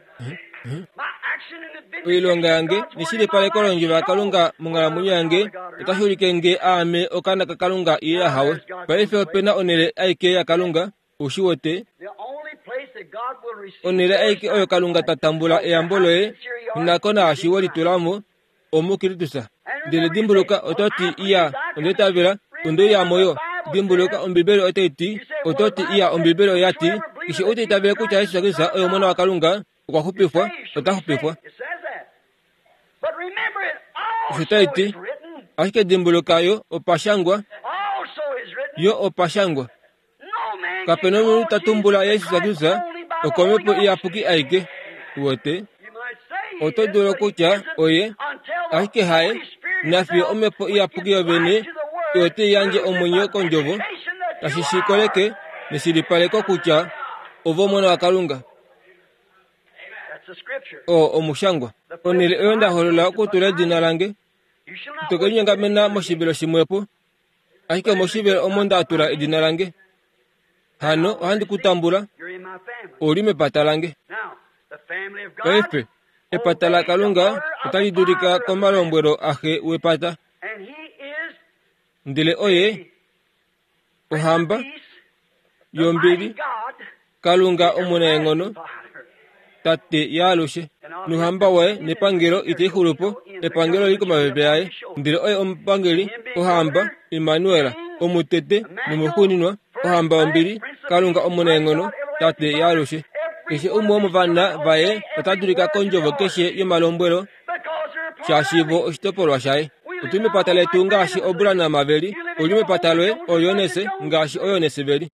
Speaker 1: Oilonga yange neshilipaleko londjovo yaKalunga monghalamwenyo yange otashi ulike nge aame okaana kaKalunga ile ahawe. Paife ope na onhele aike yaKalunga U shi wete? Onhele aike oyo Kalunga ta tambula eyambo loye nako naashi we litula mo, omuKristus. Ndele dimbuluka, oto ti, Iya, onda itavela, onde uya mo yo. Dimbuluka, Ombibeli otai ti, oto ti, Iya, Ombibeli oya ti, keshe ou ta itavele kutya Jesus Kristus oye Omona waKalunga, okwa xupifwa, ota xupifwa. Osho tai ti. Ashike dimbuluka, yo opa shangwa, yo opa shangwa. Kape na omunhu ta tumbula Jesus Kristus okomhepo iyapuki aike. Uwete? Oto dulu okutya oye, ashike haye, nafiyo omhepo iyapuki yovene oyo tai yandje omwenyo kondjovo, tashi shi koleke neshilipaleko kutya ove Omona waKalunga. Oo omushangwa. Onhele oyo nda holola okutula edina lange. Ito ke linyongamena moshivelo shimwepo. Ashike moshivelo omo nda tula edina lange. Hano ohandi ku tambula, ou li mepata lange. Paife, epata laKalunga otali dulika komalombwelo axe wepata. Ndele oye ohamba yombili, Kalunga omunaenghono, Tate yaalushe. Nohamba waye nepangelo itai xulu po, epangelo li komapepe aye. Ndele oye omupangeli, ohamba, Immanuel, omutete nomuxuuninwa, ohamba yombili, Kalunga omunaenghono, Tate yaalushe. Keshe umwe womovana vaye ota dulika kondjovo keshe yomalombwelo shaashi vo oshitopolwa shaye. Otu li mepata letu ngaashi Obranham ve li, ou li mepata loye, Oyones, ngaashi Oyones ve li.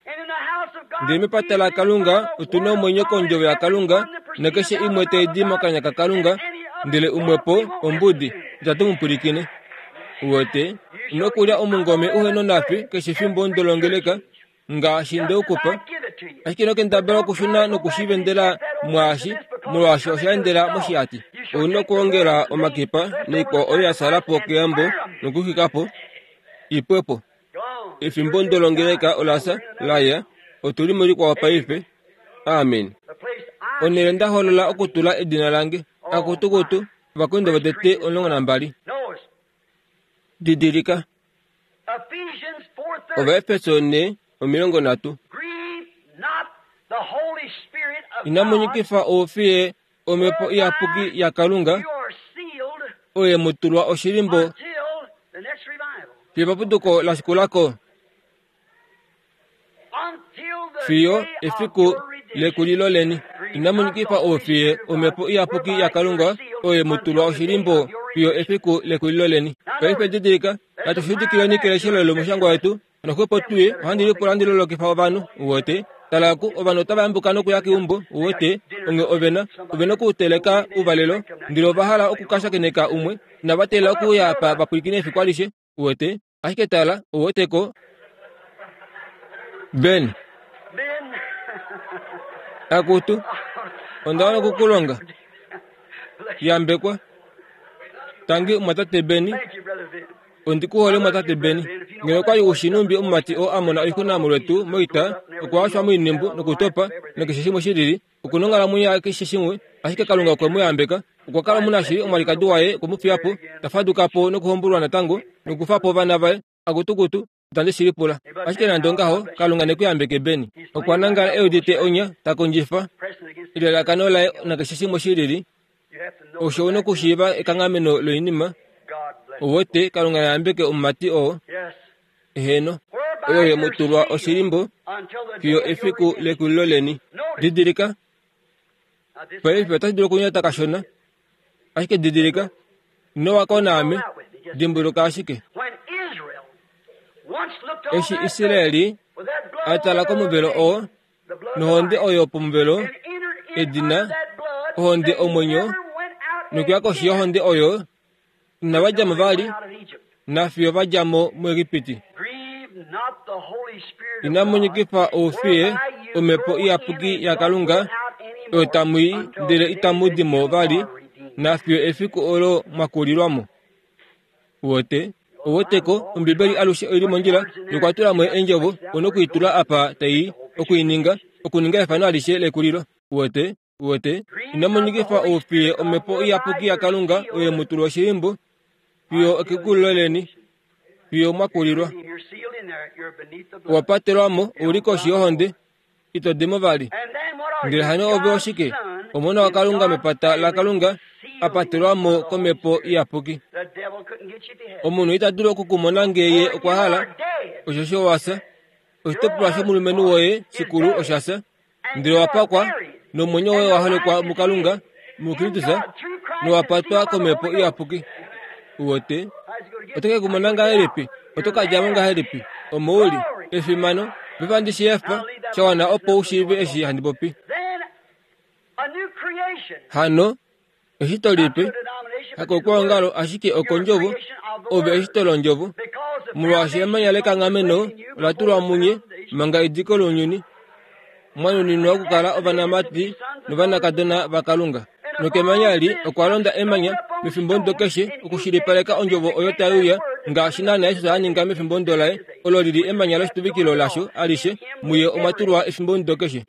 Speaker 1: Ndele mepata laKalunga otu na omwenyo kondjovo yaKalunga, nakeshe imwe tai di mokanya kaKalunga, ndele umwe po ombudi, itatu mu pwilikine. Uwete, ino kulya omungome uhe nonafi keshe fimbo ndolongeleka, ngaashi nde u ku pa, ashike ino kendabala okushuna noku shi vendela mwaashi, molwaashi osha endela moshihati. Ou na okwoongela omakipa naikwao oyo ya sala po keyambo nokuxwika po, i pwe po. Efimbo ndolongeleka ola fya, la ya, otu li mulikwao paife. Amen. Onhele nda hoolola okutula edina lange. Akutukutu, Ovakorinto votete 12. Didilika. Ovaefeso 4, 30. Inamu nyikifa oufiye omhepo iyapuki yaKalunga, oye mu tulwa oshilimbo fiyo epapuduko la shikula ko. Fiyo efiku lekulilo leni. Inamu nyikifa oufiye omhepo iyapuki yaKalunga, oye mu tulwa oshilimbo fiyo efiku lekulilo leni. Paife didilika, natu shudikileni keleshelo lomushangwa wetu, noxwepo tuye, ohandi lipula ndi lolokifa ovanhu, uwete. Tala ku, ovanhu otava yambuka nokuya keumbo, uwete, onge ove na, ove na okuteleka ouvalelo, ndele ova hala oku ka shakeneka umwe, inava teelela okuuya apa va pwilikine efiku alishe, uwete. Ashike tala, ou wete ko. Ben. Akutu, onda wana oku ku longa. Yambekwa. Tangi omwatate Beni. Ondi ku hole omwatate Beni. Ngeno okwa li u shi numbi omumati oo a mona oixuna molwetu moita, okwa washwa moinhimbu nokutopa nakeshe shimwe shi lili, Oku na onghalamwenyo yakeshe shimwe, ashike Kalunga okwe mu yambeka. Okwa kala omunashili, omwalikadi waye okwe mu fiya po, ta faduka po nokuhombolwa natango, nokufa po ovana vaye. Akutukutu, itandi shi lipula. Ashike nande ongaho, Kalunga ne ku yambeke, Benny. Okwa nangala e udite onya, ta kondjifa elalakano laye nakeshe shimwe shi lili. Osho u na okushiiva ekanghameno loinima. Owote, Kalunga na yambeke omumati oo. Heeno, oyo ye mu tulwa oshilimbo fiyo efiku lekulilo leni. Didilika, paife otashi dulu okunyata kashona, ashike didilika, ino wako naame, dimbuluka ashike. Eshi Israeli a tala komuvelo oo, nohonde oyo pomuvelo, edina, ohonde omwenyo, nokuya koshi yohonde oyo, Inava dja mo vali, nafiyo va dja mo muEgipiti. Inamu nyikifa oufiye omhepo iyapuki yaKalunga, oyo tamu i ndele itamu di mo vali, nafiyo efiku olo mwa kulilwa mo. Uwete? Uwete ko, Ombibeli alushe oi li mondjila, nokwa tula mo eendjovo, u noku i tula apa tai i, oku i ninga, okuninga efano alishe lekulilo. Uwete? Uwete, inamu nyikifa oufiye omhepo iyapuki yaKalunga oye mu tulwa oshilimbo fiyo ekekulilo leni, fiyo mwa kulilwa. Owa patelwa mo, ou li koshi yohonde, ito di mo vali. Ndele hano ove oshike? Omona waKalunga mepata laKalunga, a patelwa mo komhepo iyapuki. Omunhu ita dulu oku ku mona ngee ye okwa hala, osheshi owa fya. Oshitopolwa shomulumenhu woye shikulu osha fya. Ndele wa pakwa, nomwenyo woye wa holekwa muKalunga, muKristus, nowa patwa kOmhepo Iyapuki. Uwete? Oto ke ku mona ngahelipi? Oto ka dja mo ngahelipi? Omo u li. Efimano! Paife ohandi shi efa, sha wana opo u shiive eshi handi popi. Hano, eshito lipe, hakokwoongalo ashike okondjovo, ove eshito londjovo, molwaashi emanya lekanghameno ola tulwa munye manga ediko lounyuni, mwa nuninwa okukala ovanamati novanakadona vaKalunga. Nokemanya eli okwa londa emanya mefimbomudo keshe okushilipaleka ondjovo oyo tai uya. Ngaashi naana Jesus a ninga mefimbomudo laye, olo li li emanya loshituvikilo lasho alishe, muye omwa tulwa efimbomudo keshe.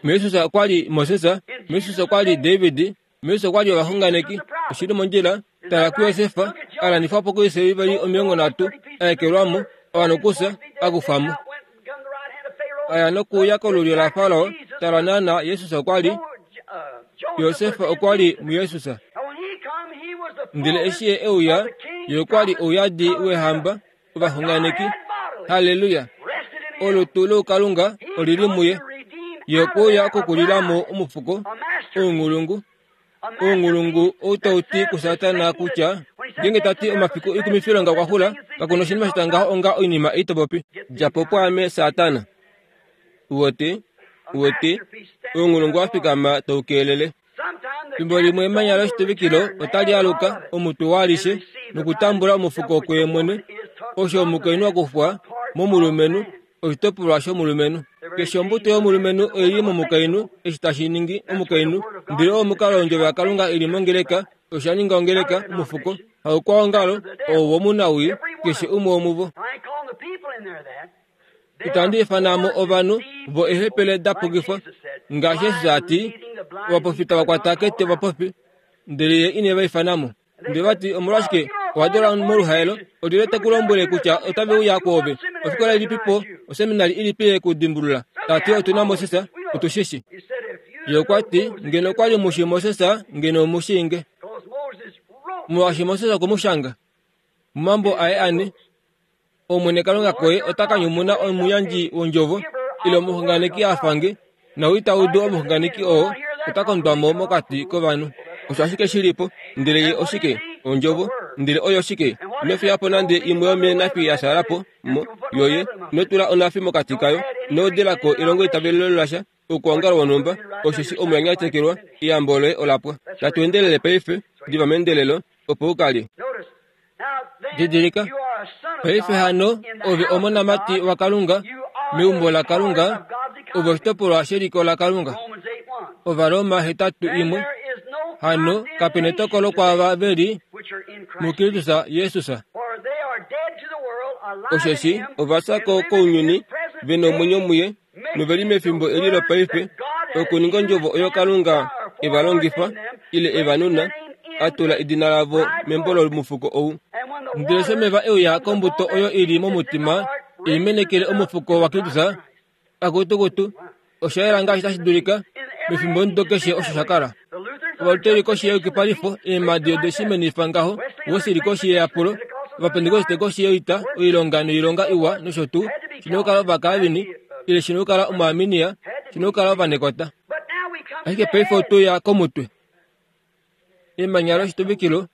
Speaker 1: MuJesus okwa li Moses, muJesus okwa li David, muJesus okwa li ovaxunganeki. Oshi li mondjila, tala kuJosef, a landifwa po koisiliveli 30, a ekelwa mo, a wana okufya, a kufwa mo. A ya nokuuya kolulyo laFarao, tala naana Jesus okwa li. Josef okwa li muJesus. Ndele eshi ye e uya, ye okwa li ouyadi wehamba, ovaxunganeki. Halleluya! Olutu loukalunga oli li muye. Ye okwe uya okukulila mo omufuko, ounghulungu. Ounghulungu ou tau ti kuSatana kutya, ngeenge ta ti omafiku oikumifilonga okwa xula, kaku na oshinima sha ngaho onga oinima ei to popi. Dja po pwaame, Satana. Uwete? Uwete? Ounghulungu wa fikama tau keelele. Fimbo limwe emanya loshituvikilo otali aluka omutwe walishe nokutambula omufuko kuye mwene, osho omukainhu a kufwa momulumenhu, oshitopolwa shomulumenhu. Keshe ombuto yomulumenhu oi li momukainhu, eshi tashi ningi omukainhu. Ndele oo omukalo wondjovo yaKalunga i li mongeleka, osha ninga ongeleka, omufuko, haukwaongalo, oo womunawii, keshe umwe womuvo. Itandi ifana mo ovanhu vo eehepele da pukifwa, ngaashi Jesus a ti, Ovaprofita va kwata kete ovapofi, ndele ye ine va ifana mo. Ndele va ti, Omolwashike owa dula moluhaelo? Olyelye te ku lombwele kutya otave uya kwoove? Ofikola ilipi po, oseminari ilipi ye ku dimbulula? Ta ti, Otu na Moses, otu shi shi. Ye okwa ti, Ngeno okwa li mu shii Moses, ngeno omu shii nge. Molwaashi Moses okwe mu shanga momambo aye ane. Omwene Kalunga koye ota ka nyumuna omuyandji wondjovo ile omuxunganeki a fa nge, nou ita udu omuxunganeki oo, ota kondwa mo mokati kovanhu. Osho ashike shi li po. Ndele ye oshike? Ondjovo. Ndele oyo oshike? Ino fiya po nande imwe yomeenafi ya fyaala po mo, yoye. Ino tula onafi mokati kayo. Ino wedela ko elongoitavelelo lasha, okwoongalo wonhumba, osheshi omo ya nyatekelwa, eyambo loye ola pwa. Natu endelele paife, diva meendelelo, opo u ka lye. Didilika, paife hano ove omonamati waKalunga, meumbo laKalunga, ove oshitopolwa sheliko laKalunga. Ovaroma 8:1. Hano kape netokolo kwaava ve li muKristus Jesus. Osheshi ova fya ko kounyuni, ve nomwenyo muye, nove li mefimbo eli lopaife okuninga ondjovo oyo Kalunga e va longifa ile e va nuna, a tula edina lavo membo lomufuko ou. Ndele eshi omeva e uya kombuto oyo i li momutima e menekele omufuko waKristus, akutukutu, osha yela ngaashi tashi dulika, mefimbomudo keshe osho sha kala. Ovaluteri koshi yeyukipalifo, eemhadi ode shi menifa ngaho, Wesley koshi yeyapulo, Ovapentekoste koshi yoita, oilonga noilonga iwa nosho tuu, shi na okukala Ovakaalvini, ile shi na okukala Omuarminia, shi na okukala Ovanekota. Ashike paife otu ya komutwe. Emanya loshituvikilo,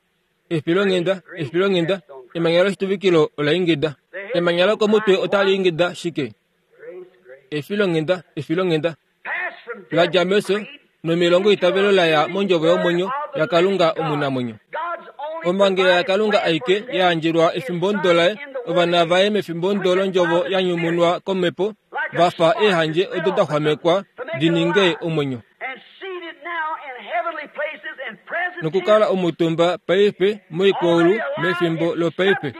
Speaker 1: efilonghenda, efilonghenda, emanya loshituvikilo ola ingida. Emanya lokomutwe otali ingida shike? Efilonghenda, efilonghenda. La dja mefyo nomilongo itavelo la ya mondjovo yomwenyo yaKalunga omunamwenyo. Omhangela yaKalunga aike ya yandjelwa efimbomudo laye, ovana vaye mefimbomudo londjovo ya nyumunwa komhepo, va fa eehandje odo da xwamekwa di ninge omwenyo. Nokukala omutumba paife moikwaulu mefimbo lopaife.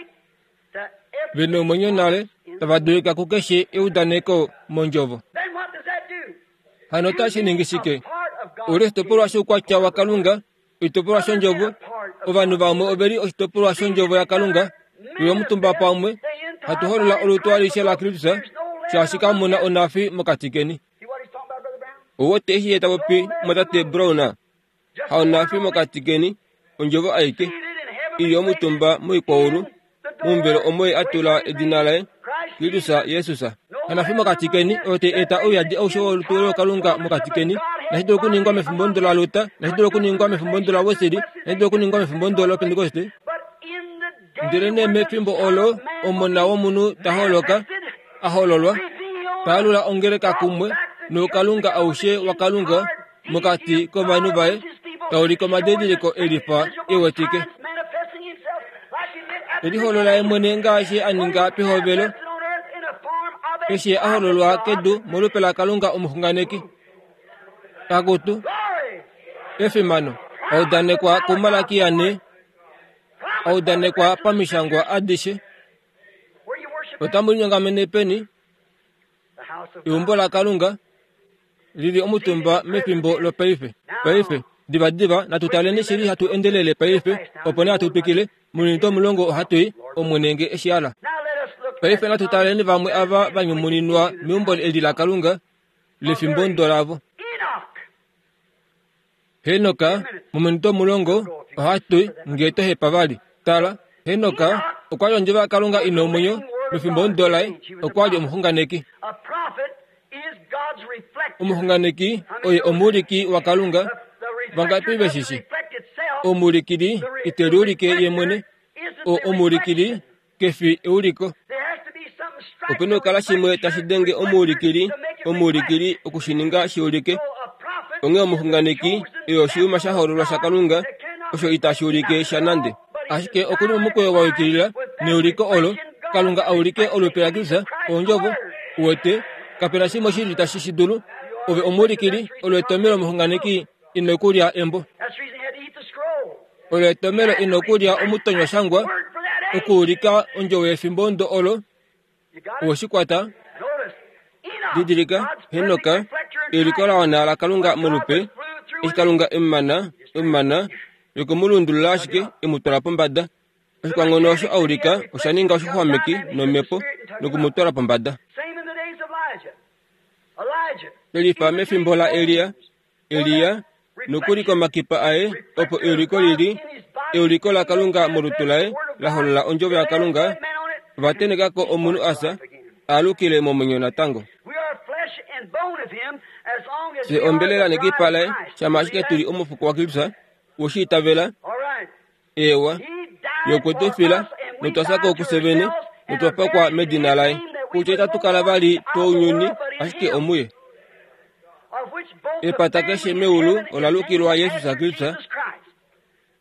Speaker 1: Ve nomwenyo nale, tava dulika kukeshe eudaneko mondjovo. Hano otashi ningi shike? U li oshitopolwa shoukwatya waKalunga, oshitopolwa shOndjovo. Ovanhu vamwe ove li oshitopolwa shOndjovo yaKalunga. Tu li omutumba pamwe, hatu holola olutu alishe laKristus, shaashi kamu na onafi mokati keni. Ou wete eshi ye ta popi, mumwatate Brown? Haonafi mokati keni, ondjovo aike, i li omutumba moikwaulu, momuvelo omo ye a tula edina laye, Kristus Jesus. Hanafi mokati keni, oyo tai eta ouyadi aushe wolutu lookalunga mokati keni. Nashi dulu okuningwa mefimbomudo laLuther, nashi dulu okuningwa mefimbomudo laWesley, nashi dulu okuningwa mefimbomudo lOpentekoste. Ndelenee mefimbo olo Omona wOmunhu ta holoka, a hololwa, ta alula ongeleka kumwe noukalunga aushe waKalunga, mokati kovanhu vaye, ta ulike omadidiliko e lifa e wetike. Te liholola ye mwene ngaashi a ninga pehovelo, eshi a hololwa kedu molupe laKalunga omuxunganeki. Akutu, efimano, a udanekwa kuMalakia ne. A udanekwa pamishangwa adishe. Otamu linyongamene peni? Eumbo laKalunga lili omutumba mefimbo lopaife. Paife, divadiva natu taleni shili hatu endelele paife, opo nee hatu twikile. Mominute omulongo ohatu i, Omwene nge e shi hala. Paife natu taleni vamwe ava va nyumuninwa meumbo eli laKalunga lefimbo ndo lavo. Henoka, mominute omulongo ohatu i nge to hepa vali. Tala, Henoka okwa li ondjovo yaKalunga i na omwenyo mefimbo ndo laye, okwa li omuxunganeki. Omuxunganeki oye omuuliki waKalunga. Vangapi ve shi shi? Omuulikili ite liulike ye mwene. O, omuulikili ke fi euliko. Ope na okukala shimwe tashi denge omuulikili, omuulikili oku shi ninga shi ulike. Onghee omuxunganeki oye oshiyuma sha hoololwa shaKalunga, osho itashi ulike sha nande. Ashike oku li momukweyo wa yukilila neuliko olo, Kalunga a ulike olupe laKristus, Ondjovo. Uwete, kape na shimwe shili tashi shi dulu. Ove omuulikili, olo etomelo omuxunganeki ino kulya embo. Olo etomelo ino kulya omutonywa shangwa, okuulika ondjovo yefimbo ndo olo. Owe shi kwata? Didilika, Henoka, euliko la wana laKalunga molupe, eshi Kalunga e mu mana, e mu mana, yoku mu lundulula ashike, e mu twala pombada. Oshikwanghono osho a ulika osha ninga oshixwameki nomhepo noku mu twala pombada. Shelifa mefimbo laElia, Elia, nokuli komakipa aye opo euliko li li euliko laKalunga molutu laye la holola ondjovo yaKalunga, ova tenheka ko omunhu a fya, a alukile momwenyo natango. Fye ombelela nekipa laye shama ashike tu li omufuko waKristus, we shi itavela. Eewa, Ye okwe tu fila, notwa fya ko kufye vene, notwa pakwa medina laye, kutya itatu kala vali tounyuni, ashike omuye. Epata keshe meulu ola lukilwa Jesus Kristus,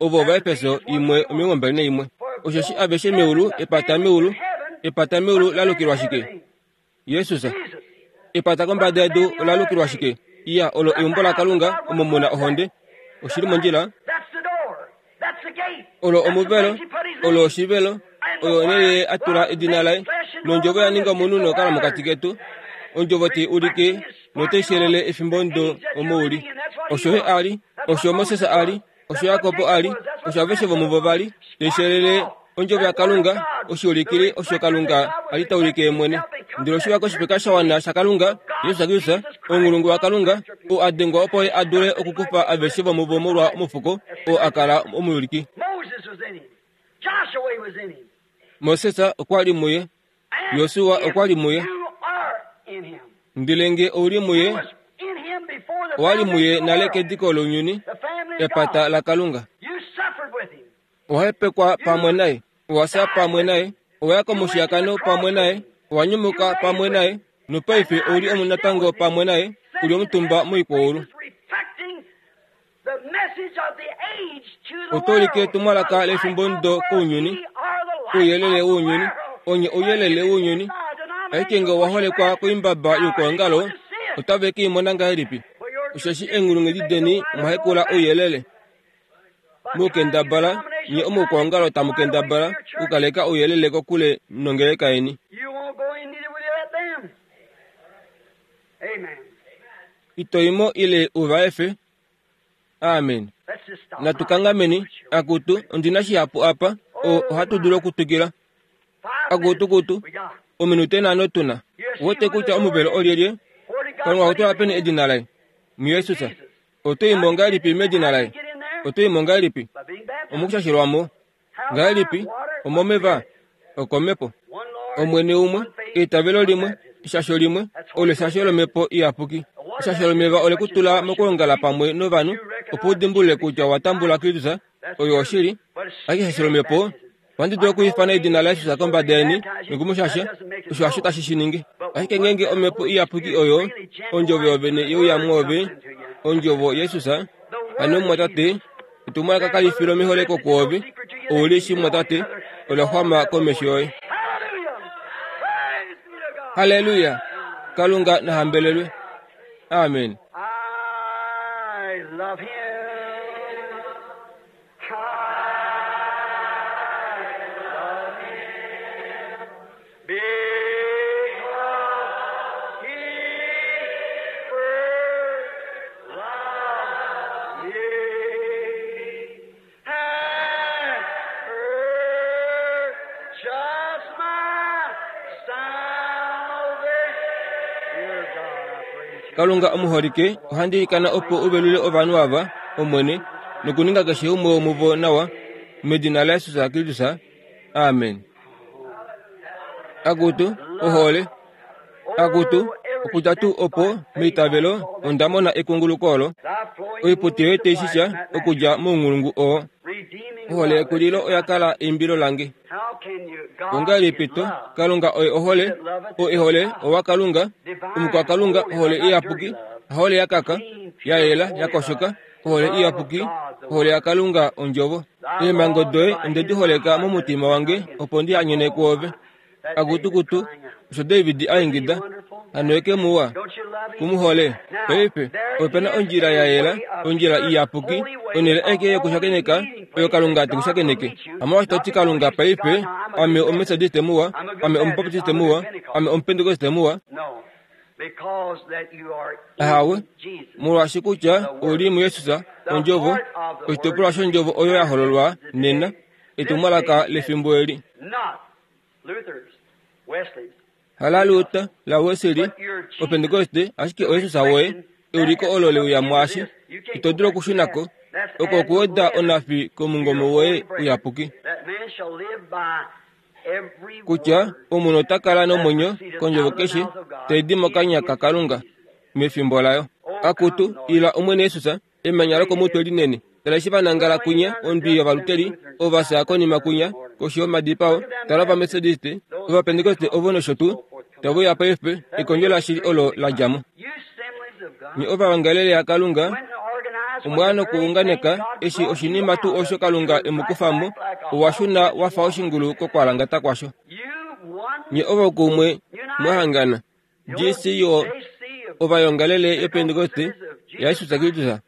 Speaker 1: ovo Ovaefeso 1:21. Osheshi aveshe meulu, epata meulu, epata meulu la lukilwa shike? Jesus. Epata kombada yedu ola lukilwa shike? Iya, olo eumbo laKalunga omo mu na ohonde. Oshi li mondjila. Olo omuvelo, olo oshivelo, oyo onhele ye a tula edina laye. Nondjovo ya ninga omunhu nokala mokati ketu. Ondjovo tai ulike notai shelele efimbo ndo omo u li. Osho ye a li, osho Moses a li, Osho Jakob a li, osho aveshe vomuvo va li, tai shelele ondjovo yaKalunga, oshiulikili osho Kalunga a li ta ulike ye mwene. Ndele oshe uya koshipeka sha wana shaKalunga, Jesus Kristus, ounghulungu waKalunga, oo a dengwa opo Ye a dule okukufa aveshe vomuvo molwa omufuko oo a kala omuyuliki. Moses okwa li muye, Josua okwa li muye. Ndele nge ou li muye, owa li muye nale kediko lounyuni, epata laKalunga. Owa hepekwa pamwe naye, owa fya pamwe naye, owa ya komushiyakano pamwe naye, owa nyumuka pamwe naye, nopaife ou li omunatango pamwe naye, u li omutumba moikwaulu. Oto ulike etumwalaka lefimbomudo kounyuni, ouyelele wounyuni, onye ouyelele wounyuni. Ashike nge owa holekwa koimbaba youkwaongalo, otave ke i mona ngahelipi? Osheshi eenghulunghedi deni omwa hekula ouyelele. Mukendabala, nye omoukwaongalo tamu kendabala okukaleka ouyelele kokule nongeleka yeni. Ito i mo ile u va efe. Amen. Natu kangameni. Akutu, ondi na shihapu apa. O, ohatu dulu okutwikila. Akutu, kutu. Ominute nhano tu na. Uwete kutya omuvelo olyelye? Kalunga okwa tula peni edina laye? MuJesus. Oto i mo ngahelipi medina laye? Oto i mo ngahelipi? Omokushashelwa mo. Ngahelipi? Omomeva? Okomhepo. Omwene umwe, eitavelo limwe, eshasho limwe, olo eshasho lOmhepo Iyapuki. Eshasho lomeva ole ku tula mokwoongala pamwe novanhu opo u dimbulule kutya owa tambula Kristus, oyo oshili. Ashike eshasho lOmhepo, ohandi dulu okwiifana edina laJesus kombada yeni noku mu shasha, osho hasho tashi shi ningi. Ashike ngeenge Omhepo Iyapuki oyo Ondjovo yovene ye uya mwoove, Ondjovo, Jesus, hano mumwatate, Etumwalaka kali fi lomeholeko kwoove, ou li shii mumwatate, ola xwama komesho yoye. Halleluya! Kalunga na hambelelwe. Amen.
Speaker 2: I love him.
Speaker 1: Kalunga omuholike, ohandi ilikana opo u velule ovanhu ava, Omwene, nokuninga keshe umwe womuvo nawa, medina laJesus Kristus. Amen. Akutu, ohole. Akutu, okudja tuu opo, meitavelo, onda mona ekunguluko olo. Oiputi yoye tai shisha okudja mounghulungu oo. Ohole yekulilo oya kala eimbilo lange. Ongahelipi to, Kalunga oye ohole, oo e hole owa Kalunga, omukwakalunga, ohole iyapuki, hahole ya kaka, ya yela, ya koshoka, ohole iyapuki, ohole yaKalunga ondjovo. Eemhango doye onde di holeka momutima wange opo ndi hanyene kwoove. Akutukutu, osho David a ingida, hano eke muwa, ku mu hole. Paife, ope na ondjila ya yela, ondjila iyapuki, onhele aike yokushakeneka oyo Kalunga te ku shakeneke. Hamolwaashi to ti Kalunga paife, ame Omumetodiste muwa, ame Omubaptiste muwa, ame Omupentekoste muwa. Ahawe, molwaashi kutya ou li muJesus, Ondjovo, oshitopolwa shOndjovo oyo ya hololwa nena, etumwalaka lefimbo eli. Hala Luther, la Wesley, Opentekoste, ashike oJesus woye, euliko olo le uya mwaashi. Ito dulu okushuna ko. Oko okuweda onhafi komungome woye uyapuki. Kutya omunhu ota kala nomwenyo kondjovo keshe tai di mokanya kaKalunga mefimbo layo. Akutu, ila Omwene Jesus, Emanya lokomutwe linene. Tala eshi va nangala kwinya, ondwi yovaluteli, ova fya konima kwinya, koshi yomadipao. Tala Ovametodiste, Ovapentekoste ovo nosho tuu, tave uya paife, ekondjo lashili olo la dja mo. Nye ovawangelele yaKalunga, omwa ya nokuunganeka eshi oshinima tuu osho Kalunga e mu kufa mo, owa shuna wa fa oshingulu kokwalangata kwasho. Nye ovo kumwe mwa hangana. GCO ovayongalele yoPentekoste yaJesus Kristus,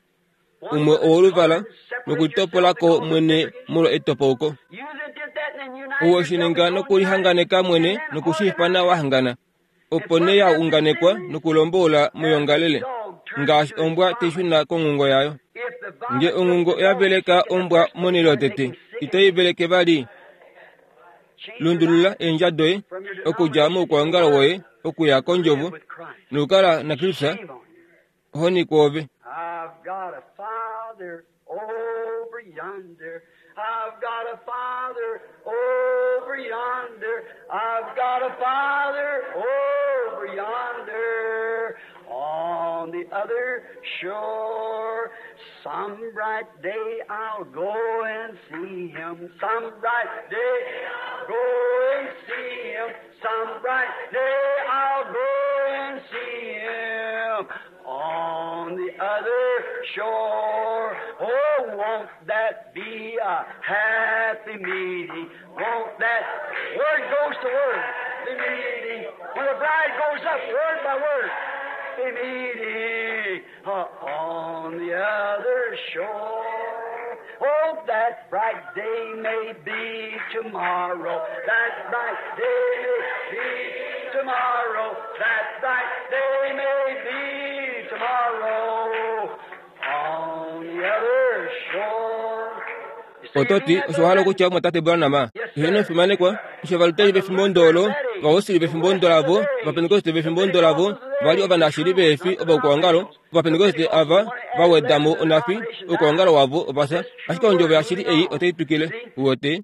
Speaker 1: umwe owoluvala nokulitopola ko mwene molwa etopauko. Owe shi ninga nokulihanganeka mwene nokushiifana wa hangana, opo nee ya unganekwa nokulomboula moyongalele, ngaashi ombwa tai shuna konghungo yayo. Nge onghungo oya veleka ombwa monhele yotete, itai veleke vali. Lundulula eendja doye okudja moukwaongalo woye okuya kondjovo nokukala naKristus ohoni kwoove.
Speaker 2: I've got a father over yonder. I've got a father over yonder. I've got a father over yonder on the other shore. Some bright day I'll go and see him. Some bright day I'll go and see him. Some bright day I'll go and see him on the other shore. Oh, won't that be a happy meeting? Won't that word goes to word be meeting? When the bride goes up, word by word, be meeting on the other shore. Oh, that bright day may be tomorrow. That bright day may be tomorrow. That bright day may be tomorrow. On the other shore.
Speaker 1: Oto ti, Osho wa hala okutya omumwatate Branham? Heeno, fimanekwa. Eshi Ovaluteri vefimbo ndo olo, Ovawesley vefimbo ndo lavo, Ovapentekoste vefimbo ndo lavo, va li ovanashili veefi ovaukwaongalo, Ovapentekoste ava va weda mo onhafi, oukwaongalo wavo ova fya. Ashike ondjovo yashili ei otai twikile. Uwete?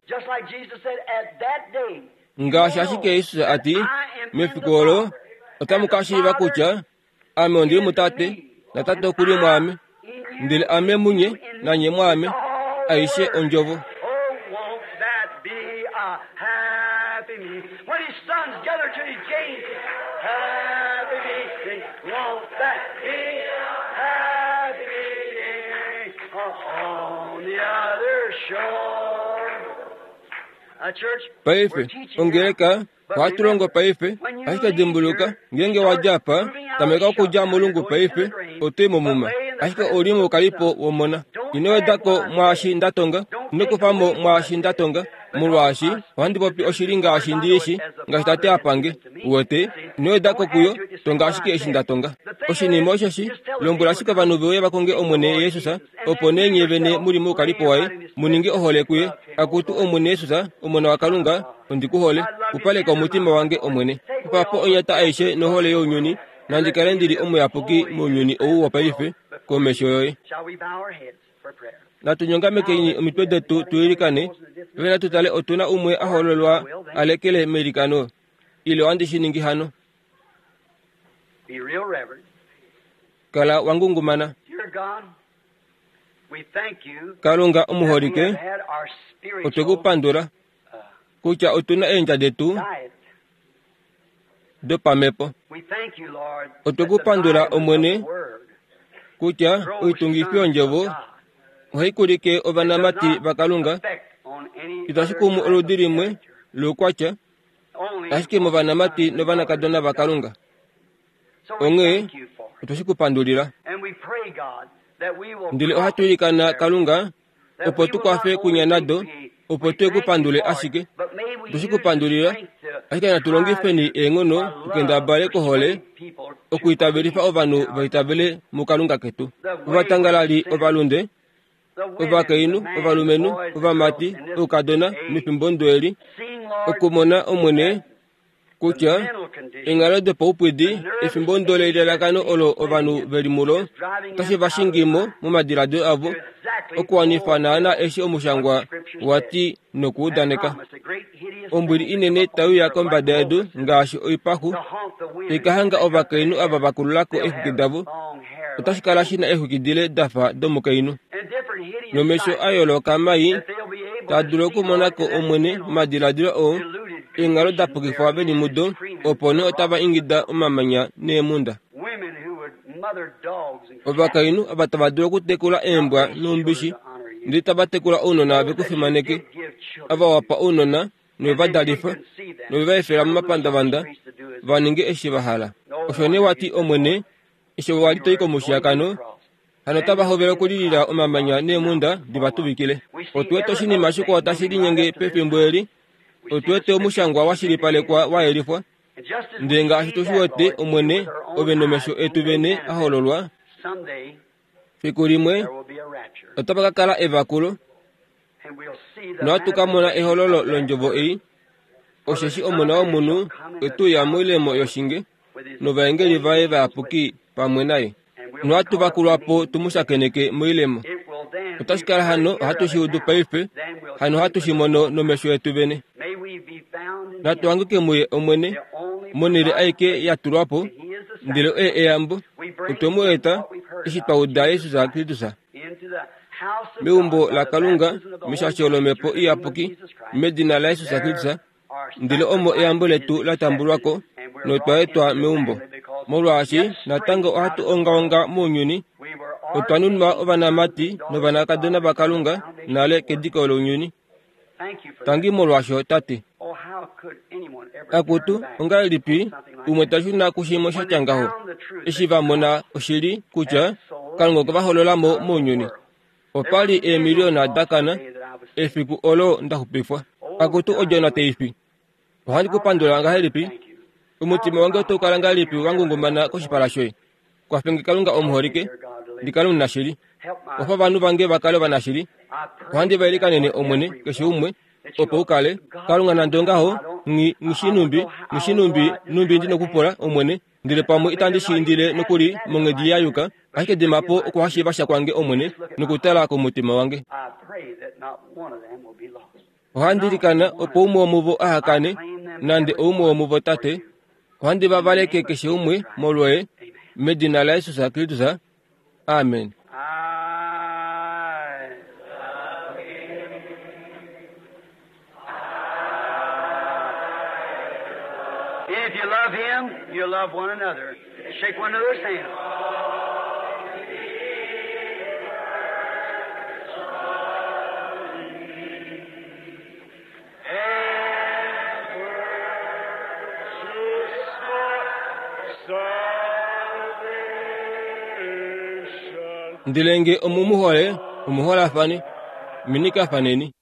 Speaker 1: Ngaashi ashike Jesus a ti, Mefiku olo otamu ka shiiva kutya Ame ondi li muTate, naTate oku li mwaame, ndele Ame munye, nanye mwaame. Aishe ondjovo.
Speaker 2: Oh, won't that be a happy meeting? When his sons gather to his gate, happy meeting. Won't that be a happy meeting? On the other shore. A church,
Speaker 1: Paife,
Speaker 2: we're teaching now.
Speaker 1: ongeleka, ohatu longo paife, ashike dimbuluka, ngeenge wa dja apa, tameka okudja molungu paife, oto i momuma. Ashike ou li moukalipo womona. Ino weda ko mwaashi nda tonga, ino kufa mo mwaashi nda tonga, molwaashi ohandi popi oshili ngaashi ndi i shi, ngaashi Tate a pange. Uwete? Ino weda ko kuyo, tonga ashike eshi nda tonga. Oshinima osheshi, lombwela ashike ovanhu ve uye va konge Omwene Jesus, opo nee nye vene mu li moukalipo waye, mu ninge ohole kuye. Akutu Omwene Jesus, Omona waKalunga, ondi ku hole. Pupaleka omutima wange, Omwene. Kufa po onyata aishe nohole younyuni. Nandi kale ndi li omuyapuki mounyuni ou wopaife komesho yoye. Natu nyongamekeni omitwe detu tu ilikane. Paife natu tale otu na umwe a hololwa a lekele meilikano. Ile ohandi shi ningi hano. Kala wa ngungumana. Kalunga omuholike, otwe ku pandula kutya otu na eendja detu dopamhepo. Otwe ku pandula Omwene kutya oitungifi yondjovo ohai kulike ovanamati vaKalunga. Itashi kumu oludi limwe loukwatya, ashike movanamati novanakadona vaKalunga. Onghee otwe shi ku pandulila. Ndele ohatu ilikana Kalunga opo tu kwafe kunya nado, opo tu ku pandule ashike. Otwe shi ku pandulila, ashike natu longifeni eenghono tu kendabale kohole okuitavelifa ovanhu va itavele muKalunga ketu. Ovatangalali ovalunde, ovakainhu, ovalumenhu, ovamati, oukadona, mefimbo ndo eli, okumona Omwene kutya eenghalo dopaupwidi efimbo ndo lelalakano olo ovanhu ve li mulo otashi va shingi mo momadiladilo avo okuwanifa naana eshi omushangwa wa ti nokuudaneka. Ombwili inene tai uya kombada yedu ngaashi oipaxu tai ka hanga ovakainhu ava va kulula ko eexwiki davo, otashi kala shi na eexwiki dile da fa domukainhu, nomesho a yooloka mai taa dulu okumona ko Omwene momadiladilo oo eenghalo da pukifwa ve li mudo, opo nee otava ingida omamanya neemhunda. Ovakainhu ava tava dulu okutekula eembwa noumbishi, ndele tava tekula ounona ve ku fimaneke, ava wa pa ounona nove va dalifa, nove va efela momapandavanda va ninge eshi va hala. Osho nee wa ti, Omwene, eshi wa li to i komushiyakano, hano otava hovele okulilila omamanya neemhunda di va tuvikile. Otu wete oshinima shikwao tashi linyenge pefimbo eli. Otu wete omushangwa wa shilipalekwa wa yelifwa. Ndele ngaashi tu shi wete, Omwene, Ove nomesho etu vene a hololwa, fiku limwe otapa ka kala evakulo, nohatu ka mona ehololo londjovo ei, osheshi Omona wOmunhu ote uya moilemo yoshinge novaengeli vaye vayapuki pamwe naye, nohatu vakulwa po tu mu shakeneke moilemo. Otashi kala hano ohatu shi udu paife, hano ohatu shi mono nomesho etu vene. Natu hanguke muye Omwene, monhele aike ya tulwa po, ndele oye eyambo. Otwe mu eta, eshi twa uda Jesus Kristus. Meumbo laKalunga, meshasho lOmhepo Iyapuki, medina laJesus Kristus, ndele omo eyambo letu la tambulwa ko notwa etwa meumbo. Molwaashi natango ohatu ongaonga mounyuni, otwa nunwa ovanamati novanakadona vaKalunga nale kediko lounyuni. Tangi molwaasho, Tate. Akutu, ongahelipi umwe ta shuna kushimwe sha tya ngaho, eshi va mona oshili kutya Kalunga okwe va holola mo mounyuni? Opa li eemiliona da kana efiku olo nda xupifwa. Akutu odjona tai fi. Ohandi ku pandula ngahelipi? Omutima wange otau kala ngahelipi wa ngungumana koshipala shoye? Kwafe nge Kalunga omuholike, ndi kale omunashili. Kwafa ovanhu vange va kale ovanashili. Ohandi va ilikanene, Omwene, keshe umwe, opo u kale. Kalunga nande ongaho, nghi, nghi shii nhumbi, nghi shii nhumbi, nhumbi ndi nokupula, Omwene, ndele pamwe itandi shi indile nokuli monghedi ya yuka, ashike dima po okuhashiiva sha kwange, Omwene, nokutala komutima wange. Ohandi ilikana opo umwe womuvo aha kane, nande oumwe womuvo, Tate. Ohandi va valeke keshe umwe molwoye, medina laJesus Kristus. Amen.
Speaker 2: If you love him, you love one another. Shake one another's hand.
Speaker 1: Ndele nge omu mu hole, omu holafane. Minikafaneni.